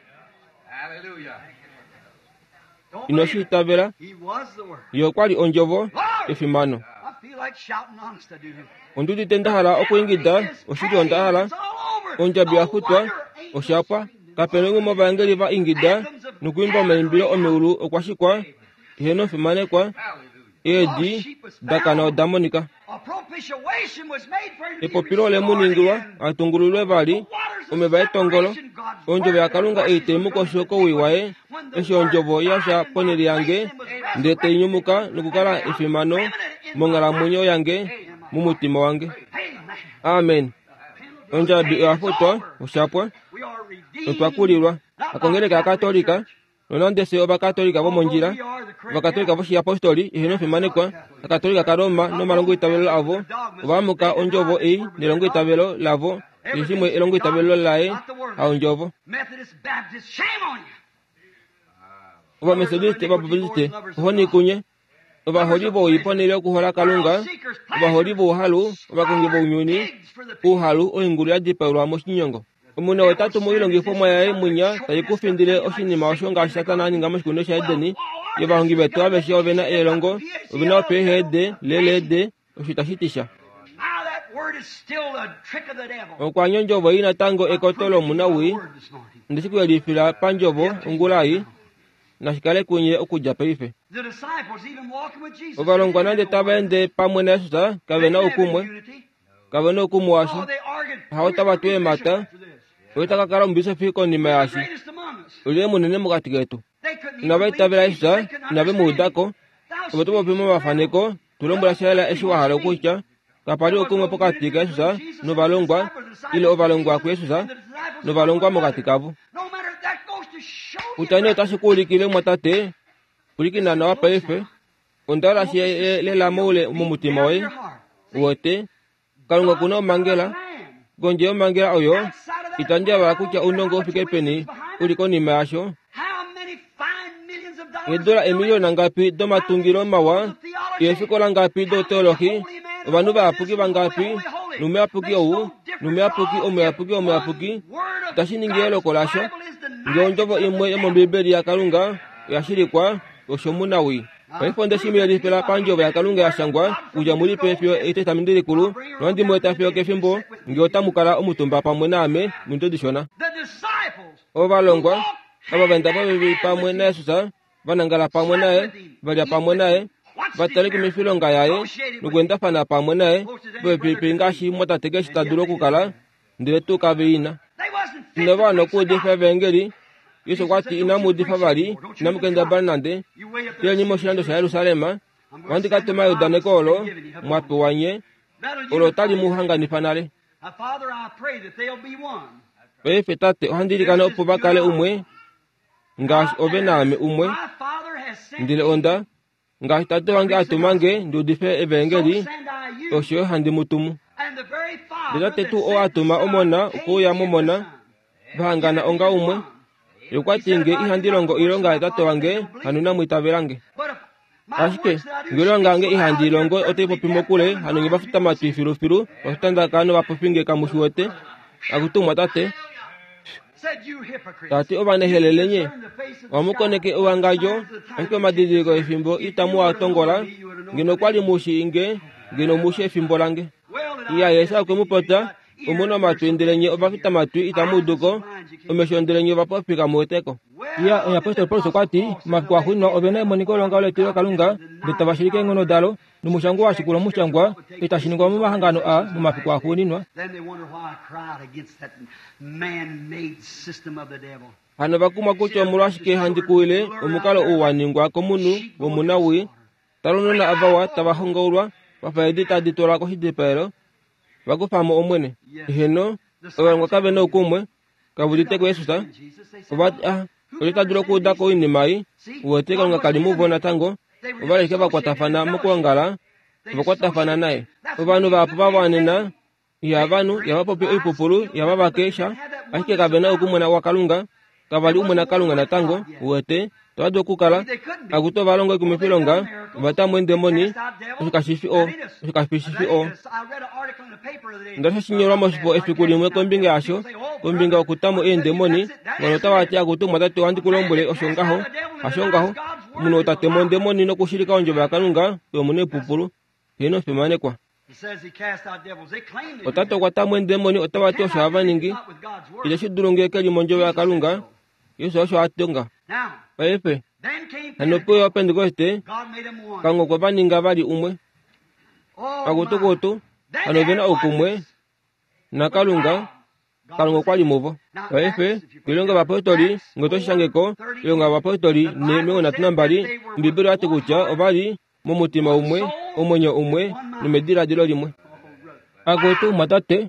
Ino shi itavela, ye okwa li ondjovo efimano. Ondi udite nda hala okwiingida, oshili onda hala. Ondjabi ya futwa, oshapwa. Kapena umwe movaengeli va ingida nokuimba omaimbilo omeulu okwa shikwa, ihe nofimanekwa, eedi dakana oda monika. Epopilo ole mu ningilwa a tungululwe vali, omeva etongolo, ondjovo yaKalunga ei tai mu kosho kowii waye, eshi ondjovo yasha ponhele yange, ndele tai nyumuka nokukala efimano monghalamwenyo yange, momutima wange. Amen. Ondjabi oya futwa, oshapwa. Otwa kulilwa. Akongeleka yaKatolika, nonande fye Ovakatolika vomondjila, Ovakatolika voshiapostoli ihe nofimanekwa, Akatolika kaRoma nomalongoitavelo avo, ova amuka ondjovo ei nelongoitavelo lavo, keshe shimwe elongoitavelo laye haondjovo. Ovametodiste, Ovabaptiste, ohoni kunye, ovaholi vowii ponhele yokuhola Kalunga, ovaholi vouhalu, ovakongi vounyuni, ouhalu oingulu ya dipaelwa moshinyongo. Omuna wetatu moilongifomwa yaye mwinya tai ku findile oshinima osho ngaashi Satana a ninga moshikunino shaEden. Ovahongi vetu aveshe ovena elongo, ovena oPhD, lelede, osho itashi ti sha. Okwa ondjovo ei natango ekoto lomunawii, ndeshi kuyelifila pandjovo ongula ei, nashikale kunye okudja paife. Ovalongwa nande tava ende pamwe naJesus kave na oukumwe, kave na oukumwe washa. Hao tava tu eemhata, oye ta ka kala omubisofi konima yaashi. Olyelye munene mokati ketu? Inava itavela Jesus, inave mu udako. Ove to popi momafaneko, tu lombwela sha yela eshi wa hala okutya. Kapa li oukumwe pokati kaJesus novalongwa, ile ovalongwa kuJesus novalongwa mokati kavo. Kutya nee otashi ku ulikile mwatate, pwilikina nawa paife. Onda hala shi lela moule momutima woye. Uwete, Kalunga okuna omhangela. Kondje yomhangela oyo, itandi yavala kutya ounongo u fike peni u li konima yasho. Eedola eemiliyona ngapi domatungilo mawa, eefikola ngapi douteolohi, ovanhu vayapuki vangapi, nomuyapuki ou, nomuyapuki, omuyapuki, omuyapuki, itashi ningi eloko lasho. Ngee ondjovo imwe yomOmbibeli yaKalunga oya shilikwa, osho munawii. Paife onde shi mu yelifila pandjovo yaKalunga ya shangwa, kudja mulipe fiyo Etestamenti Likulu, nohandi mu eta fiyo kefimbo ngee otamu kala omutumba pamwe naame momido dishona. Ovalongwa ava va enda popepi pamwe naJesus, va nangala pamwe naye, va lya pamwe naye, va tale komifilonga yaye nokuendafana pamwe naye popepi ngaashi mwatate keshe ta dulu okukala, ndele tuu kave ina. Inava wana okuudifa evangeli. Jesus okwa ti inamu udifa vali, inamu kendabala nande. Tileni moshilando shaJerusalem, ohandi ka tuma eudaneko olo mwa pewa nye, olo otali mu hanganifa nale. Paife Tate, ohandi ilikana opo va kale umwe ngaashi ove naame umwe. Ndele onda, ngaashi Tate wange a tuma nge ndi udife evangeli, osho yo handi mu tumu. Ndele Tate tuu oo a tuma Omona okuuya momona, va hangana onga umwe. Ye okwa ti nge ihandi longo oilonga yaTate wange, hano inamu itavela nge. Ashike nge oilonga yange ihandi i longo otai popi mokule, hano nye vafutamatwi filufilu, vafutandaka novapofi nge kamu shi wete. Akutumwa Tate. Tati ovanehelele nye, ohamu koneke ewangadjo, ashike omadidiliko efimbo itamu a tongola. Ngeno okwa li mu shii nge, ngeno mu shi efimbo lange. Iya, Jesus okwe mu popya, omuna omatwi ndele nye ovafitamatwi itamu udu ko, omesho ndele nye ovapofi kamu wete ko. Iya, omuyapostoli Paulus okwa ti omafiku axuuninwa ove na emoniko longa letilo Kalunga ndele tava shilike eenghono dalo nomushangwa wa shikula omushangwa itashi ningwa momahangano a momafiku axuuninwa. Hano vakumwa kutya omolwashike handi kuwile omukalo ou wa ningwa komunhu womunawii talonona avawa tava hongaulwa vafa eedi tadi twalwa koshidipaelo vakufamo Omwene. Eheno, ovalongwa kave na oukumwe kavudite kuJesus. Ovati ah, olye ta dulu okuuda ko oinima ei? Uwete Kalunga kali muvo natango. Ovali ashike vakwatafana mokwoongala, ovakwatafana naye. Ovanhu vahapu va wanena ihavanhu, ihava popi oipupulu, ihava vake sha, ashike kave na oukumwe waKalunga. Kavali umwe naKalunga natango. Uwete tava dulu okukala akutu ovalongo oikumwifilonga ovatamwe eendemoni. Osho kashifi o osho kashifi o Ndele osho shinyolwa moshifo efiku limwe kombinga yasho, kombinga yokutamo eendemoni. Ngano otava ti akutu mwatate ohandi ku lombwele osho ngaho, hasho ngaho. Omunhu ou ta temo ondemoni nokushilika ondjovo yaKalunga oyo omunhu oipupulu. Heeno, fimanekwa. Otati okwa tamwa eendemoni otava ti osho hava ningi. Itashi dulu ngee ke li mondjovo yaKalunga. Jesus osho a tonga. Paife hano puyo Opentekoste Kalunga okwe va ninga vali umwe. Akutukutu hano ove na oukumwe naKalunga. Kalunga okwa li muvo. Paife oilonga yovapostoli ngee oto shangeko oilonga yovapostoli ne omilongo nhatu nambali, Ombibeli oyati kutya ovali momutima umwe, omwenyo umwe nomediladilo limwe. Akutu mwatate,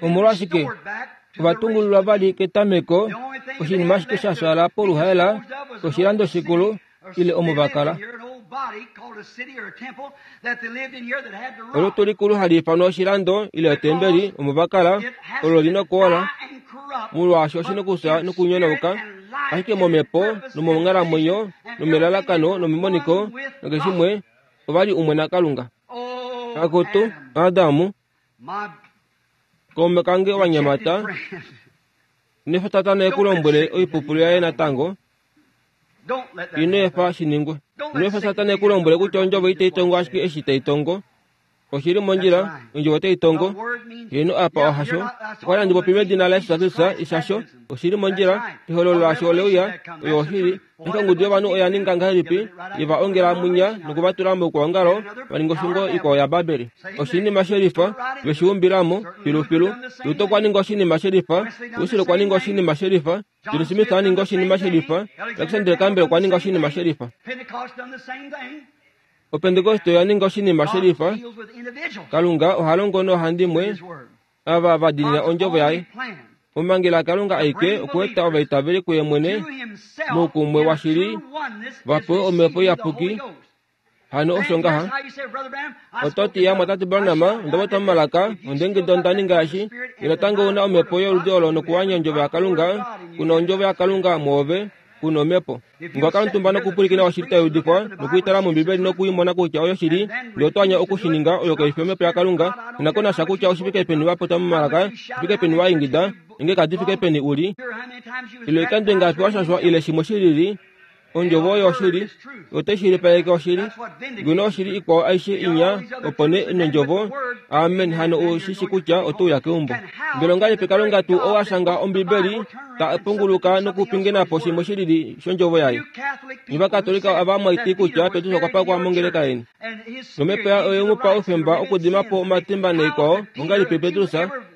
omolwashike ovatungululwa vali ketameko oshinima ashike sha fyala poluhaela oshilando shikulu ile omo vakala. Olutu likulu hali ifanwa oshilando ile otembeli omo vakala olo lina okuola molwaashi oshina okufya nokunyonauka, ashike momhepo nomonghalamwenyo nomelalakano nomemoniko nokeshimwe ovali umwe naKalunga. Akutu Adamu, kaume kange owanyamata, ino efa Satana e ku lombwele oipupulu yaye natango. Ino efa shi ningwe. Ino efa Satana e ku lombwele kutya ondjovo itai tongo ashike eshi tai tongo. Oshili mondjila, ondjovo otai tongo. Heeno, apa ohasho. Okwali handi popi medina laJesus Kristus, ishasho. Oshili mondjila, ehololo lasho ole uya, oyo oshili. Ashike ongudu yovanhu oya ninga ngahelipi? Ye va ongela munya nokuvatula moukwaongalo, va ninga oshungo ikwao yaBabeli. Oshinima shelifa, ve shi umbilamo filufilu. Luther okwa ninga oshinima shelifa, Wesley okwa ninga oshinima shelifa, John Smith a ninga oshinima shelifa, Alexander Campbell okwa ninga oshinima shelifa. Opentekoste oya ninga oshinima shelifa. Kalunga oha longo noohandimwe ava va diinina ondjovo yaye. Omangela Kalunga aike okueta ovaitaveli kuye mwene moukumwe washili va pewe omhepo iyapuki. Hano osho ngaha. Oto ti ya mwatate Branham, onda popya momalaka, onde onda ninga eshi. Ye natango una omhepo yoludi olo nokuwanya ondjovo yaKalunga, kuna ondjovo yaKalunga mwoove, kuna omhepo. Ngwakala omutumba nokupwilikina oshili tai udifwa, nokuitala mOmbibeli nokuimona kutya oyo shili, ndele oto anya okushininga, oyo kai fi omhepo yaKalunga. Ina ko nasha kutya oshifike peni wa popya momalaka, shifike peni wa ingida, nge kadi fike peni uli, ile oikando ingapi wa shashwa ile shimwe shilili, ondjovo oyo oshili, otai shilipaleke oshili. Ngeno oshili ikwao aishe inya, opo nee nondjovo, amen, hano u shi shi kutya oto uya keumbo. Mbela ongahelipi Kalunga tuu ou a shanga Ombibeli ta punguluka nokupingena po shimwe shilili shondjovo yaye? Nye Ovakatolika ava mwaiti kutya Petrus okwa pakwa mongeleka yeni. Nomhepo yaye oye mu pa oufemba okudima po omatimba naikwao. Ongahelipi Petrus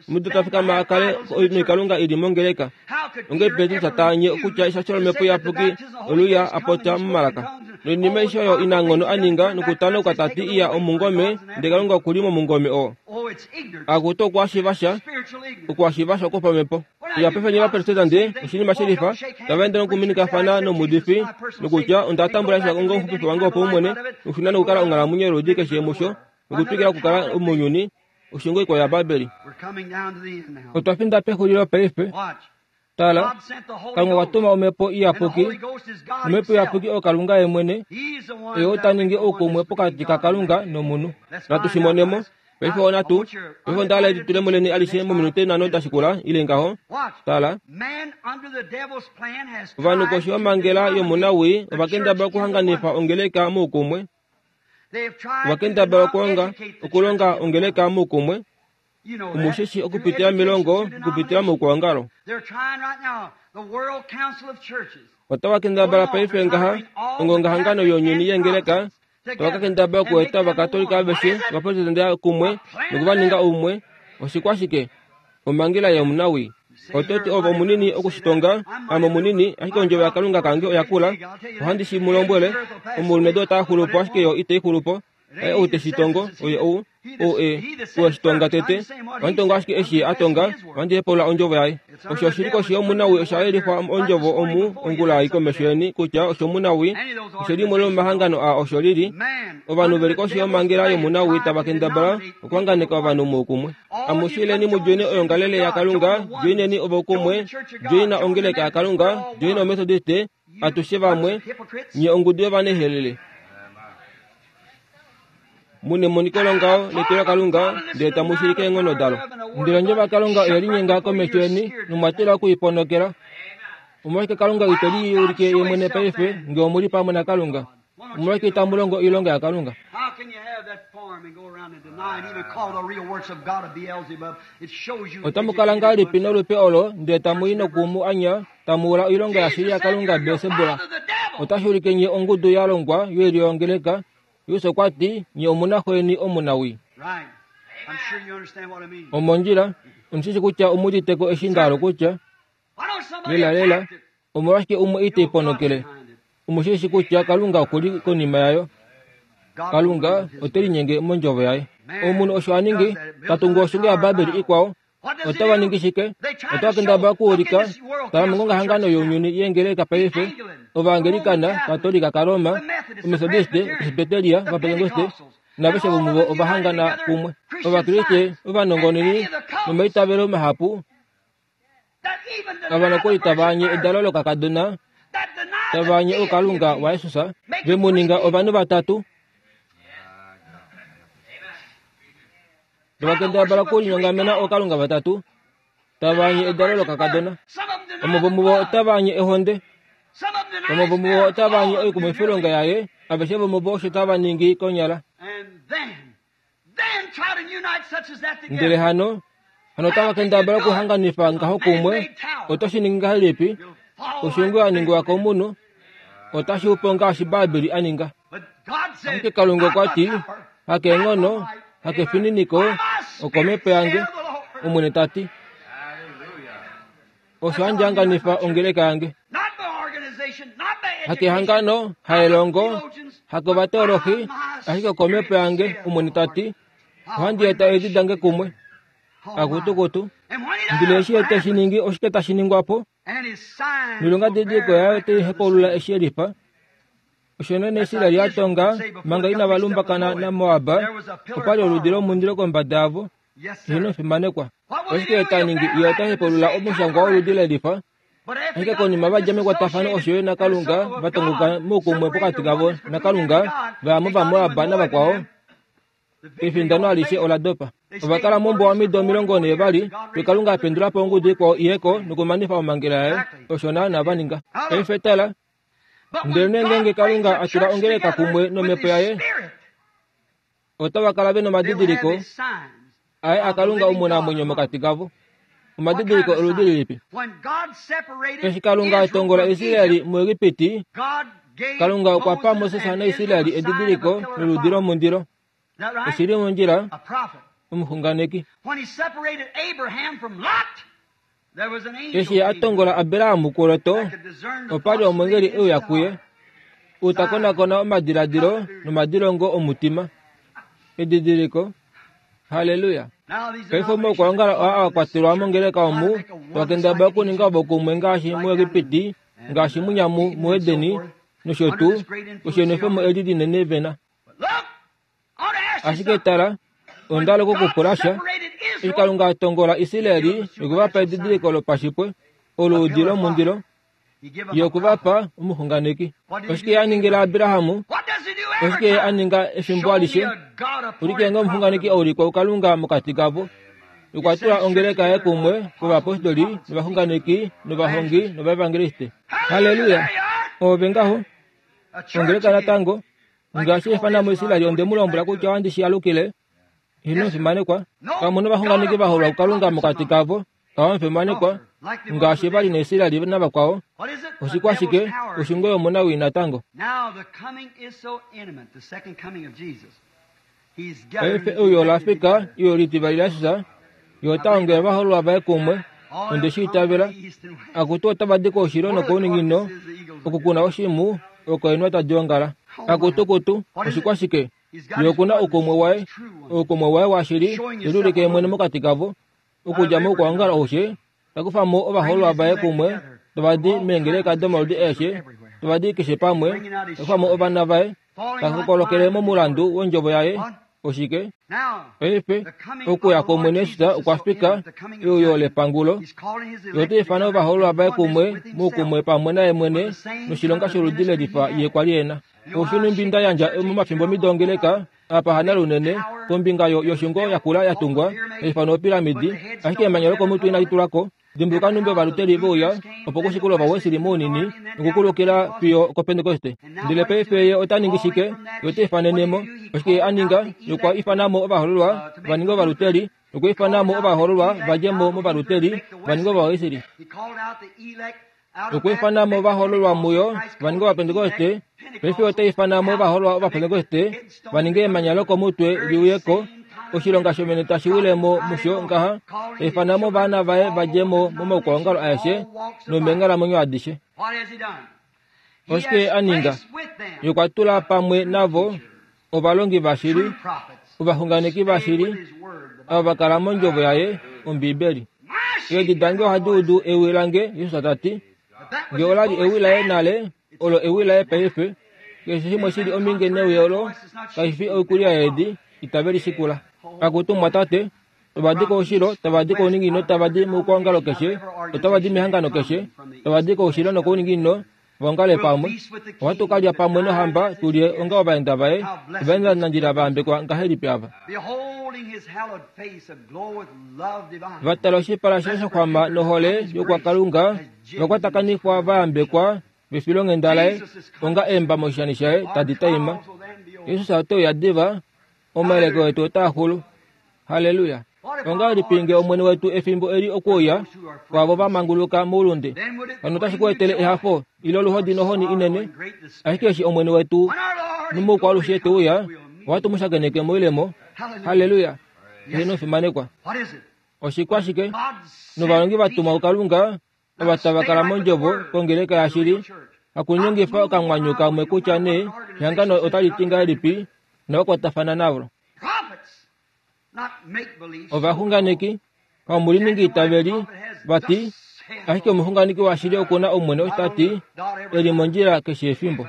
omudo ta fikama a kale noikalunga ili mongeleka? Ongahelipi Petrus ta anye kutya eshasho lomhepo iyapuki oluya a popya momalaka? Noinima aishe oyo inanghono a ninga nokutanoka ta ti iya omungome, ndele Kalunga okuli momungome oo. Akutu okwashiva sha, okwashiva sha kwopamhepo. Iya paife nye Ovaprotestante oshinima shelifa, tava ende nokuminikafana nomuudifi nokutya onda tambula Jesus onga omuxupifi wange wopaumwene, nokushuna nokukala onghalamwenyo yoludi keshe musho, nokutwikila okukala mounyuni, oshungo ikwao yaBabeli. Otwa finda pexulilo paife. Tala, Kalunga okwa tuma omhepo iyapuki, nomhepo iyapuki oyo Kalunga ye mwene, oye ou ta ningi oukumwe pokati kaKalunga nomunhu. Natu shi monemo. Paife onatu, paife onda hala elitulemo leni alishe mominute nhano da shikula, ile ngaho. Tala, ovanhu koshi yomhangela yomunawii ova kendabala okuhanganifa ongeleka moukumwe. Ova kendabala okulonga, okulonga ongeleka moukumwe. Omushishi okupitila milongo, okupitila moukwaongalo. Otava kendabala paife ngaha ongongahangano younyuni yengeleka tava kakendabala okueta ovakatolika aveshe ovaprotestante kumwe nokuvaninga umwe. Oshikwashike? Omhangela yomunawi. Ototi ove omunini okushitonga, ame omunini, ashike ondjovo yaKalunga kange oyakula. Ohandi shi mu lombwele, omulumenhu ota xulupo ashike yo itai xulupo. Aye ou te shitongo, oye ou, ou e, ou eshitonga tete. Ohandi tongo ashike eshi ye a tonga, ohandi hepaulula ondjovo yaye. Osho oshili koshi yomunawi osha yelifwa ondjovo omu ongula ei komesho yeni kutya oshomunawi, osho limwe lomomahangano aa osho lili. Ovanhu veli koshi yomhangela yomunawi tava kendabala okuhanganeka ovanhu moukumwe. Amushileni mudjoine oyongalele yaKalunga, djoineni ovoukumwe, djoina ongeleka yaKalunga, djoina omethodiste, atushe vamwe, nye ongudu yovanehelele. Mune moniko longao letu laKalunga, ndele tamu shilike eenghono dalo. Ndele ondjovo yaKalunga oye linyenga komesho yeni, nomwa tila okuiponokela. Omolwashike Kalunga ite liulike ye mwene paife ngee omuli pamwe naKalunga? Omolwashike itamu longo oilonga yaKalunga? Otamu kala ngahelipi nolupe olo ndele tamu i nokumu anya tamu ula oilonga yashili yaKalunga Belsebula? Otashi ulike nye ongudu ya longwa yoilyo yongeleka. Jesus okwa ti, nye omuna xweni omunawi. Omondjila, omushishi kutya omuditeko eshi ndahala kutya. Lela lela, omolwashike umwe ite iponokele? Omushishi kutya Kalunga okuli konima yayo. Kalunga ote linyenge mondjovo yaye. Omunhu osho a ningi, ta tungu oshungo yaBabeli ikwao. Otava ningi shike? Otava kendabala okuulika, tala mongongahangano younyuni yengeleka paife, Ovaangelikana, Katolika kaRoma, Omethodiste, Presbyteria, Ovapentekoste, naveshe vomuvo ovahangana kumwe. Ovakriste ovanongononi nomaitavelo mahapu ava nokuli tava anye edalo lokakadona, tava anye oukalunga waJesus, ve mu ninga ovanhu vatatu. Tava kendabala okulinyongamena ookalunga vatatu, tava anye edalo lokakadona. Vamwe vomuvo otava anye ehonde, vamwe vomuvo otava anye oikumwifilonga yaye, aveshe vomuvo osho tava ningi konyala. Ndele hano, hano otava kendabala okuhanganifa ngaho kumwe. Oto shi ningi ngahelipi? Oshungo ya ningwa komunhu otashi upo ngaashi Babeli a ninga. Ashike Kalunga okwa ti, hakeenghono, hakefininiko, okomhepo yange, Omwene ta ti. Osho handi hanganifa ongeleka yange. Hakehangano, haelongo, hakovateolohi, ashike okomhepo yange, Omwene ta ti. Ohandi eta eedi dange kumwe. Akutukutu. Ndele eshi ye te shi ningi, oshike tashi ningwa po? Noilonga didiliko yaye otai hepaulula eshi e lifa. Osho nene Israel ya tonga manga inava lumbakana naMoab, opa li oludi lomundilo kombada yavo. Hino fimanekwa. Oshike ta ningi? Ye ota hepaulula omushangwa woludi lelifa. Ashike konima va dja mekwatafano osho yo naKalunga, va tongoka moukumwe pokati kavo naKalunga, va ya mOvamoab navakwao. Efindano alishe ola dopa. Ova kala mombuwa omido omilongo nhee vali, fiyo Kalunga a pendula po ongudu ikwao iyeko nokumanifa omhangela yaye. Osho naana va ninga. Paife tala. Ndele nee ngeenge Kalunga a tula ongeleka kumwe nomhepo yaye, otava kala ve nomadidiliko aye aKalunga omunamwenyo mokati kavo. Omadidiliko oludi lilipi? Eshi Kalunga a tongola Israel muEgipiti, Kalunga okwa pa Moses naIsrael edidiliko loludi lomundilo. Oshili mondjila, omuxunganeki. Eshi a tongola Abraham kuLot, opa li omwengeli e uya kuye, ou ta konakona omadiladilo nomadilongo omutima. Edidiliko. Halleluya. Paife omaukwaongalo aa a kwatelwa mongeleka omu, twa kendabala okuninga ovokumwe ngaashi muEgipiti, ngaashi munyamu muEdeni, nosho tuu, osho eli linene vena. Ashike tala, onda hala okukupula sha. Eshi Kalunga a tongola Israel nokuvapa edidiliko lopashipwe, oludi lomundilo, ye okuvapa omuxunganeki. Oshike ye a ningila Abraham? Oshike ye a ninga efimbo alishe? Ulike ngee omuxunganeki a ulikwa kuKalunga mokati kavo. Okwa tula ongeleka yaye kumwe kovapostoli, novaxunganeki, novahongi, novaevangeliste. Halleluya! Oove ngaho. Ongeleka natango. Ngaashi efana muIsrael onde mu lombwela kutya ohandi shi alukile. Ino fimanekwa. Pamwe novaxunganeki va holwa kuKalunga mokati kavo. Kava fimanekwa. Ngaashi vali naIsraeli navakwao. Oshikwashike oshingo yomunawii natango. Paife euyo olafika iyo litivali laJesus, ye ota ongele ovahoololwa vaye kumwe. Onde shi itavela. Akutu otava di koushilo nokouninginino, okukuna oshimhu oko eenhwa tadi ongala. Akutukutu oshikwashike ye okuna oukumwe waye, oukumwe waye washili te liulike ye mwene mokati kavo. Okudja moukwaongalo aushe, ta kufa mo ovahoololwa vaye kumwe, tava di meengeleka domaludi aeshe, tava di keshe pamwe, ta kufa mo ovana vaye, ta kokolokele momulandu wondjovo yaye. Oshike? Paife okuya kwOmwene Jesus okwa fika, euyo lepangulo. Ye ota ifana ovahoololwa vaye kumwe moukumwe pamwe naye mwene noshilonga sholudi lelifa ye kwa li e na. Oshinumbi nda yandja momafimbo mido ongeleka apa hanalunene kombinga yoshungo yakula ya tungwa haifanwa opiramidi, ashike emanya lokomutwe inali tulwako. Dimbuluka numbi ovaluteli veuya opo kushikula ovawesili mounini nokukulukila fiyo koPentekoste. Ndele paife ye ota ningi shike? Ye ota ifanenemo. Oshike ye a ninga? Ye okwa ifanamo ovahoololwa va ninge ovaluteli, nokwa ifanamo ovahoololwa va dje mo movaluteli va ninge ovawesili. Okwa ifanamo ovahoololwa muyo va ninge ovapentekoste. Paife ota ifanamo ovahoololwa ovapentekoste va ninge emanya lokomutwe li uye ko. Oshilonga shomene tashi wilemo musho ngaha, ta ifanamo ovana vaye va dje mo momaukwaongalo aeshe nomeenghalamwenyo adishe. Oshike a ninga? Ye okwa tula pamwe navo ovalongi vashili, ovaxunganeki vashili, ava va kala mondjovo yaye, Ombibeli. Eedi dange ohadi udu ewi lange, Jesus ta ti. Nge ola li ewi laye nale, olo ewi laye paife. Keshe shimwe shili ominge newi olo, kashi fi oikulya yeedi, itave li shikula. Akutu mwatate, tava di koushilo, tava di kouninginino, tava di moukwaongalo keshe, otava di mehangano keshe, tava di koushilo nokouninginino, vaongale pamwe. Ohatu ka lya pamwe nohamba, tu lye onga ovaenda vaye, ovaendanandjila va yambekwa ngahelipi ava. Va tala oshipala shaye shaxwama nohole yokwakalunga, va kwatakanifwa va yambekwa vefilonghenda laye, onga eemba moshishani shaye tadi taima. Jesus ote uya diva, omayeleko etu otaa xulu. Halleluya! Ongahelipi nge Omwene wetu efimbo eli okuuya kwaavo va manguluka moulunde? Hano otashi ku etele ehafo ile oluhodi nohoni inene. Ashike eshi Omwene wetu nomoukwalushe te uya, ohatu mu shakeneke moilemo. Halleluya! Ye nofimanekwa. Oshikwashike? Novalongi va tumwa kuKalunga, ava tava kala mondjovo kongeleka yashili, hakuningifa okamwanyu kamwe kutya nee ehangano otali ti ngahelipi, novakwatafana navo. Ovaxunganeki, kamuliningi itaveli, vati, ashike omuxunganeki washili okuna Omwene osho ta ti, e li mondjila keshe efimbo.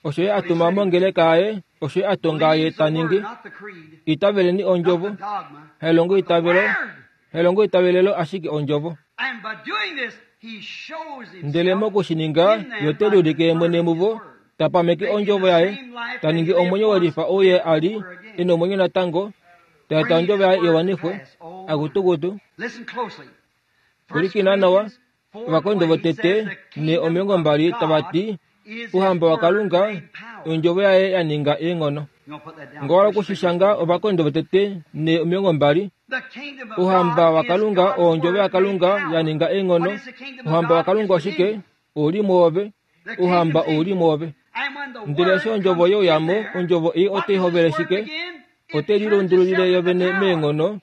Osho ye a tuma mongeleka yaye, osho ye a tonga ye ta ningi. Itaveleni ondjovo, hailongo itavelo, hailongo itavelelo ashike ondjovo. Ndele mokushininga, ye ote liulike ye mwene muvo, ta pameke ondjovo yaye, ta ningi omwenyo welifa ou ye a li e nomwenyo natango, ta eta ondjovo yaye iwanifwe. Akutukutu. Pwilikina nawa, Ovakorinto votete ne omilongo mbali tava ti, Ouhamba waKalunga ondjovo yaye ya ninga eenghono. Ngowala okushishanga Ovakorinto votete ne omilongo mbali. Ouhamba waKalunga ondjovo yaKalunga ya ninga eenghono. Ouhamba waKalunga oshike? Ouli mwoove. Ouhamba ouli mwoove. Ndele eshi ondjovo yeuyamo, ondjovo ei otai hovele shike? Otai lilundululile yovene meenghono,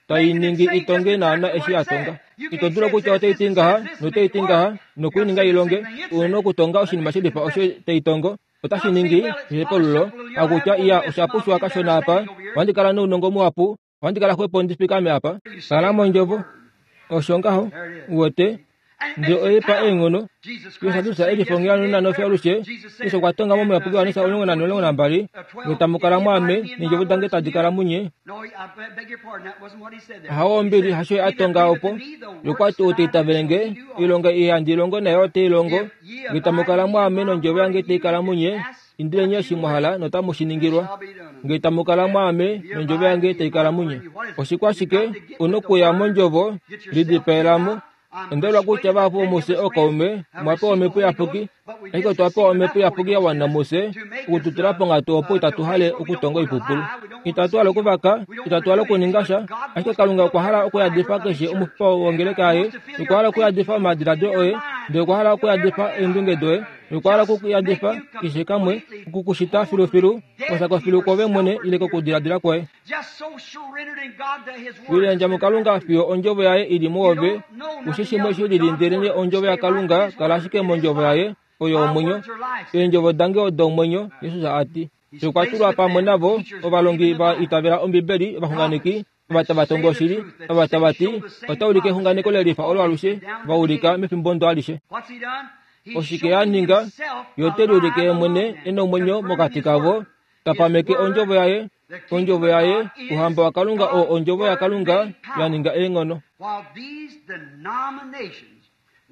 tai ningi itonge naana eshi ya tonga. Ito dulu kutya otai ti ngaha notai ti ngaha nokuininga ilonge. Una okutonga oshinima shelifa osho tai tongo, otashi ningi ehepululo. Hakutya iya osha pushwa kashona apa, ohandi kala nounongo muhapu, ohandi kala xwepo ndi fikame apa. Kala mondjovo. Osho ngaho, uwete, ndele oipa eenghono. Jesus elifongela nonanofya alushe, Jesus okwa tonga momuyapuki Johannes omulongo nane omulongo nambali, nge tamu kala mwaame, neendjovo dange tadi kala munye. Hawo ombili hasho a tonga opo, ye okwa ti ou ta itavele nge, oilonga ei handi longo naye ote i longo, nge tamu kala mwaame nondjovo yange tai kala munye, indileni eshi mwa hala notamu shi ningilwa. Nge tamu kala mwaame nondjovo yange tai kala munye. Oshikwashike? Una okuya mondjovo, lidipaelamo. Onda kutya vahapu vomufye ookaume omwa pewa omhepo iyapuki, ashike otwa pewa omhepo iyapuki ya wana mufye okututula ponghatu opo itatu hale okutonga oipupulu. Itatu hala okuvaka, itatu hala okuninga sha, ashike Kalunga okwa hala okuyadifa keshe omufipa wongeleka yaye, okwa hala okuyadifa omadiladilo oye, ndele okwa hala okuyadifa eendunge doye, okwa hala okuyadifa keshe kamwe, okukushita filufilu, osako filu kove mwene ile kokudiladila kwoye. Wiliyandja muKalunga fiyo ondjovo yaye ili muove, ushi shimwe shi lili ndelenee ondjovo yaKalunga, kala ashike mondjovo yaye, oyo omwenyo. Eendjovo dange odo omwenyo, Jesus a ti. Okwa tulwa pamwe navo ovalongi va itavela Ombibeli, ovaxunganeki, ova tava tongo oshili, ova tava ti ota ulike exunganeko lelifa olo alushe va ulika mefimbo ndo alishe. Oshike ya ninga? Ye ote liulike ye mwene e nomwenyo mokati kavo, ta pameke ondjovo yaye, ondjovo yaye, ouhamba waKalunga oo ondjovo yaKalunga ya ninga eenghono.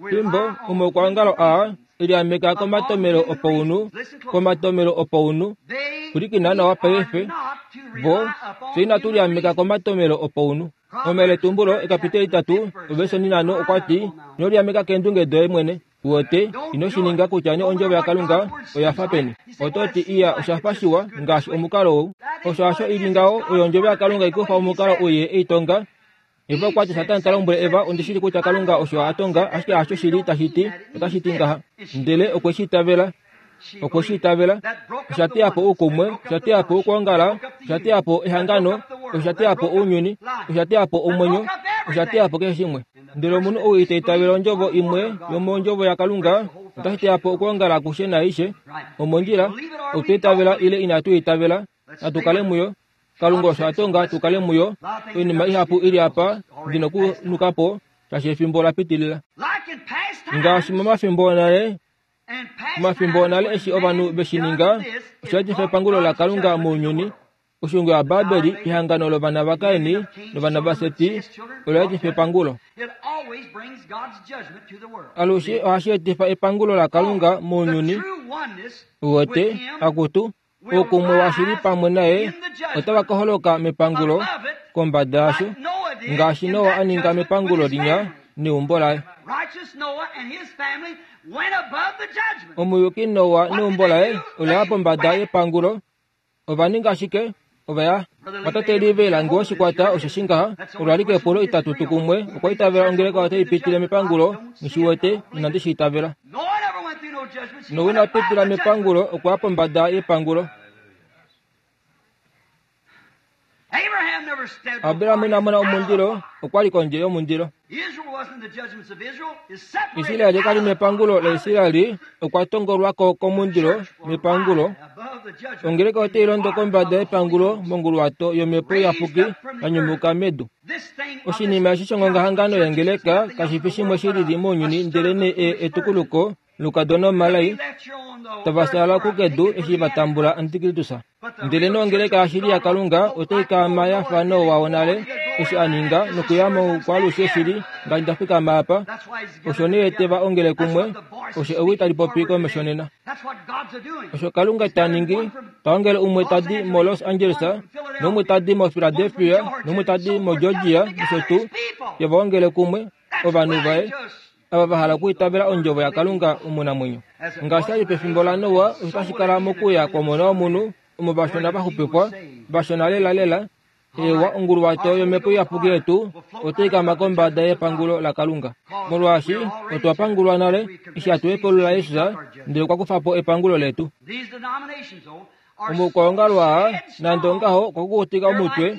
Fimbo omaukwaongalo aa eliameka komatomelo opounhu, komatomelo opounhu, pwilikina nawa paife, vo fye inatu liameka komatomelo opounhu. Omayeletumbulo ekapiteli itatu ovesi onhinhano okwa ti, ino liameka keendunge doye mwene. Uwete, ino shi ninga kutya nee ondjovo yaKalunga oya fa peni. Oto ti iya osha fa shiwa ngaashi omukalo ou. Osho hasho ili ngaho, oyo ondjovo yaKalunga ikufa omukalo ou ye eitonga. Eva okwa ti Satana ta lombwele Eva, ondishili kutya Kalunga osho a tonga, ashike hasho shili tashi ti, otashi ti ngaha. Ndele okwe shi itavela. Okwe shi itavela. Osha teya po oukumwe, osha teya po okwoongala, osha teya po ehangano, osha teya po ounyuni, osha teya po omwenyo, osha teya po keshe shimwe. Ndele omunhu ou ita itavela ondjovo imwe yomondjovo yaKalunga, otashi teya po okwoongala akushe naaishe. Omondjila, otwa itavela ile inatu itavela, natu kale muyo. Kalunga osho a tonga tu kale muyo. Oinima ihapu ili apa ndi nokunuka po, shaashi efimbo la pitilila. Ngaashi momafimbo onale, momafimbo onale eshi ovanhu veshi ninga, osha etifa epangulo laKalunga mounyuni. Oshungo yaBabeli, ehangano lovana vaKaini novana vaSeti, ola etifa epangulo. Alushe ohashi etifa epangulo laKalunga mounyuni. Uwete, akutu, oukumwe washili pamwe naye otava ka holoka mepangulo kombada yasho, ngaashi Noa a ninga mepangulo linya neumbo laye. Omuyuki Noa neumbo laye ola ya pombada yepangulo. Ova ninga ashike, ova ya. Vatate live lange oshikwata osho shingaha, olo alike epulo itatu tukumwe, okwa itavela ongeleka otai pitile mepangulo, ngishiwete, inandi shi itavela. Noa ina pitila mepangulo, okwa ya pombada yepangulo. Abraham ina mona omundilo, okwa li kondje yomundilo. Israeli kali mepangulo laIsraeli, okwa tongolwako komundilo mepangulo. Ongeleka otai londo kombada yepangulo monguluwato yomhepo iyapuki ya nyumuka medu. Oshinima eshi shongongahangano yengeleka kashi fi shimwe shi lili mounyuni, ndelenee etukuluko lukadona omalai tava sala kukedu eshi va tambula Antikristus. Ndelenee ongeleka yashili yaKalunga otai kaama ya fa Noa wonale eshi a ninga nokuya moukwalushe shili ngaashi nda fikama apa. Osho nee te va ongele kumwe, osho ewi tali popi komesho nena. Osho Kalunga ta ningi, ta ongele umwe tadi moLos Angeles, noumwe tadi moPhiladelphia, noumwe tadi moGeorgia, nosho tuu, te va ongele kumwe ovanhu vaye ava va hala okuitavela ondjovo yaKalunga omunamwenyo. Ngaashi ali pefimbo laNoa, osho tashi kala mokuya kwOmona wOmunhu, omo vashona va xupifwa, vashona lelalela. Ewa onguluwato yomhepo iyapuki yetu otai kama kombada yepangulo laKalunga. Molwaashi otwa pangulwa nale eshi hatu hepulula Jesus, ndele okwa kufa po epangulo letu. Omaukwaongalo aa, nande ongaho, okwa kukutika omutwe.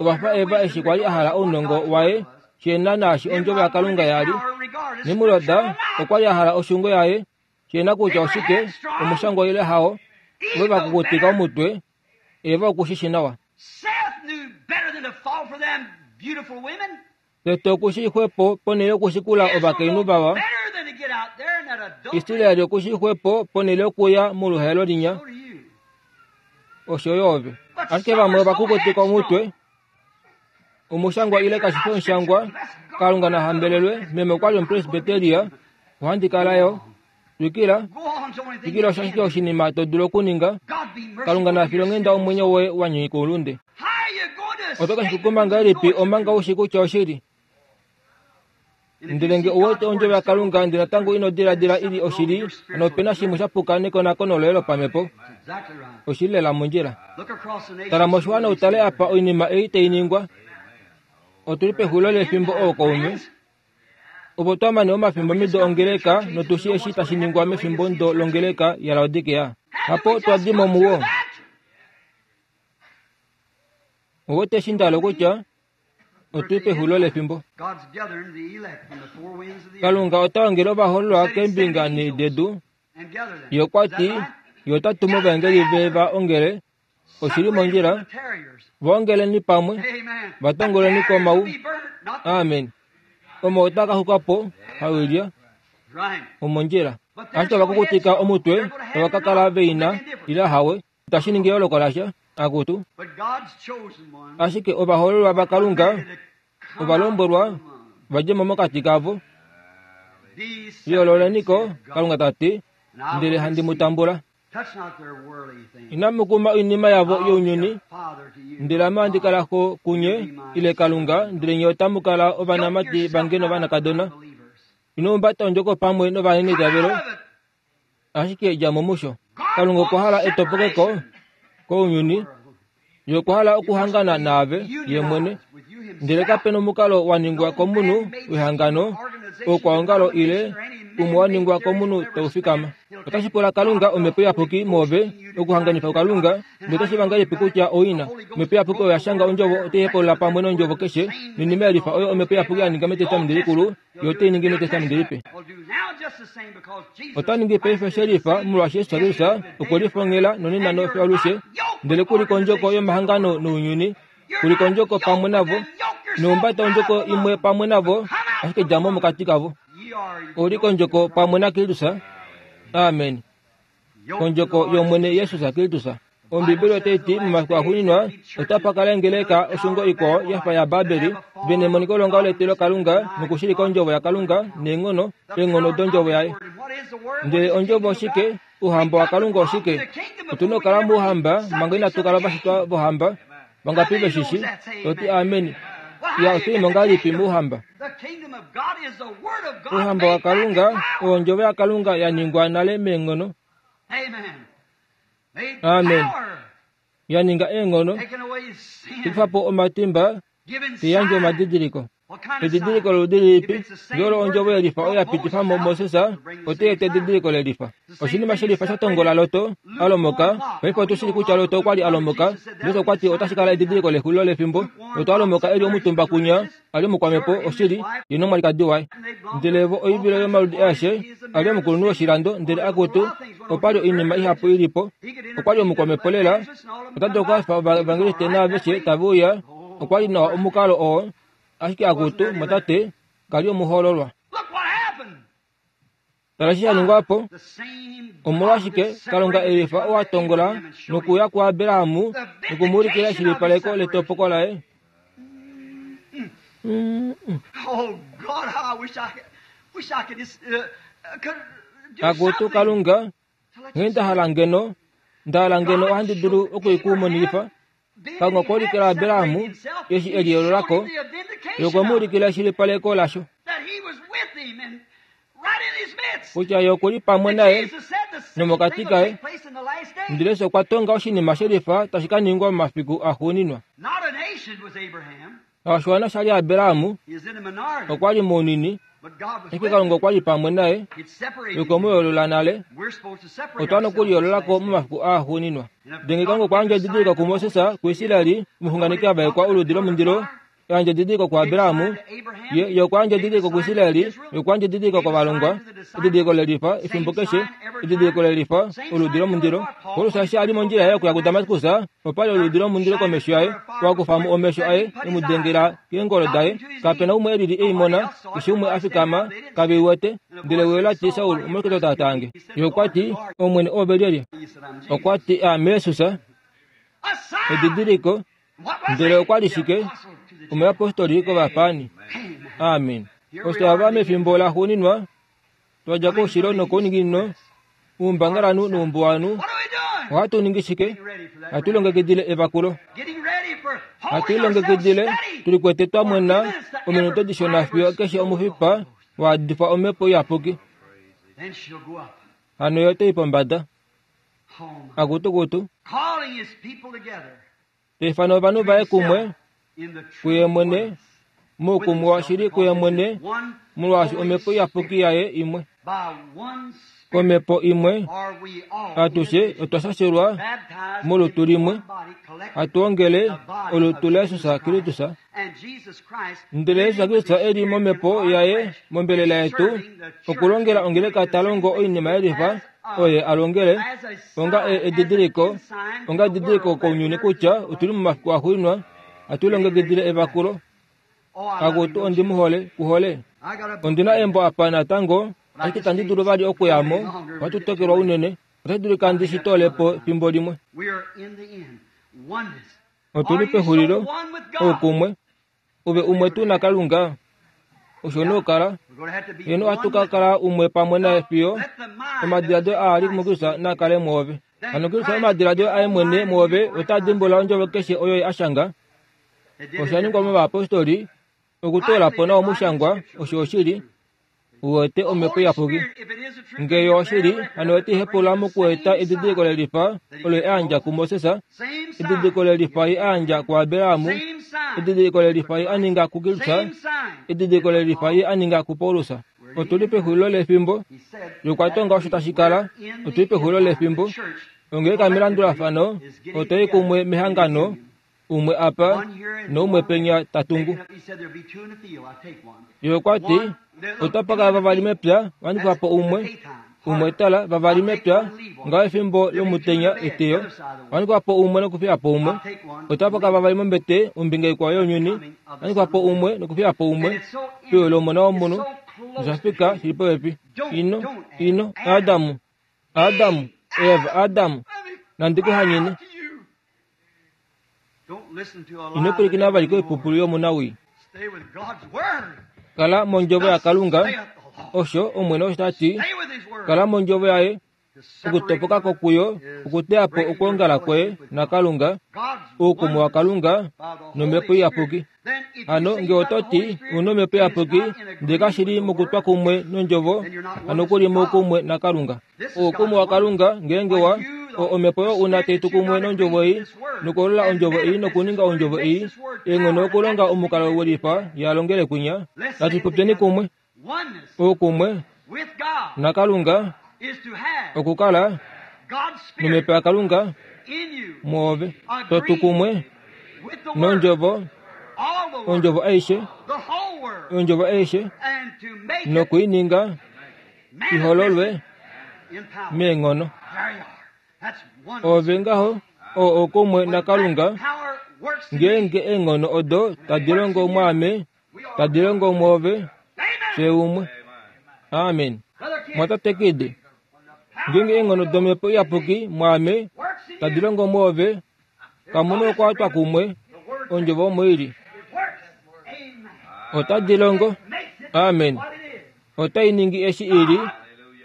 Ova fa Eva eshi kwali a hala ounongo waye, shena naashi ondjovo yaKalunga yali. Nimrod okwa li a hala oshungo yaye, shena kutya oshike, omushangwa ile hao. Ove va kukutika omutwe, Eva okushi nawa. Tete okushi xwepo ponhele yokushikula ovakainhu vawa. Israeli okushi xwepo ponhele yokuya moluhaelo linya. Osho yo ove. Ashike vamwe ova kukutika omutwe. Omushangwa ile kashi fi omushangwa, Kalunga na hambelelwe, meme okwa li omupresbyteria, ohandi kala yo. Twikila, twikila osho ashike oshinima to dulu okuninga. Kalunga na file onghenda omwenyo woye wa nyika oulunde. Oto ka shikuma ngahelipi omanga ushi kutya oshili? Ndele nge uwete ondjovo yaKalunga ndele natango ino diladila ili oshili, hano opena shimwe shapuka nekonakono loye lopamhepo. Oshili lela mondjila. Tala moshiwana utale apa oinima ei tai ningwa. Otuli pexulilo lefimbo ookaume. Opo twamane omafimbo mido ongeleka notushi eshi tashi ningwa mefimbo ndo longeleka yaLaodikea. Hapo twadimo muwo. Uwete eshi ndalo kutya otuli pexulilo lefimbo. Kalunga ota ongele ovahoololwa keembinga nhee dedu. Ye okwa ti ye ota tumu ovaengeli ve va ongele. Oshili mondjila. Va ongeleni pamwe, va tongoleni komau. Amen. Omo ota ka xuka po hawilya omondjila. Ashike ovakukutika omutwe tava ka kala veina ila hawe. Itashi ningi eyooloko lasha akutu. Ashike ovahoololwa vaKalunga ovalombwelwa vadje mo mokati kavo. Yoololeniko, Kalunga ta ti, ndele handi mu tambula. Inamu kuma oinima yavo younyuni, ndele ame ohandi kala xo kunye, ile Kalunga, ndele nye otamu kala ovanamati vange novanakadona. Ino humbata ondjoko pamwe novanenitavelo, ashike dja mo musho. Kalunga okwa hala etopokeko kounyuni. Ye okwa hala okuhangana naave ye mwene, ndele kapena omukalo wa ningwa komunhu wehangano, oukwaongalo ile umwe wa ningwa komunhu tau fikama. Otashi pula Kalunga omhepo iyapuki mwoove okuhanganifa kuKalunga, ndele otashi vangelipi kutya oina. Omhepo iyapuki oyo ya shanga ondjovo otai hepolola pamwe nondjovo keshe, noinima yelifa oyo omhepo iyapuki ya ninga mEtestamenti Likulu, yo otai ningi mEtestamenti Lipe. Ota ningi paife shelifa molwaashi Jesus Kristus okwe lifongela nonena nofiyo alushe, ndele kuli kondjoko yomahangano nounyuni, kuli kondjoko pamwe navo, nohumbata ondjoko imwe pamwe navo, ashike dja mo mokati kavo. Oli kondjoko pamwe naKristus. Amen. Kondjoko yOmwene Jesus Kristus. Ombibeli otai ti momafiku axuuninwa otapa kala engeleka oshungo ikwao ya fa yaBabeli, ve nemoniko longa letilo Kalunga nokushilika ondjovo yaKalunga neenghono, eenghono dondjovo yaye. Ndele ondjovo oshike? Ouhamba waKalunga oshike? Otuna okukala mouhamba manga inatu kala ovashitwa vohamba. Vangapi veshishi? Toti amen. Ya otuimo ngahelipi mouhamba? Ouhamba waKalunga oo ondjovo yaKalunga ya ningwa nale meenghono. Amen. Ya ninga eenghono, kufa po omatimba, tiyandje omadidiliko. Edidiliko loludi lilipi? Ngee ondjovo yelifa oyo ya pitifa mo Moses, otai eta edidiliko lelifa. Oshinima shelifa sha tongola Loto, a lomoka. Paife otushili kutya Loto okwa li a lomoka. Jesus okwa ti otashi kala edidiliko lexulilo lefimbo. Loto a lomoka e li omutumba kunya, a li omukwamhepo, oshili, ye nomwalikadi waye. Ndele vo oivilo yomaludi aeshe, a li omukulunhu woshilando, ndele akutu, opa li oinima ihapu ilipo. Okwa li omukwamhepo lela, ota dulu okuhafifa ovaevangeliste naaveshe tave uya. Okwa li nawa omukalo oo, ashike akutu, motate, ka li omuhoololwa. Tala eshi sha ningwa po. Omolwashike Kalunga elifa oo a tongola nokuya kuAbraham nokumuulikila eshilipaleko letopoko laye? Akutu Kalunga, nghee nda hala ngeno, nda hala ngeno ohandi dulu okuikumonifa. Kalunga okwa ulikila Abraham eshi e liyoololako, ye okwe mu ulikila eshilipaleko lasho kutya ye okuli pamwe naye nomokati kaye. Ndele Jesus okwa tonga oshinima shelifa tashi ka ningwa momafiku axuuninwa. Oshiwana sha li Abraham okwa li mounini, ashike Kalunga okwa li pamwe naye, ye okwe mu yoolola nale. Otwa nokuliyoololako momafiku aaxuuninwa. Ndele Kalunga okwa yandja edidiliko kuMoses, kuIsraeli, omuxunganeki a vaekwa oludi lomundilo, yandja edidiliko kuAbraham, ye okwa yandja edidiliko kuIsraeli, ye okwa yandja edidiliko kovalongwa, edidiliko lelifa efimbo keshe, edidiliko lelifa oludi lomundilo. Paulus eshi a li mondjila yaye okuya kuDamaskus, opa li oludi lomundilo komesho yaye, wa kufa mo omesho aye, e mu dengela keengolo daye. Kapena umwe e lili ei mona, keshe umwe a fikama, kave i wete. Ndele ewi ola ti, Saul, omolwashike to taatange? Ye okwa ti, Omwene, oove lyelye? Okwa ti, Aame Jesus. Edidiliko. Ndele okwa li shike? Omuyapostoli kovapaani. Amen. Osho ava mefimbo laxuuninwa, twa dja koushilo nokouninginino, uumbangalanhu noumbuwanhu, ohatu ningi shike? Hatu longekidile evakulo. Hatu ilongekidile tuli kwete twamwena ominute dishona fiyo keshe omufipa waadifa omhepo iyapuki. Hano yo otai pombada. Akutukutu. Taifana ovanhu vaye kumwe kuye mwene muukumwe washili kuye mwene molwaashi omhepo iyapuki yaye imwe. Komhepo imwe atushe otwa shashelwa molutu limwe hatu ongele olutu laJesus Kristus. Ndele Jesus Kristus eli momhepo yaye mombelela yetu okulongela ongeleka ta longo oinima yelifa oye alongele onga edidiliko onga edidiliko kounyuni kutya otuli momafiku axuuninwa hatu ilongekidile evakulo. Akutu ondimuhole kuhole. Ondina embo apa natango ashike tandi dulu vali okuyamo ohatu tokelwa unene otashi dulika ndi shi toole po fimbo limwe. Otuli pexulilo oukumwe ove umwe tu na Kalunga osho nokala heno ohatu ka kala umwe pamwe naye fiyo omadiladilo aa ali muKristus nakale mwoove. Hano Kristus omadiladilo aye mwene mwoove ota dimbula ondjovo keshe oyo a shanga. Osha ningwa movayapostoli okutoola po nawa omushangwa osho oshili uwete omhepo iyapuki. Ngee yo oshili hano otai hepulula mokueta edidiliko lelifa olo ye a yandja kuMoses, edidiliko lelifa ye a yandja kuAbraham, edidiliko lelifa ye a ninga kuKristus, edidiliko lelifa ye a ninga kuPaulus. Otuli pexulilo lefimbo yokwatonga osho tashi kala. Otuli pexulilo lefimbo ongeleka melandulafano otai kumwe mehangano umwe apa noumwe penya tatungu. Ye okwa ti otapa kala vavali mepya wanifa po umwe umwe tala vavali mepya ngaho efimbo lomutenya eteyo wanifa po umwe nokufiya po umwe. Otapa kala vavali mombete ombinga ikwao younyuni wanifa po umwe nokufiya po umwe fiyo lomona womunhu noshafika shili popepi. Ino ino Adamu Adamu Eva Adamu nandikuhanyene. Ino pwilikina vali koipupulu yomunawii. Kala mondjovo yaKalunga osho Omwene osho tati. Kala mondjovo yaye okutopoka ko kuyo okuteya po okwoongala kwoye naKalunga oukumwe waKalunga nomhepo iyapuki. Hano ngee oto ti una omhepo iyapuki ndele kashili mokutwa kumwe nondjovo hano kuli moukumwe naKalunga. Oukumwe waKalunga ngeenge wa omhepo oyo una taitu kumwe nondjovo ei nokuholola ondjovo ei nokuninga ondjovo ei eenghono okulonga omukalo welifa yalongele kwinya. Natu popyeni kumwe. Oukumwe naKalunga okukala nomhepo yaKalunga mwoove totu kumwe nondjovo ondjovo aishe ondjovo aishe nokuininga ihololwe meenghono. Ove ngaho oo oukumwe naKalunga ngeenge eenghono odo tadi longo mwaame tadi longo mwoove fye umwe. Amen. Mwatatekide ngeenge eenghono domhepo iyapuki mwaame tadi longo mwoove kamuna okukwatwa kumwe ondjovo omo ili otadi longo. Amen. Otai ningi eshi ili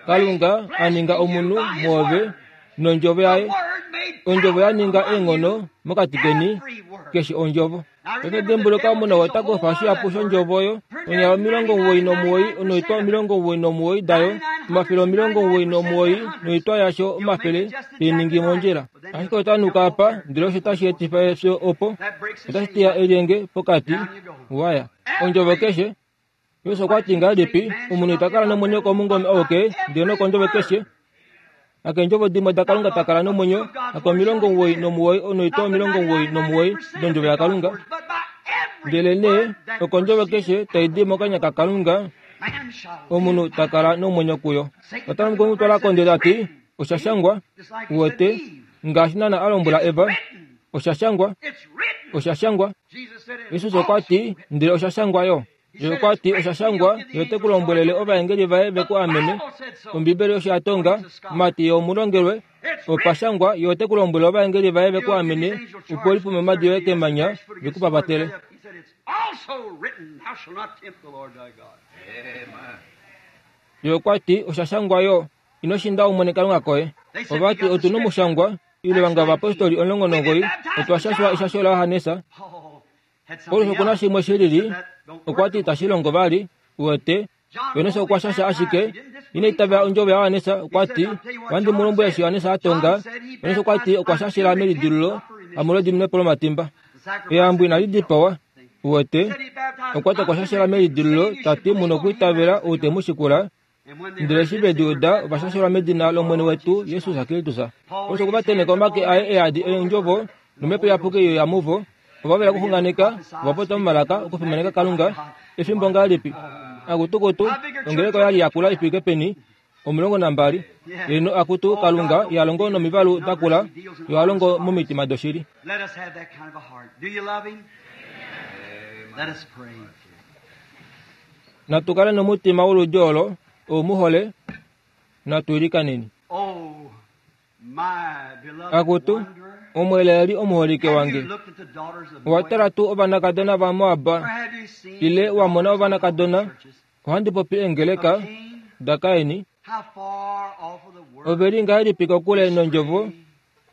Kalunga a ninga omunhu mwoove nondjovo yaye. Ondjovo ya ninga eenghono mokati keni keshe ondjovo. Paife dimbuluka omunhu ota kufa shihapu shondjovo oyo onyala omilongo omuwoi nomuwoi noitwa omilongo omuwoi nomuwoi dayo omafele omilongo omuwoi nomuwoi noitwa yasho omafele teiningi mondjila. Ashike ota nuka apa ndele osho tashi etifa efyo opo otashi teya elyenge pokati waya. Ondjovo keshe Jesus okwa ti ngahelipi omunhu ita kala nomwenyo komungome auke ndele nokondjovo keshe. Hakeendjovo dimwe daKalunga ta kala nomwenyo hakomilongo omuwoi nomuwoi noitwa omilongo omuwoi nomuwoi dondjovo yaKalunga. Ndele nee okondjovo keshe tai di mokanya kaKalunga omunhu ta kala nomwenyo kuyo. Satana okwe mu twala kondje tati osha shangwa uwete ngaashi naana a lombwela Eva osha shangwa osha shangwa. Jesus okwa ti ndele osha shangwa yo. Ye okwa ti osha shangwa ye ote ku lombwelele ovaengeli vaye ve ku amene. Ombibeli osho ya tonga mati omulongelwe opa shangwa ye ote ku lombwele ovaengeli vaye ve ku amene opo lipume omadi yoye kemanya ve ku papatele. Ye okwa ti osha shangwa yo ino shinda Omwene Kalunga koye. Ovati otu nomushangwa Ile vanga ovapostoli omulongo nomugoyi otwa shashwa eshasho laJohannes. Paulus okuna shimwe shilili, okwa ti itashi longo vali, uwete. Johannes okwa shasha ashike, ina itavela ondjovo yaJohannes, okwa ti, ohandi mu lombwele eshi Johannes a tonga. Johannes okwa ti okwa shashila melidilululo, hamolwediminepo lomatimba. Eyambo inali dipawa, uwete. Okwa ti okwa shashila melidilululo, ta ti mu nokwiitavela ou te mu shikula. Ndele eshi ve di uda, ova shashelwa medina lOmwene wetu Jesus Kristus. Paulus okwa tenheka omake aye e yadi eendjovo, nomhepo iyapuki ye uya muvo. Ova vela okuxunganeka, ova popya momalaka okufimaneka Kalunga. Efimbo ngahelipi? Akutukutu, ongeleka oyali yakula ifike peni? Omulongo nambali. Eno akutu Kalunga iha longo nomivalu dakula, yo ha longo momitima doshili. Let us have that kind of a heart. Do you love him? Let us pray. Natu kale nomutima woludi olo, ou mu hole, natu ilikaneni. Oh, my beloved Akutu, wanderer. omweleeli omuholike Have wange. you looked at the daughters of Owa Moab? tala tuu ovanakadona vaMoab, Or have you seen ile the wa mona daughters of ovanakadona? churches Ohandi popi eengeleka of Cain? daKaini. How far off of the word Ove li ngahelipi kokule nondjovo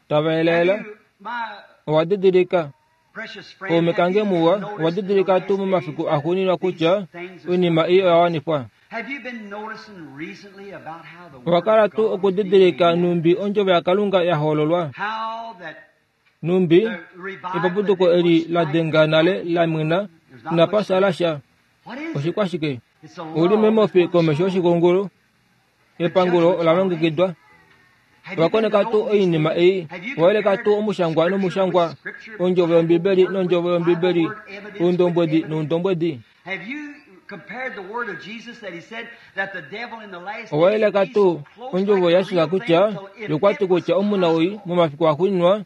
tava elaela? Have you, my Owa didilika precious friend, kaume have kange you muwa, noticed owa in the didilika last tuu momafiku days axuuninwa kutya these things are oinima ei oya wanifwa? Have you been noticing recently about how the Owa word kala of tuu God is okudidilika being numbi ondjovo yaKalunga ya hololwa? how that Numbi the revival epapuduko that eli was la denga nale la mwina inapa sala sha. What is it? Oshikwashike? It's a Uli law memofi before the komesho soul. yoshikungulu. Epangulo ola longekidwa. Have you Owa been koneka tuu noticing oinima these ei? things? Have you Owa yeleka compared tuu omushangwa scripture nomushangwa, with scripture, ondjovo yombibeli Bible nondjovo word with yombibeli, Bible word, evidence with oundombwedi evidence? noundombwedi? Have you compared the word of Jesus that he said that the devil in the last Owa days yeleka would be tuu so close ondjovo like the yaJesus real kutya thing till if yokwati it was kutya omunawii possible, momafiku axuuninwa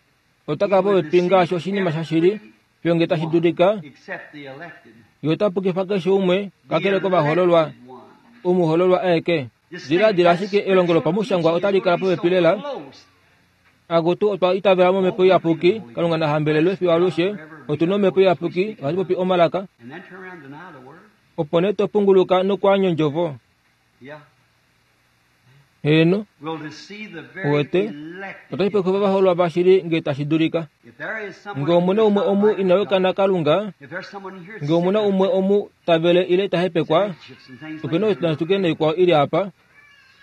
ota he kala would popepi ngaashi deceive oshinima shashili every fiyo nge tashi one dulika, except the elected. ye ota pukifa keshe umwe The kakele kovahololwa, elected one. omuhololwa aeke. Just think Diladila that ashike elongo spiritual lopamushangwa teaching is otali going kala to be popepi so lela. close. Akutu otwa itavela momhepo iyapuki, Kalunga na hambelelwe fiyo alushe. Otu na omhepo iyapuki, ohatu popi omalaka. And then turn around and deny the word. Opo nee to punguluka nokwaanya ondjovo. Yeah. Heeno, Will deceive the very Uwete, elected. otashi popifa ovahololwa vashili nge tashi dulika. If there is someone Nge omuna who umwe does not omu like ina God, wekana Kalunga, if there's someone here nge omuna sick umwe omu tavele ile ta hepekwa, chips and things opena like that, oituke naikwao ili apa.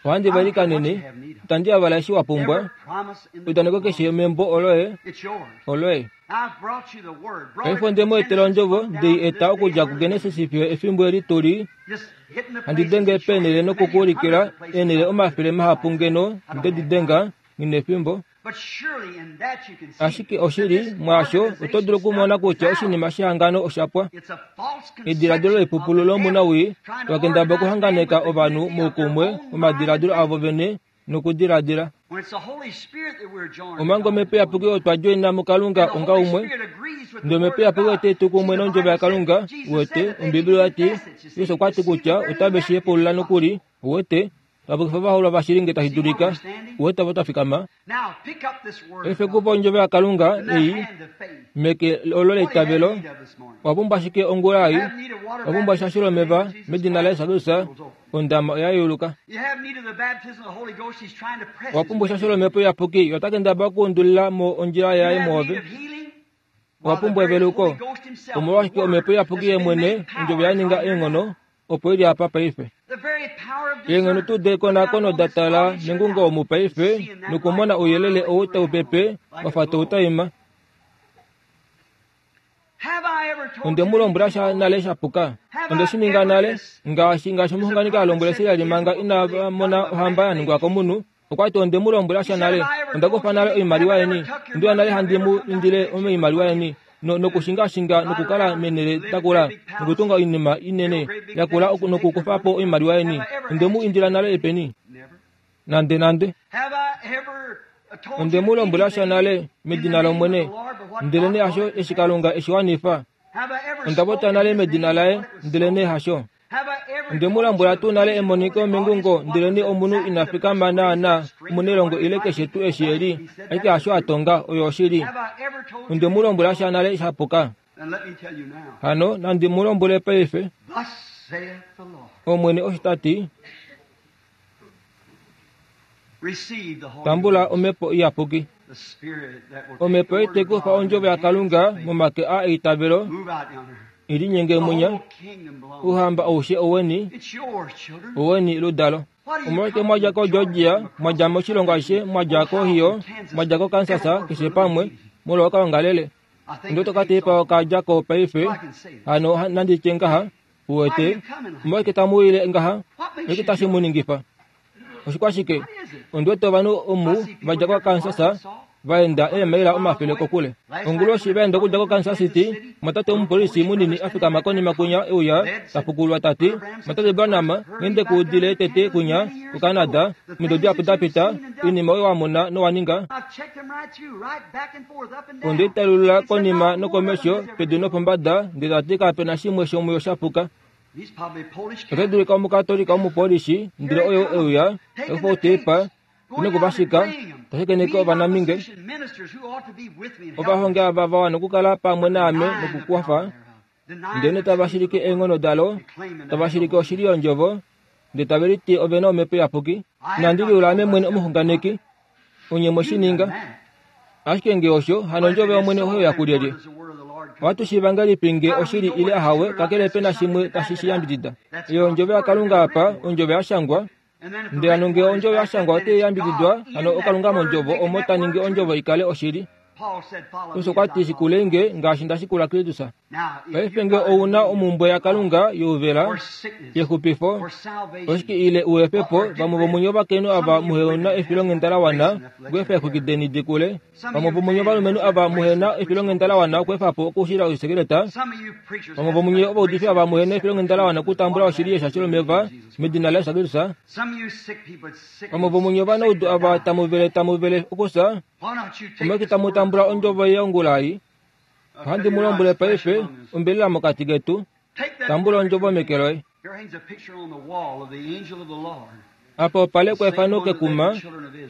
Ohandi va ilikanene, itandi yavala eshi wa pumbwa. every promise in the Eudaneko book keshe membo oloye, it's yours. oloye. I've brought you the word. Brought Paife it onde from mu etela Genesis ondjovo, down ndei to eta this day okudja we're kuGenesis fiyo efimbo eli tuli, Just hitting the handi places denge and showing peenele you many nokukuulikila hundreds of places eenele I've omafele mahapu ngeno nde di denga nghi efimbo. But surely in that you can see Ashike that oshili this mwaasho oto dulu organization okumona kutya stuff oshinima shehangano osha pwa. It's a false Ediladilo conception of lepupulu the lomunawii devil trying to vakendaba organize man okuhanganeka with the ovanhu unity of their moukumwe own mind momadiladilo and avo vene nokudiladila. When it's the Holy Spirit that we're joined Omanga omhepo iyapuki otwa djoina muKalunga And the onga Holy umwe, Spirit agrees with ndele the omhepo Word of iyapuki God. ote tu See, kumwe the nondjovo Bible yaKalunga, said, Jesus uwete, said that they Ombibeli didn't oyati, confess it. You see, Yesu okwa to ti see the kutya very otave shi elected hepulula is nokuli, uwete, tapukifa ovahololwa vashili nge tashi See where dulika, we're standing? uwete avo twa fikama. Now, pick up this Word of Paife God kupa ondjovo yaKalunga in that ei hand of faith. meke olo What do you have leitavelo, need of this morning? owa pumbwa ashike ongula ei, You have need of water owa pumbwa baptism eshasho in the name lomeva of Jesus medina Christ. laYesu Kristus, Door's open. ondama oya yeuluka. You have need of the baptism of the Holy Ghost. He's trying to press Owa his pumbwa way eshasho in. lomhepo iyapuki, ota kendabala okuundulila mo ondjila You yaye have need mwoove. of healing. Owa While the pumbwa very eveluko. Holy Ghost himself, the Omolwashike Word, omhepo iyapuki that's ye been mwene, made ondjovo power ya is ninga on here eenghono, now. opo ili apa paife. The very power of Eenghono tuu discernment. dekonakono Looking out da on this tala audience here nengungo now omu and paife seeing that nokumona light ouyelele whirling ou tau around pepe like a wafa globe. tautaima. Have I ever told Onde you mu lombwela anything sha wrong? nale sha puka. Have Onde I shi ninga ever nale dis- ngaashi ngaashi As a omuxunganeki a prophet lombwele said Sila to manga Israel ina before they mona got the ohamba ya last ningwa days, komunhu, okwa ti onde mu lombwela he sha said, nale, Have I ever onda told kufa you nale anything? Have oimaliwa I ever yeni, took your ondiwa money? nale Have I handi ever mu come down to indile fix you with oimaliwa money? yeni no And nokushingashinga ride nokukala around, menele live in dakula great big palaces, nokutunga oinima inene build great big yakula things and take your nokukufapo money? oimaliwa yeni Have I ever onde mu asked you indila for nale anything? epeni Never. nande nande Have I ever told onde you mu lombwela sha anything nale in the medina name of the lOmwene Lord but what ndelene God hasho brought it to eshi pass? Kalunga eshi wanifa Have I ever onda popya spoken nale his medina name laye but what it was ndelene so? hasho Have I ever onde mu told you lombwela a tuu nale vision emoniko before the audience mengungo what was ndelene omunhu exactly ina the fikama person raised naana up, stranger omunelongo wanted ile to fight keshe me? tuu eshi eli He said ashike that's the hasho a truth. tonga oyo oshili Have I ever told you onde mu lombwela anything sha wrong? nale sha puka Then let me tell you now. hano nandi mu lombwele paife Thus saith the Lord. Omwene osho ta ti Receive the Holy tambula Ghost. omhepo iyapuki. Omhepo ite kufa ondjovo yaKalunga momake a eitavelo ilinyenge munya. Uhamba aushe oweni, oweni ludalo. Omolwashike mwadja koGeorgia, mwadja moshilongo ashishe, mwadja koOhio, mwadja koKansas, keshe pamwe, molwa okaongalele. Ndo tokatepa okadja ko paife, hano nanditye ngaha, uwete, omolwashike tamu ile ngaha, oshike tashi mu ningifa? Oshikwashike? Ondiwete ovanhu omu vadja koKansas vaenda eemaila omafele kokule. Onguloshi vaenda okudja koKansas City, mwatate omupolisi munini afikama konima kunya euya tapukulwa tati, mwatate Branham, ngende kuudile tete kunya kuCanada, omido dihapu dapita, oinima oyo wamona nowaninga. Ondiitalulula konima nokomesho, pedu nopombada, ndele tati kapena shimwe shomuyo shapuka. Ote dulika omukatolika omupolishi, ndele oyo euya, takufa otepa, nokuvashika, tashakeneke ovanaminge. Ovahongi ava vawana okukala pamwe naame nokukwafa, ndele tava shilike eenghono dalo, tava shilike oshili yondjovo, ndele tave liti ovena omhepo iyapuki. Inandi liula ame mwene omuxunganeki, onye mweshininga. Ashike nge osho, hano ondjovo yOmwene oyo yakulyelye. Ohatu shiiva ngahelipi nge oshili ile ahawe, kakele pena shimwe tashi shi yambidida. Eyo ondjovo yaKalunga apa, ondjovo yashangwa. Ndele hano nge ondjovo yashangwa otai yambididwa, hano oKalunga mondjovo omo ta ningi ondjovo ikale oshili. Paulus okwa ti shikulenge ngaashi nda shikula Kristus. Paife nge ouna omumbwe yaKalunga youvela, yexupifo, oshike ile uefepo, vamwe vomunye ovakainhu ava muhena efilonghenda la wana okweefa eexwiki deni dikule, vamwe vomunye ovalumenhu ava muhena efilonghenda la wana okweefa po okushila oisekeleta, vamwe vomunye ovaudifi ava muhena efilonghenda la wana okutambula oshili yeshasho lomeva medina laJesus Kristus, vamwe vomunye ovanaudu ava tamuvele tamuvele okusa, omolwashike tamu tambula ondjovo yongula ei? Ohandi mu lombwele paife, ombelela mokati ketu, tambula ondjovo meke loye. Apa opa lekwa efano kekuma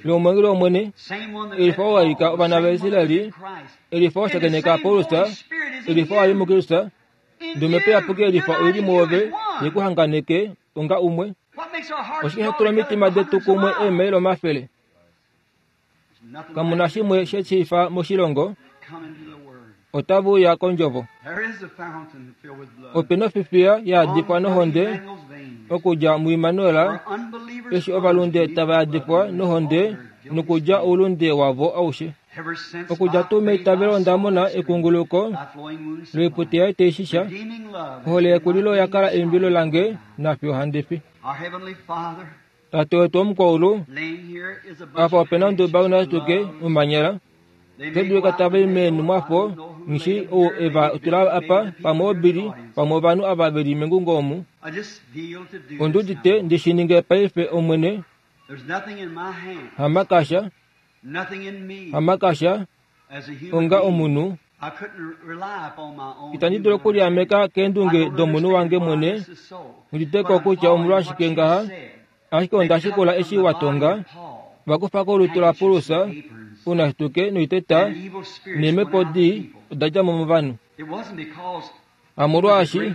lomwengeli wOmwene, elifa oo waika ovana vaIsraeli, elifa washakeneka Paulus, elifa wali muKristus, ndomhepo iyapuki elifa oili muove yekuhanganeke onga umwe. Oshike sha tula omitima detu kumwe eemaila omafele? Kamuna shimwe she shifa moshilongo, otava uya kondjovo. Opena ofifiya yaadifwa nohonde okudja muImmanuel, eshi ovalunde tava yadifwa nohonde nokudja oulunde wavo aushe. Okudja tuu meitavelo onda mona ekunguluko loipute yaye taishisha. Ohole yekulilo yakala eimbilo lange nafiyo handi fi. Tate wetu womukwaulu, apa opena onduba unatuke mumanyela. Ote dulika tava i meenhumwafo ngishi ou eva tula apa pamwe obili pamwe ovanhu ava veli mengungo omu. Ondi udite ndi shi ninge paife Omwene, hamakasha, hamakasha, onga omunhu. Itandi dulu okuliameka keendunge domunhu wange mwene, ngiditeko kutya omolwashike ngaha, ashike onda shikula eshi watonga, vakufa kolutu laPaulus, unashituke noiteta, neemhepo dii oda dja mo movanhu. Hamolwaashi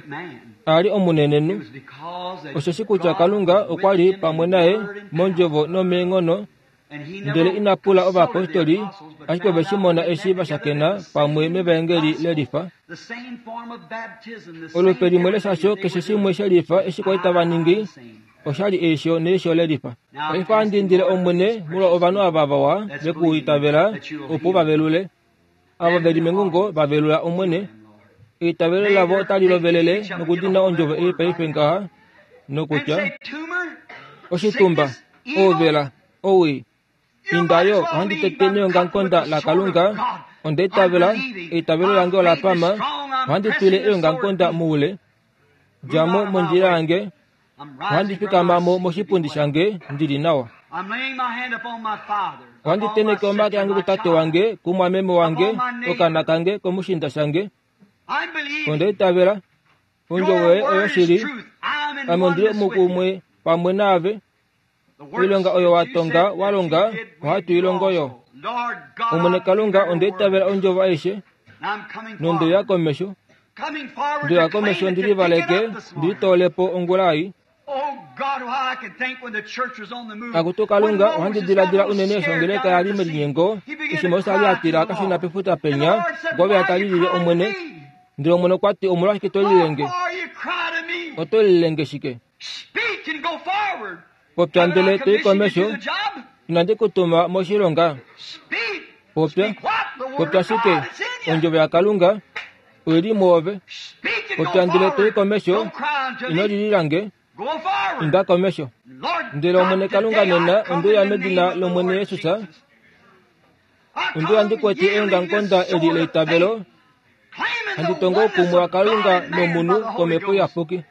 a li omunenenhu, osheshi kutya Kalunga okwa li pamwe naye mondjovo nomeenghono, ndele ina pula ovayapostoli, ashike ove shi mona eshi vashakena pamwe mevaengeli lelifa. Olupe limwe leshasho keshe shimwe shelifa eshi kwali tava ningi, oshali eisho neisho lelifa. Paife ohandi indile Omwene molwa ovanhu ava vawa vekuitavela opo vavelule. Ava veli mengungo vavelula Omwene. Eitavelo lavo otali lovelele nokudina ondjovo ei paife ngaha nokutya oshitumba, ouvela, owii, indayo ohandi tete neongamukonda laKalunga, onda itavela, eitavelo lange ola pama, ohandi twile eongamukonda moule, djamo mondjila yange, ohandi fikamamo moshipundi shange ndili nawa. Ohandi teneke omake ange kutate wange, kumwameme wange, okana kange, komushinda shange. Onda itavela, ondjovo yoye oyo shili, ame ondili mukumwe pamwe naave. Oilonga oyo watonga walonga, ohatu ilongo yo. Omwene Kalunga, onda itavela ondjovo aishe, nonde komesho. Ndoya komesho ndili valeke, ndili toolepo ongula ei. Akutu Kalunga, ohandi diladila unene eshi ongeleka yali melinyengo, eshi Moses ali a tila akashuna pefuta penya, okwa a talilile Omwene. Ndele Omwene okwa ti, omolwashike to lilenge? Oto lilenge shike? Popya ndele to i komesho, inandi ku tuma moshilonga. Popya, popya shike? Ondjovo yaKalunga oili mwoove. Popya ndele to i komesho, ino lililange. Inda komesho. Ndele Omwene Kalunga nena onde uya medina lOmwene Jesus. Onde uya ndi kwete eongamukonda eli leitavelo, handi tongo oukumwe waKalunga nomunhu komhepo iyapuki.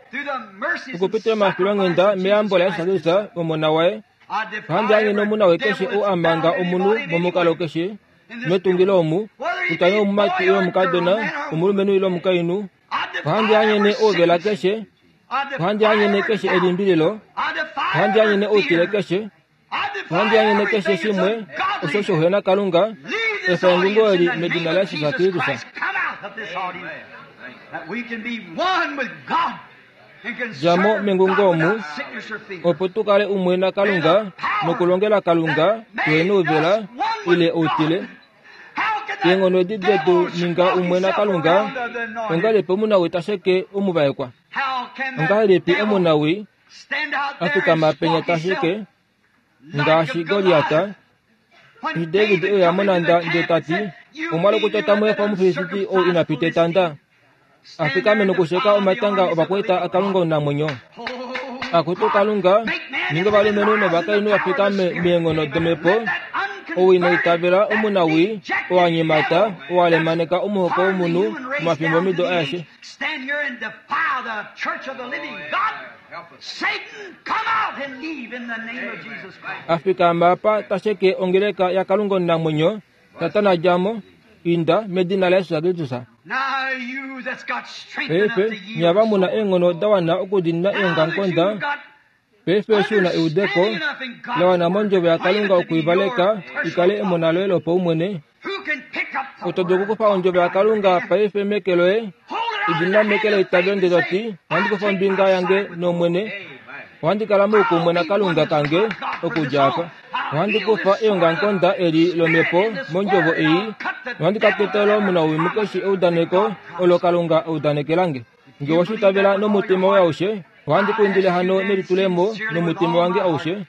Okupitila momafilwanghenda meyambo laJesus Kristus Omona waye, ohandi anyene omunawii keshe ou a manga omunhu momukalo keshe metungilo omu, kutya nee omumati ile omukadona, omulumenhu ile omukainhu. Ohandi anyene ouvela keshe, ohandi anyene keshe elimbililo, ohandi anyene outile keshe, ohandi anyene keshe shimwe osho shouhena Kalunga, efa engungo eli medina laJesus Kristus. Djamo mengungo omu, opo tu kale umwe naKalunga nokulongela Kalunga tuhena ouvela ile outile. Eenghono edi detu ninga umwe naKalunga, ongahelipi omunawii ta sheke omuvaekwa? Ongahelipi omunawii a fikama penya ta sheke ngaashi Goliat? Eshi David e uya monhanda ndele ta ti, omwali kutya tamu efa Omufilisti ou ina pita etanda, a fikame nokusheka omatanga ovakwaita aKalunga omunamwenyo. Akutu Kalunga, ninga ovalumenhu novakainhu va fikame meenghono domhepo, ou ina itavela omunawii, oo a nyemata, oo a lemaneka omuhoko womunhu omafimbo mido aeshe. A fikama apa ta sheke ongeleka yaKalunga omunamwenyo, Satana djamo, inda medina laJesus Kristus. Paife nye mu na eenghono da wana okudiinina eongamukonda, paife eshi u na eudeko la wana mondjovo yaKalunga okuivaleka i kale emona loye lopaumwene, oto dulu okukufa ondjovo yaKalunga paife meke loye, idinina meke leitavelo ndele to ti, ohandi kufa ombinga yange nOmwene, ohandi kala moukumwe naKalunga kange okudja apa. Ohandi kufa eongamukonda eli lomhepo mondjovo ei, nohandi ka tetela omunawii mukeshe eudaneko olo Kalunga a udanekelange. Ngee oweshi itavela nomutima woye aushe, ohandi ku indile hano nelitulemo nomutima wange aushe.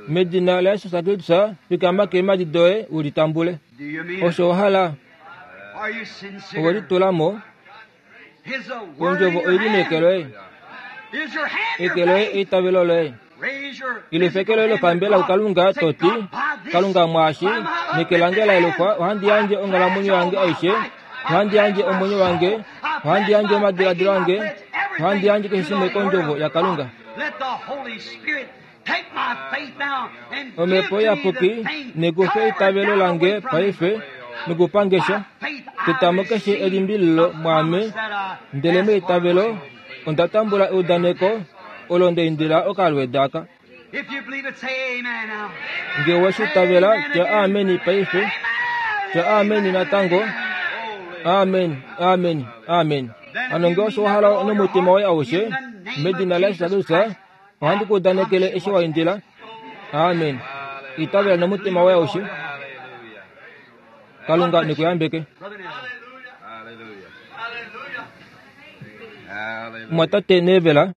Medina laJesus Kristus, fikama keemhadi doye u litambule. Osho wa hala? Owe litula mo? Ondjovo oili meke loye. Eke loye eitavelo loye. Ile eke loye lopambela kuKalunga to ti, Kalunga mwaashi, neke lange la yelufwa, ohandi yandje onghalamwenyo yange aishe, ohandi yandje omwenyo wange, ohandi yandje omadiladilo ange, ohandi yandje keshe shimwe kondjovo yaKalunga. Omhepo iyapuki nekufe eitavelo lange paife nokupangesha, tetamo keshe elimbililo mwaame, ndele meitavelo onda tambula eudaneko olo nda indila okalweeda aka. Ngee oweshi itavela, tya ameni paife, tya ameni natango, amen, amen, amen. Hano ngee osho wa hala nomutima woye aushe, medina laJesus Kristus, ohandi ku udanekele eshi wa indila. Amen. Itavela nomutima woye aushe. Kalunga nekuyambeke. Mwatate Nevela.